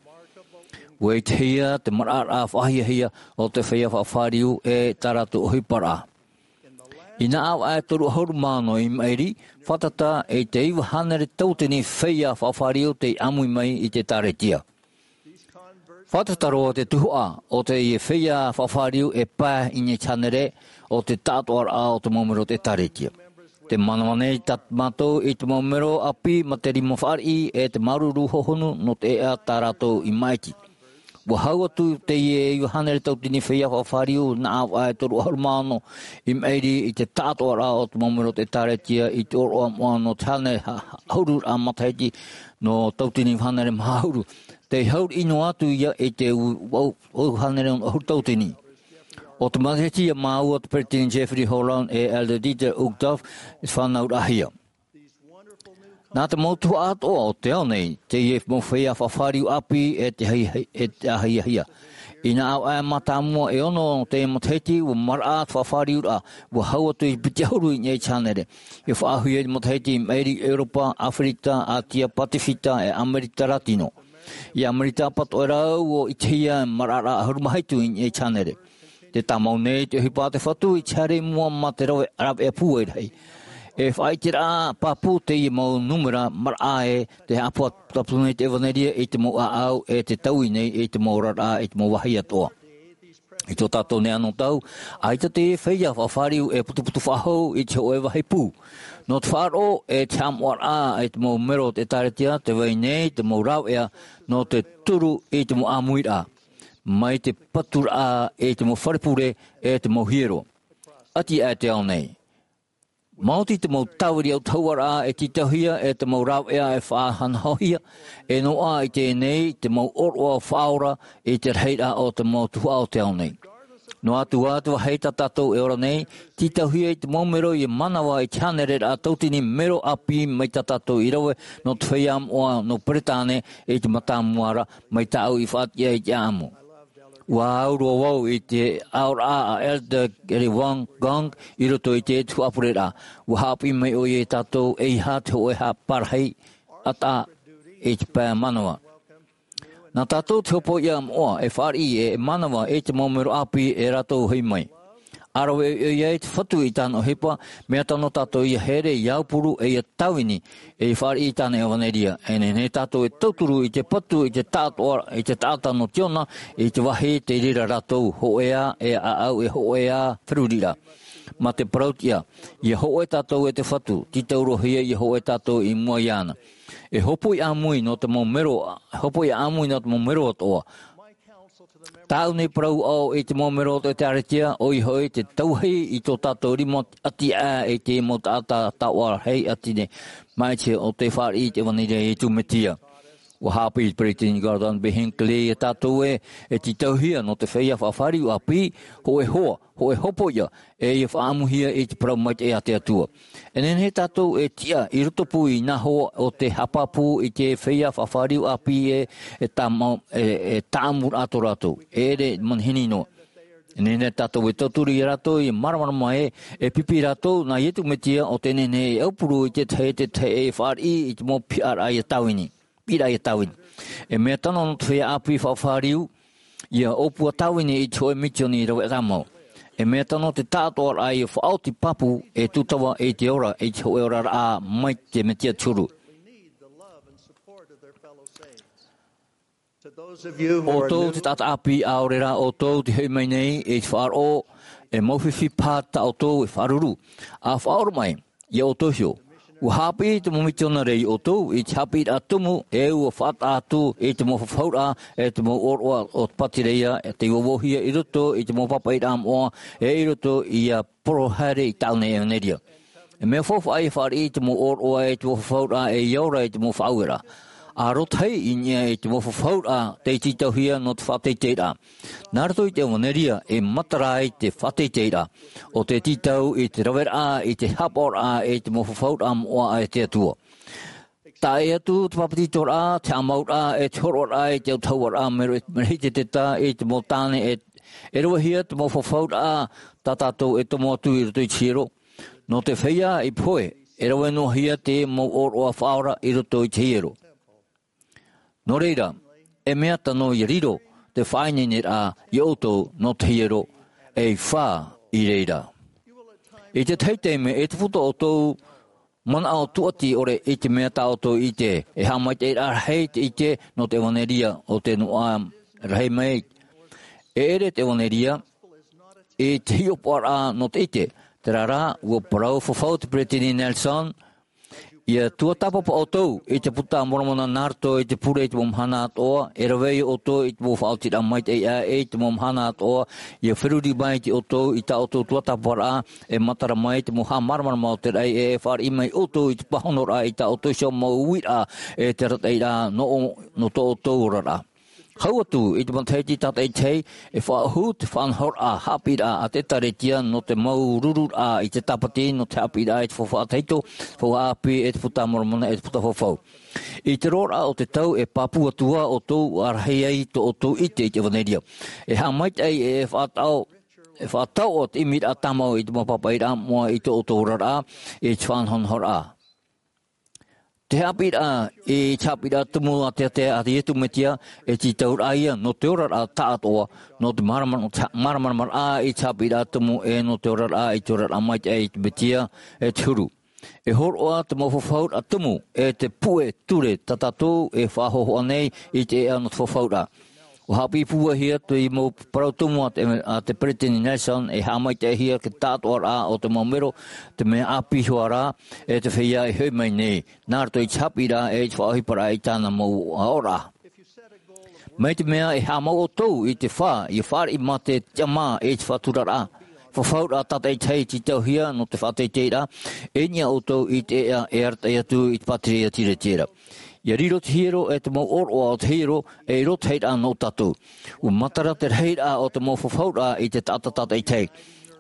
Ua ʻitehia te maraʻaraʻa faʻahiahia o te feiā faʻafāriu e tā rātou ʻohiparaʻa. I nā ʻāvaʻe toru ʻahuru mā ono i maʻiri, fātata i te iva hānere tauatini feiā faʻafāriu tei ʻāmui mai i te ʻĒtārētia. Fātata roa te tuhaʻa o teie feiā faʻafāriu e pae i niʻa i te hānere o te taʻatoʻaraʻa o te mau mero o te ʻĒtārētia. Te manava nei tā mātou i te mau mero ʻāpī ma te rima fāriʻi e te māuruuru hohonu nō te ʻeʻa tā rātou i māʻiti. Ua hau atu teie e iva hānere tautini feiā faʻafāriu nā ʻāvaʻe toru ʻahuru mā ono i maʻiri i te taʻatoʻaraʻa o te mau mero o te ʻĒtārētia i te ʻōroʻa moʻa nō te hānere ha-, ha-, ʻahuru raʻa matahiti nō tautini hānere maha ʻahuru. Tei hauriʻi noa atu ia i te u-, u-, u-, hānere ʻahuru tautini. ʻO te matahiti ia māua te Peresideni Jeffrey Holland e Elder Dieter Uchtdorf i fānauraʻahia. Nā te mau tuhaʻa atoʻa o te ao nei, teie mau feiā faʻafāriu ʻāpī e te ahi-, e te ahiahia. Inā ʻāvaʻe mātāmua e ono o teie matahiti, ua maraʻa te faʻafāriuraʻa, ua hau atu i te piti ʻahuru i niʻa i te hānere. ʻIa faʻaauhia i te matahiti i maʻiri i ʻEuropa, ʻĀfirika, ʻĀtia, Pasifika, e ʻAmerika Latino. I ʻAmerika pātoʻi rā ua ʻitehia e maraʻaraʻa ʻahuru mā hitu i niʻa i te hānere. Tē tāmau nei te ʻohipa a te Fatu i te haere i mua mā te rave, rāveʻa pūai rahi. E faʻaʻiteraʻa pāpū teie mau nūmera maraʻa ē, tē haʻaputapū nei te ʻevanelia i te mau ʻāʻau e tē taui nei i te mau oraraʻa i te mau vāhi atoʻa. I tō tātou nei anotau, ʻaita te feiā faʻafāriu e putuputu faʻahou i te hōʻē vāhi pū. Nō te faʻaroʻo e te haʻamoʻaraʻa i te mau mero o te ʻĒtārētia, tē vai nei te mau rāveʻa nō te turu i te mau ʻāmuiraʻa, mai te paturaʻa i te mau fare pure e te mau hiero. ʻAti aʻe te ao nei. Maoti te mau tāviri autahuʻaraʻa e tītauhia e te mau rāveʻa e faʻahanahohia, e noaʻa i teie nei te mau ʻōroʻa faʻaora i te rahiraʻa o te mau tuhaʻa o te ao nei. Noa atu ā te vāhi tā tātou e ora nei, tītauhia i te mau mero ʻia manava i te hānereraʻa tautini mero ʻāpī mai tā tātou i rave nō te feiā moʻa nō Peretāne i te mātāmua ra mai tāʻu i faʻatiʻa i te ʻāʻamu. Ua ʻaurua vau i te aʻoraʻa a Elder Gary Wang Gong i roto i te tuhaʻa pureraʻa. Ua haʻapiʻi mai ʻoia iā tātou ʻeiaha te hōʻē haʻaparahi ʻataʻa i te pae manava. Nā tātou te hopoiʻa moʻa e fāriʻi e, e manava i te mau mero ʻāpī e rātou hoʻi mai. ʻA rave ʻoia i te Fatu i tāna ʻohipa, mea tano tātou ʻia haere, ʻia aupuru, e ʻia tāvini, e ʻia fāriʻi i tāna ʻevanelia. E nehenehe tātou e tauturu i te patu, i te taʻatoʻa, i te taʻata nō Tiona, i te vāhi tei reira rātou, hōʻē ā e ʻāʻau, e hōʻē ā feruriraʻa. Mā te parautiʻa, ʻia hōʻē tātou e te Fatu, tītauhia ʻia hōʻē tātou i mua iāna. E hopoiʻa ʻāmui nō te mau mero, hopoiʻa ʻāmui nō te mau mero atoʻa. Tāʻu nei parau aʻo i te mau mero o te ʻĒtārētia, ʻoia hoʻi te tauahi i tō tātou rima ʻati aʻe i te mau taʻata taoʻa rahi ʻati nei, māʻiti o tē fāriʻi i te ʻevanelia a Iesu Mesia. Ua haʻapiʻi te Peresideni Gordon B. Hinckley iā tātou ē, e tītauhia nō te feiā faʻafāriu ʻāpī, hōʻē hoa, hōʻē hopoiʻa, e ʻia faʻaʻamuhia i te parau maitaʻi a te Atua. E nehenehe tātou e tiʻa i roto pū i nā hoa o te haʻapāpū i te feiā faʻafāriu ʻāpī ē, e tāmau, e, e tāʻamuraʻa tō rātou. E ʻere manihini noa. E nehenehe tātou e tauturu iā rātou ʻia māramarama ē, e pipi rātou nā Iesu Mesia ʻo tē nehenehe e aupuru i te tahi, te tahi e fāriʻi i te mau piʻiraʻa ʻia tāvini. Piʻiraʻa ʻia tāvini. E mea tano nō te feiā ʻāpī faʻafāriu, ʻia ʻōpua tāvini i te hōʻē misioni rave tāmau. E mea tano te taʻatoʻaraʻa ʻia faʻaoti pāpū e tūtava i te ora, i te hōʻē oraraʻa mai te Mesia te huru. ʻOutou te taʻata ʻāpī ʻaore rā ʻoutou te hoʻi mai nei i te faʻaroʻo, e mau fifi paha tā ʻoutou e faʻaruru. ʻA faʻaora mai, ʻia ʻoutou iho. Ua haʻapiʻi te mau mitionare iā ʻoutou i te haʻapiʻiraʻa tumu, e ua faʻataʻa atu i te mau fafauraʻa, e te mau ʻōroʻa o te pātireia, e tei vauvauhia i roto i te mau pāpaʻiraʻa moʻa, e i roto ia poro haere i tāʻu nei ʻevanelia. E mea faufaʻa ʻia fāriʻi i te mau ʻōroʻa e te mau fafauraʻa e ʻia ora i te mau faʻaueraʻa. ʻA rotahi i niʻa i te mau fafauraʻa tei tītauhia nō te faʻateiteiraʻa. Nā roto i te ʻevanelia e matara ai te faʻateiteiraʻa. ʻO te tītau i te raveraʻa, i te haʻapaʻoraʻa, i te mau fafauraʻa moʻa a te Atua. Taʻa ʻē atu te papetitoraʻa, te haʻamauraʻa, e te hōroʻaraʻa, i te autahuʻaraʻa, mea rahi te teta, i te mau tāne, e, e ravehia te mau fafauraʻa, tā tātou e tomo atu i roto i te hiero. Nō te feiā i pohe, e rave noa hia te mau ʻōroʻa faʻaora i roto i te hiero. Nō reira, e mea tano ʻia riro te faʻaineineraʻa iā ʻoutou nō te hiero, e fā i reira. I te tahi taime, e te puta ʻoutou manaʻo tūʻati ʻore i te mea tā ʻoutou ʻite, e haʻamaitaʻiraʻa rahi te ʻite nō te ʻevanelia o te noaʻa rahi mai. E ʻere te ʻevanelia, i te hiʻopoʻaraʻa nō te ʻite, Terā rā, ʻua parau fafau te Peresideni Nelson, ʻia tuatāpapa ʻoutou i te Puta a Moromona nā roto i te pure i te mau mahana atoʻa, e rave ia ʻoutou i te mau faʻaotiraʻa maitaʻi aʻe i te mau mahana atoʻa, ʻia feruri mai ʻoutou i tā ʻoutou tuatāpaparaʻa, e matara mai te mau haʻamāramarama o te raʻi, e, e fāriʻi mai ʻoutou i te pāhonoraʻa i tā ʻoutou iho mau uiraʻa, e te arataʻiraʻa nō, nō tō ʻoutou oraraʻa. Hau atu i te matahiti tātaʻitahi, e faʻaʻohu te faʻanahoraʻa haʻapiʻiraʻa a te ʻĒtārētia nō te mau rururaʻa i te tāpati, nō te haʻapiʻiraʻa i te faufaʻa tahito, faufaʻa ʻāpī, e te Puta a Moromona, e te Puta Fafau. I te roaraʻa o te tau e pāpū atu ā ʻoutou, ʻa rahi ai tō ʻoutou ʻite i te ʻevanelia. E haʻamaitaʻi, e faʻataʻo, e faʻataʻo te ʻimiraʻa tāmau i te mau pāpaʻiraʻa moʻa i tō ʻoutou oraraʻa, i te faʻanahonahoraʻa. Te haʻapiʻiraʻa, i te haʻapiʻiraʻa tumu a te, a te, a te Iesu Mesia, e tītauraʻa ia nō te oraraʻa tāʻātoʻa, nō te māramarama, nō te māramarama i te haʻapiʻiraʻa tumu, e nō te oraraʻa, i te oraraʻa maitaʻi i te Mesia, e te huru. E hōroʻa te mau fafauraʻa tumu, e te puʻe ture tā tātou e faʻahōhoʻa nei i te ʻēʻa nō te fafauraʻa. ʻUa haʻapiʻi pūaihia te mau parau tumu a te, a te Peresideni Nelson, e haʻamaitaʻihia te tāʻātoʻaraʻa o te mau mero, te mea ʻāpī hoʻi rā, e te feiā e hoʻi mai nei, nā roto i te haʻapiʻiraʻa, e i te faʻaʻohiparaʻa i tāna mau oraraʻa. Mai te mea e haʻamau ʻoutou i te fā, ʻia fāriʻi mā te tiʻamā, e te faʻaturaraʻa, fafauraʻa tātaʻitahi e tītauhia nō te faʻateiteiraʻa, e niʻa ʻoutou i te ʻēʻa e arataʻi atu i te pātireia tiretiera. ʻIa riro te hiero, e te mau ʻōroʻa o te hiero, e riro te hairaʻa nō tātou. ʻUa matara te rahiraʻa o te mau fafauraʻa i te taʻata tātaʻitahi.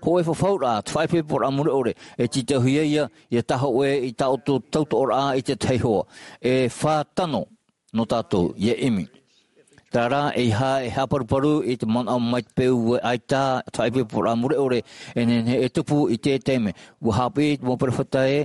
Hōʻē fafauraʻa, te faʻaipoiporaʻa mure ʻore, e tītauhia ia, ʻia tae hōʻē i tā ʻoutou tautoʻoraʻa i te tahi hoa. E fā tano nō tātou, ʻia ʻimi. Terā rā, ʻeiaha e haʻaparuparu i te manaʻo mai te peu ē ʻaita te faʻaipoiporaʻa mure ʻore e nehenehe e tupu i te taime. ʻUa haʻapiʻi te mau perofeta ē,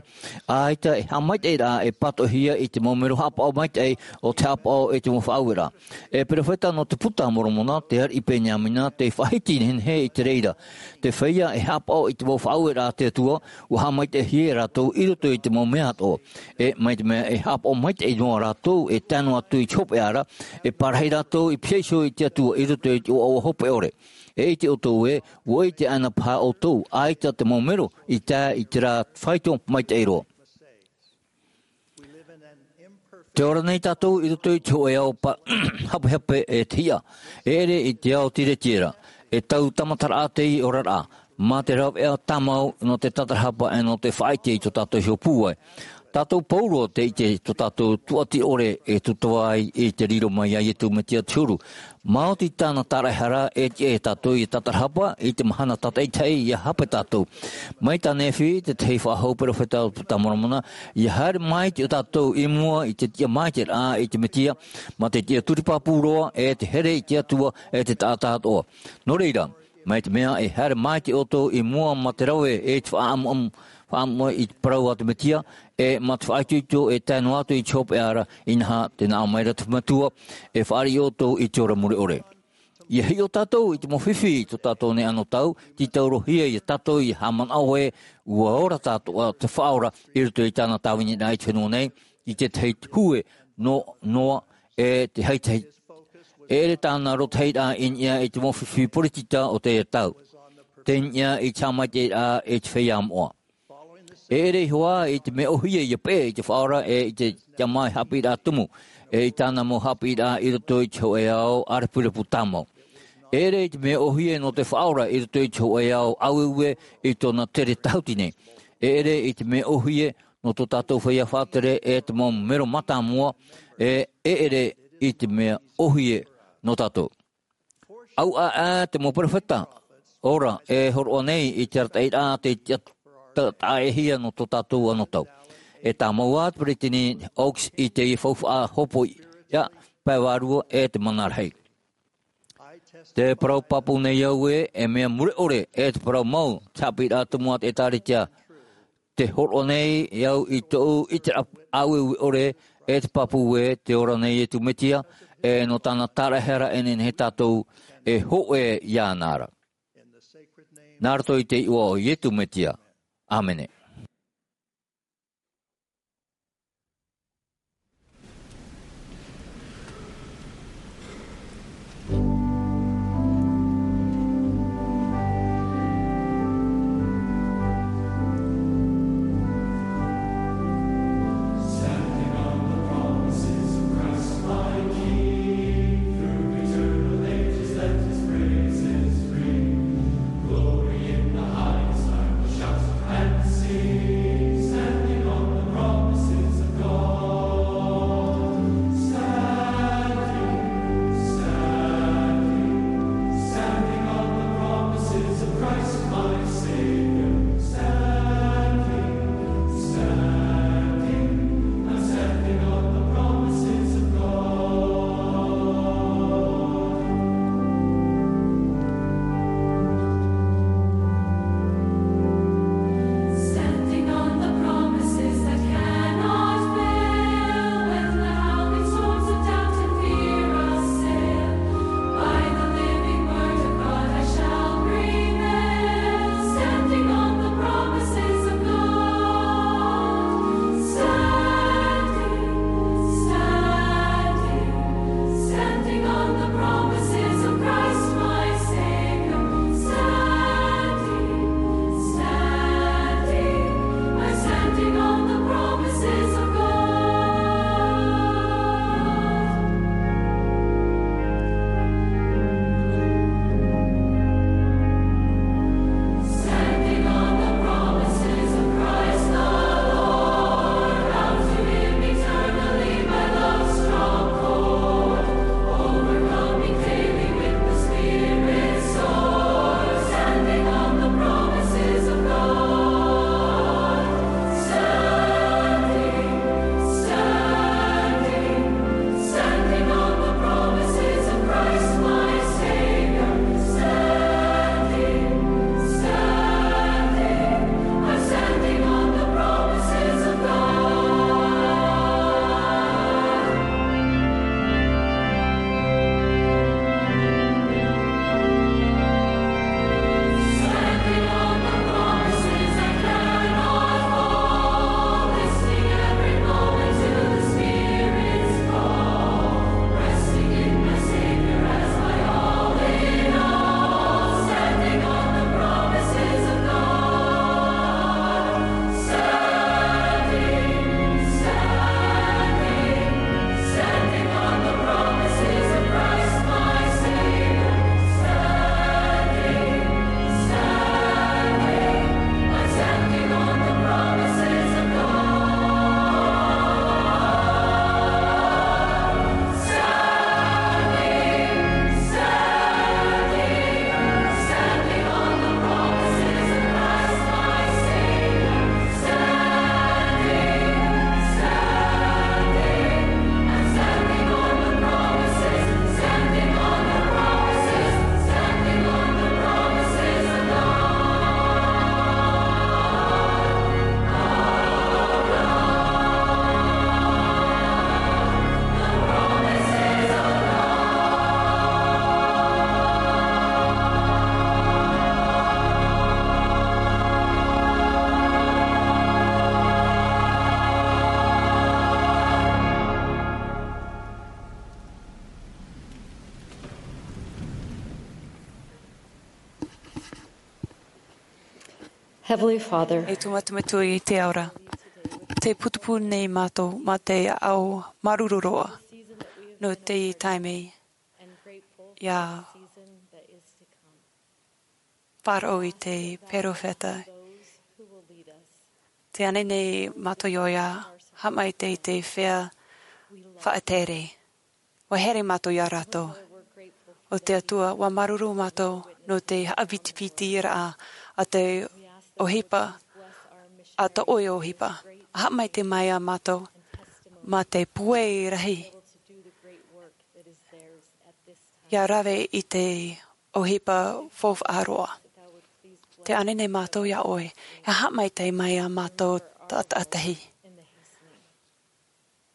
ʻaita e haʻamaitaʻiraʻa e pātoʻihia i te mau mero haʻapaʻo maitaʻi o te haʻapaʻo i te mau faʻaueraʻa. E perofeta nō te Puta a Moromona, te ariʻi Peniamina, tei faʻahiti nehenehe i te reira. Te feiā e haʻapaʻo i te mau faʻaueraʻa a te Atua, ʻua haʻamaitaʻihia rātou i roto i te mau mea atoʻa. E mai te mea e haʻapaʻo maitaʻi noa rātou, e tae noa atu i te hopeʻa ra, e parahi rātou i pihaʻi iho i te Atua i roto i te ʻoaʻoa hope ʻore. E ʻite ʻoutou ē, ʻua ʻite anaʻe paha ʻoutou, ʻaita te mau mero i tae i terā faito maitaʻi roa. Tē ora nei tātou i roto i te hōʻē ao pa-, hapehape e te hiʻa. E ʻere i te ao tiretiera, e tau tāmataraʻa te oraraʻa, mā te rāveʻa tāmau nō te tatarahapa e nō te faʻaʻite i tō tātou iho pūai. Tātou pauroa tē ʻite tō tātou tuati ʻore e tūtava ai i te riro mai a Iesu Mesia te huru. Maoti tāna tāraʻehara e tiʻa ia tātou ʻia tatarahapa i te mahana tātaʻitahi ʻia hape tātou. Mai tā Nephi, te tahi faʻahou perofeta o te Puta a Moromona, ʻia haere mai te, tātou i mua i te tiʻa maitaʻiraʻa i te Mesia, mā te tiʻa turi pāpū roa, e te here i te Atua, e te taʻata atoʻa. Nō reira, mai te mea e haere maitaʻi ʻoutou i mua mā te rave e te faʻaʻamuʻamu, faʻaʻamuʻamu i te parau a te Mesia, e mā te faʻaitoito e tae noa atu i te hopeʻa ra, inaha, tē nā ʻō mai ra te Metua, e fāriʻi ʻoutou i te ora mure ʻore. ʻIa hiʻo tātou i te mau fifi i tō tātou nei anotau, tītaurohia ia tātou ʻia haʻamanaʻo ē, ʻua ora tātou, ā, te Faʻaora i roto i tāna tāviniraʻa i te fenua nei, i te tahi hue nō Noa e te haitahi. E ʻere tāna rotahiraʻa i niʻa i te mau fifi poritita o teie tau. Tei niʻa i te haʻamaitaʻiraʻa i te feiā moʻa. E ʻere iho ā i te mea ʻōhie ʻia peʻe i te Faʻaora e i te tiʻamā haʻapiʻiraʻa tumu, e i tāna mau haʻapiʻiraʻa i roto i te hōʻē ao ʻārepurepu tāmau. E ʻere i te mea ʻōhie nō te Faʻaora i roto i te hōʻē ao ʻāueue i tōna tere tahuti nei. E ʻere i te mea ʻōhie nō tō tātou feiā faʻatere e te mau mero mātāmua, e, e ʻere i te mea ʻōhie nō tātou. ʻAuʻa ā te mau perofeta ora e hōroʻa nei i te arataʻiraʻa tei tiʻa-, ta-, taʻa-ʻē-hia nō tō tātou anotau. E tāmau ā te Peresideni Oaks i teie faufaʻa hopoiʻa, pae vārua e te mana rahi. Tē parau pāpū nei au ē, e mea mure ʻore, e te parau mau, te haʻapiʻiraʻa tumu a te ʻĒtārētia, tē hōroʻa nei au i tōʻu ʻiteraʻa ʻāueue ʻore, e te pāpū ē, tē ora nei Iesu Mesia, e nō tāna tāraʻehara e nehenehe tātou e hōʻē iāna ra. Nā roto i te iʻoa o Iesu Mesia. ʻĀmene. Heavenly Father, e te Metua i te ao ra, tē putupū nei mātou mā te ao māuruuru roa nō teie taime ʻia faʻaroʻo i te perofeta. Tē ani nei mātou iā ʻoe ʻia haʻamaitaʻi i te feiā faʻatere. ʻUa haere mātou iā rātou. ʻO te Atua, ʻua māuruuru mātou nō te haʻapitipitiraʻa a te ʻohipa, a tō ʻoe ʻohipa. ʻA haʻamaitaʻi mai iā mātou mā te pūai rahi ʻia rave i te ʻohipa faufaʻa roa. Tē ani nei mātou iā ʻoe, ʻia haʻamaitaʻi mai iā mātou tātaʻitahi.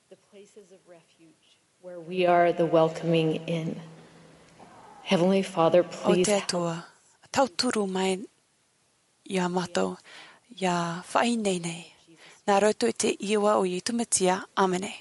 The places of refuge where we are the welcoming in. Heavenly Father, please help. ʻO te Atua, tauturu mai iā mātou, ʻia faʻaineine. Nā roto i te iʻoa o Iesu Mesia, ʻāmene.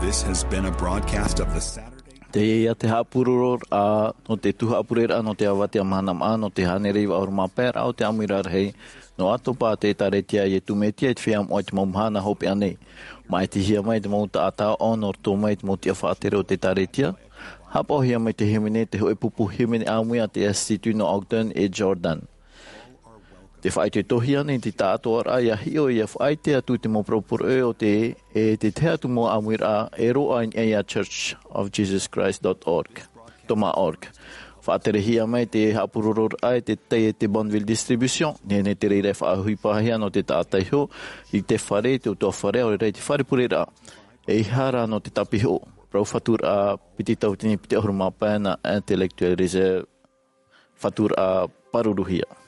This has been a broadcast of the Saturday. Teie ia te haʻapurororaʻa nō te tū haʻapureraʻa nō te avatea mahana maʻa, nō te hānere iva ʻahuru mā pae raʻa o te ʻāmuiraʻa rahi, nō ʻĀtopa te ʻĒkālesia a Iesu Mesia i te feiā moʻa i te mau mahana hopeʻa nei. Māʻitihia mai te mau taʻata ʻaʻau nō roto mai i te mau tiʻa faʻatere o te ʻĒkālesia. Haʻapaʻohia mai te hīmene, te hōʻē pupu hīmene ʻāmui a te Institut nō Ogden e Jordan. Te faʻaitoitohia nei te taʻatoʻaraʻa ia hiʻo ia faʻaite atu te mau poroʻi o te e te tahi atu mau ʻāmuiraʻa e roaʻa i niʻa ia church of jesus christ dot org toma org. Faʻaterehia mai te haʻapurororaʻa e te tai e te bonneville distribution nei nei te reira e faʻahuipahia nō te taʻata iho i te fare i te utuafare ʻaore rā i te fare pureraʻa. E ihara nō te tāpiho rau faturaʻa piti tautini piti ʻahuru mā pae nā intellectuel reserve faturaʻa pāruruhia.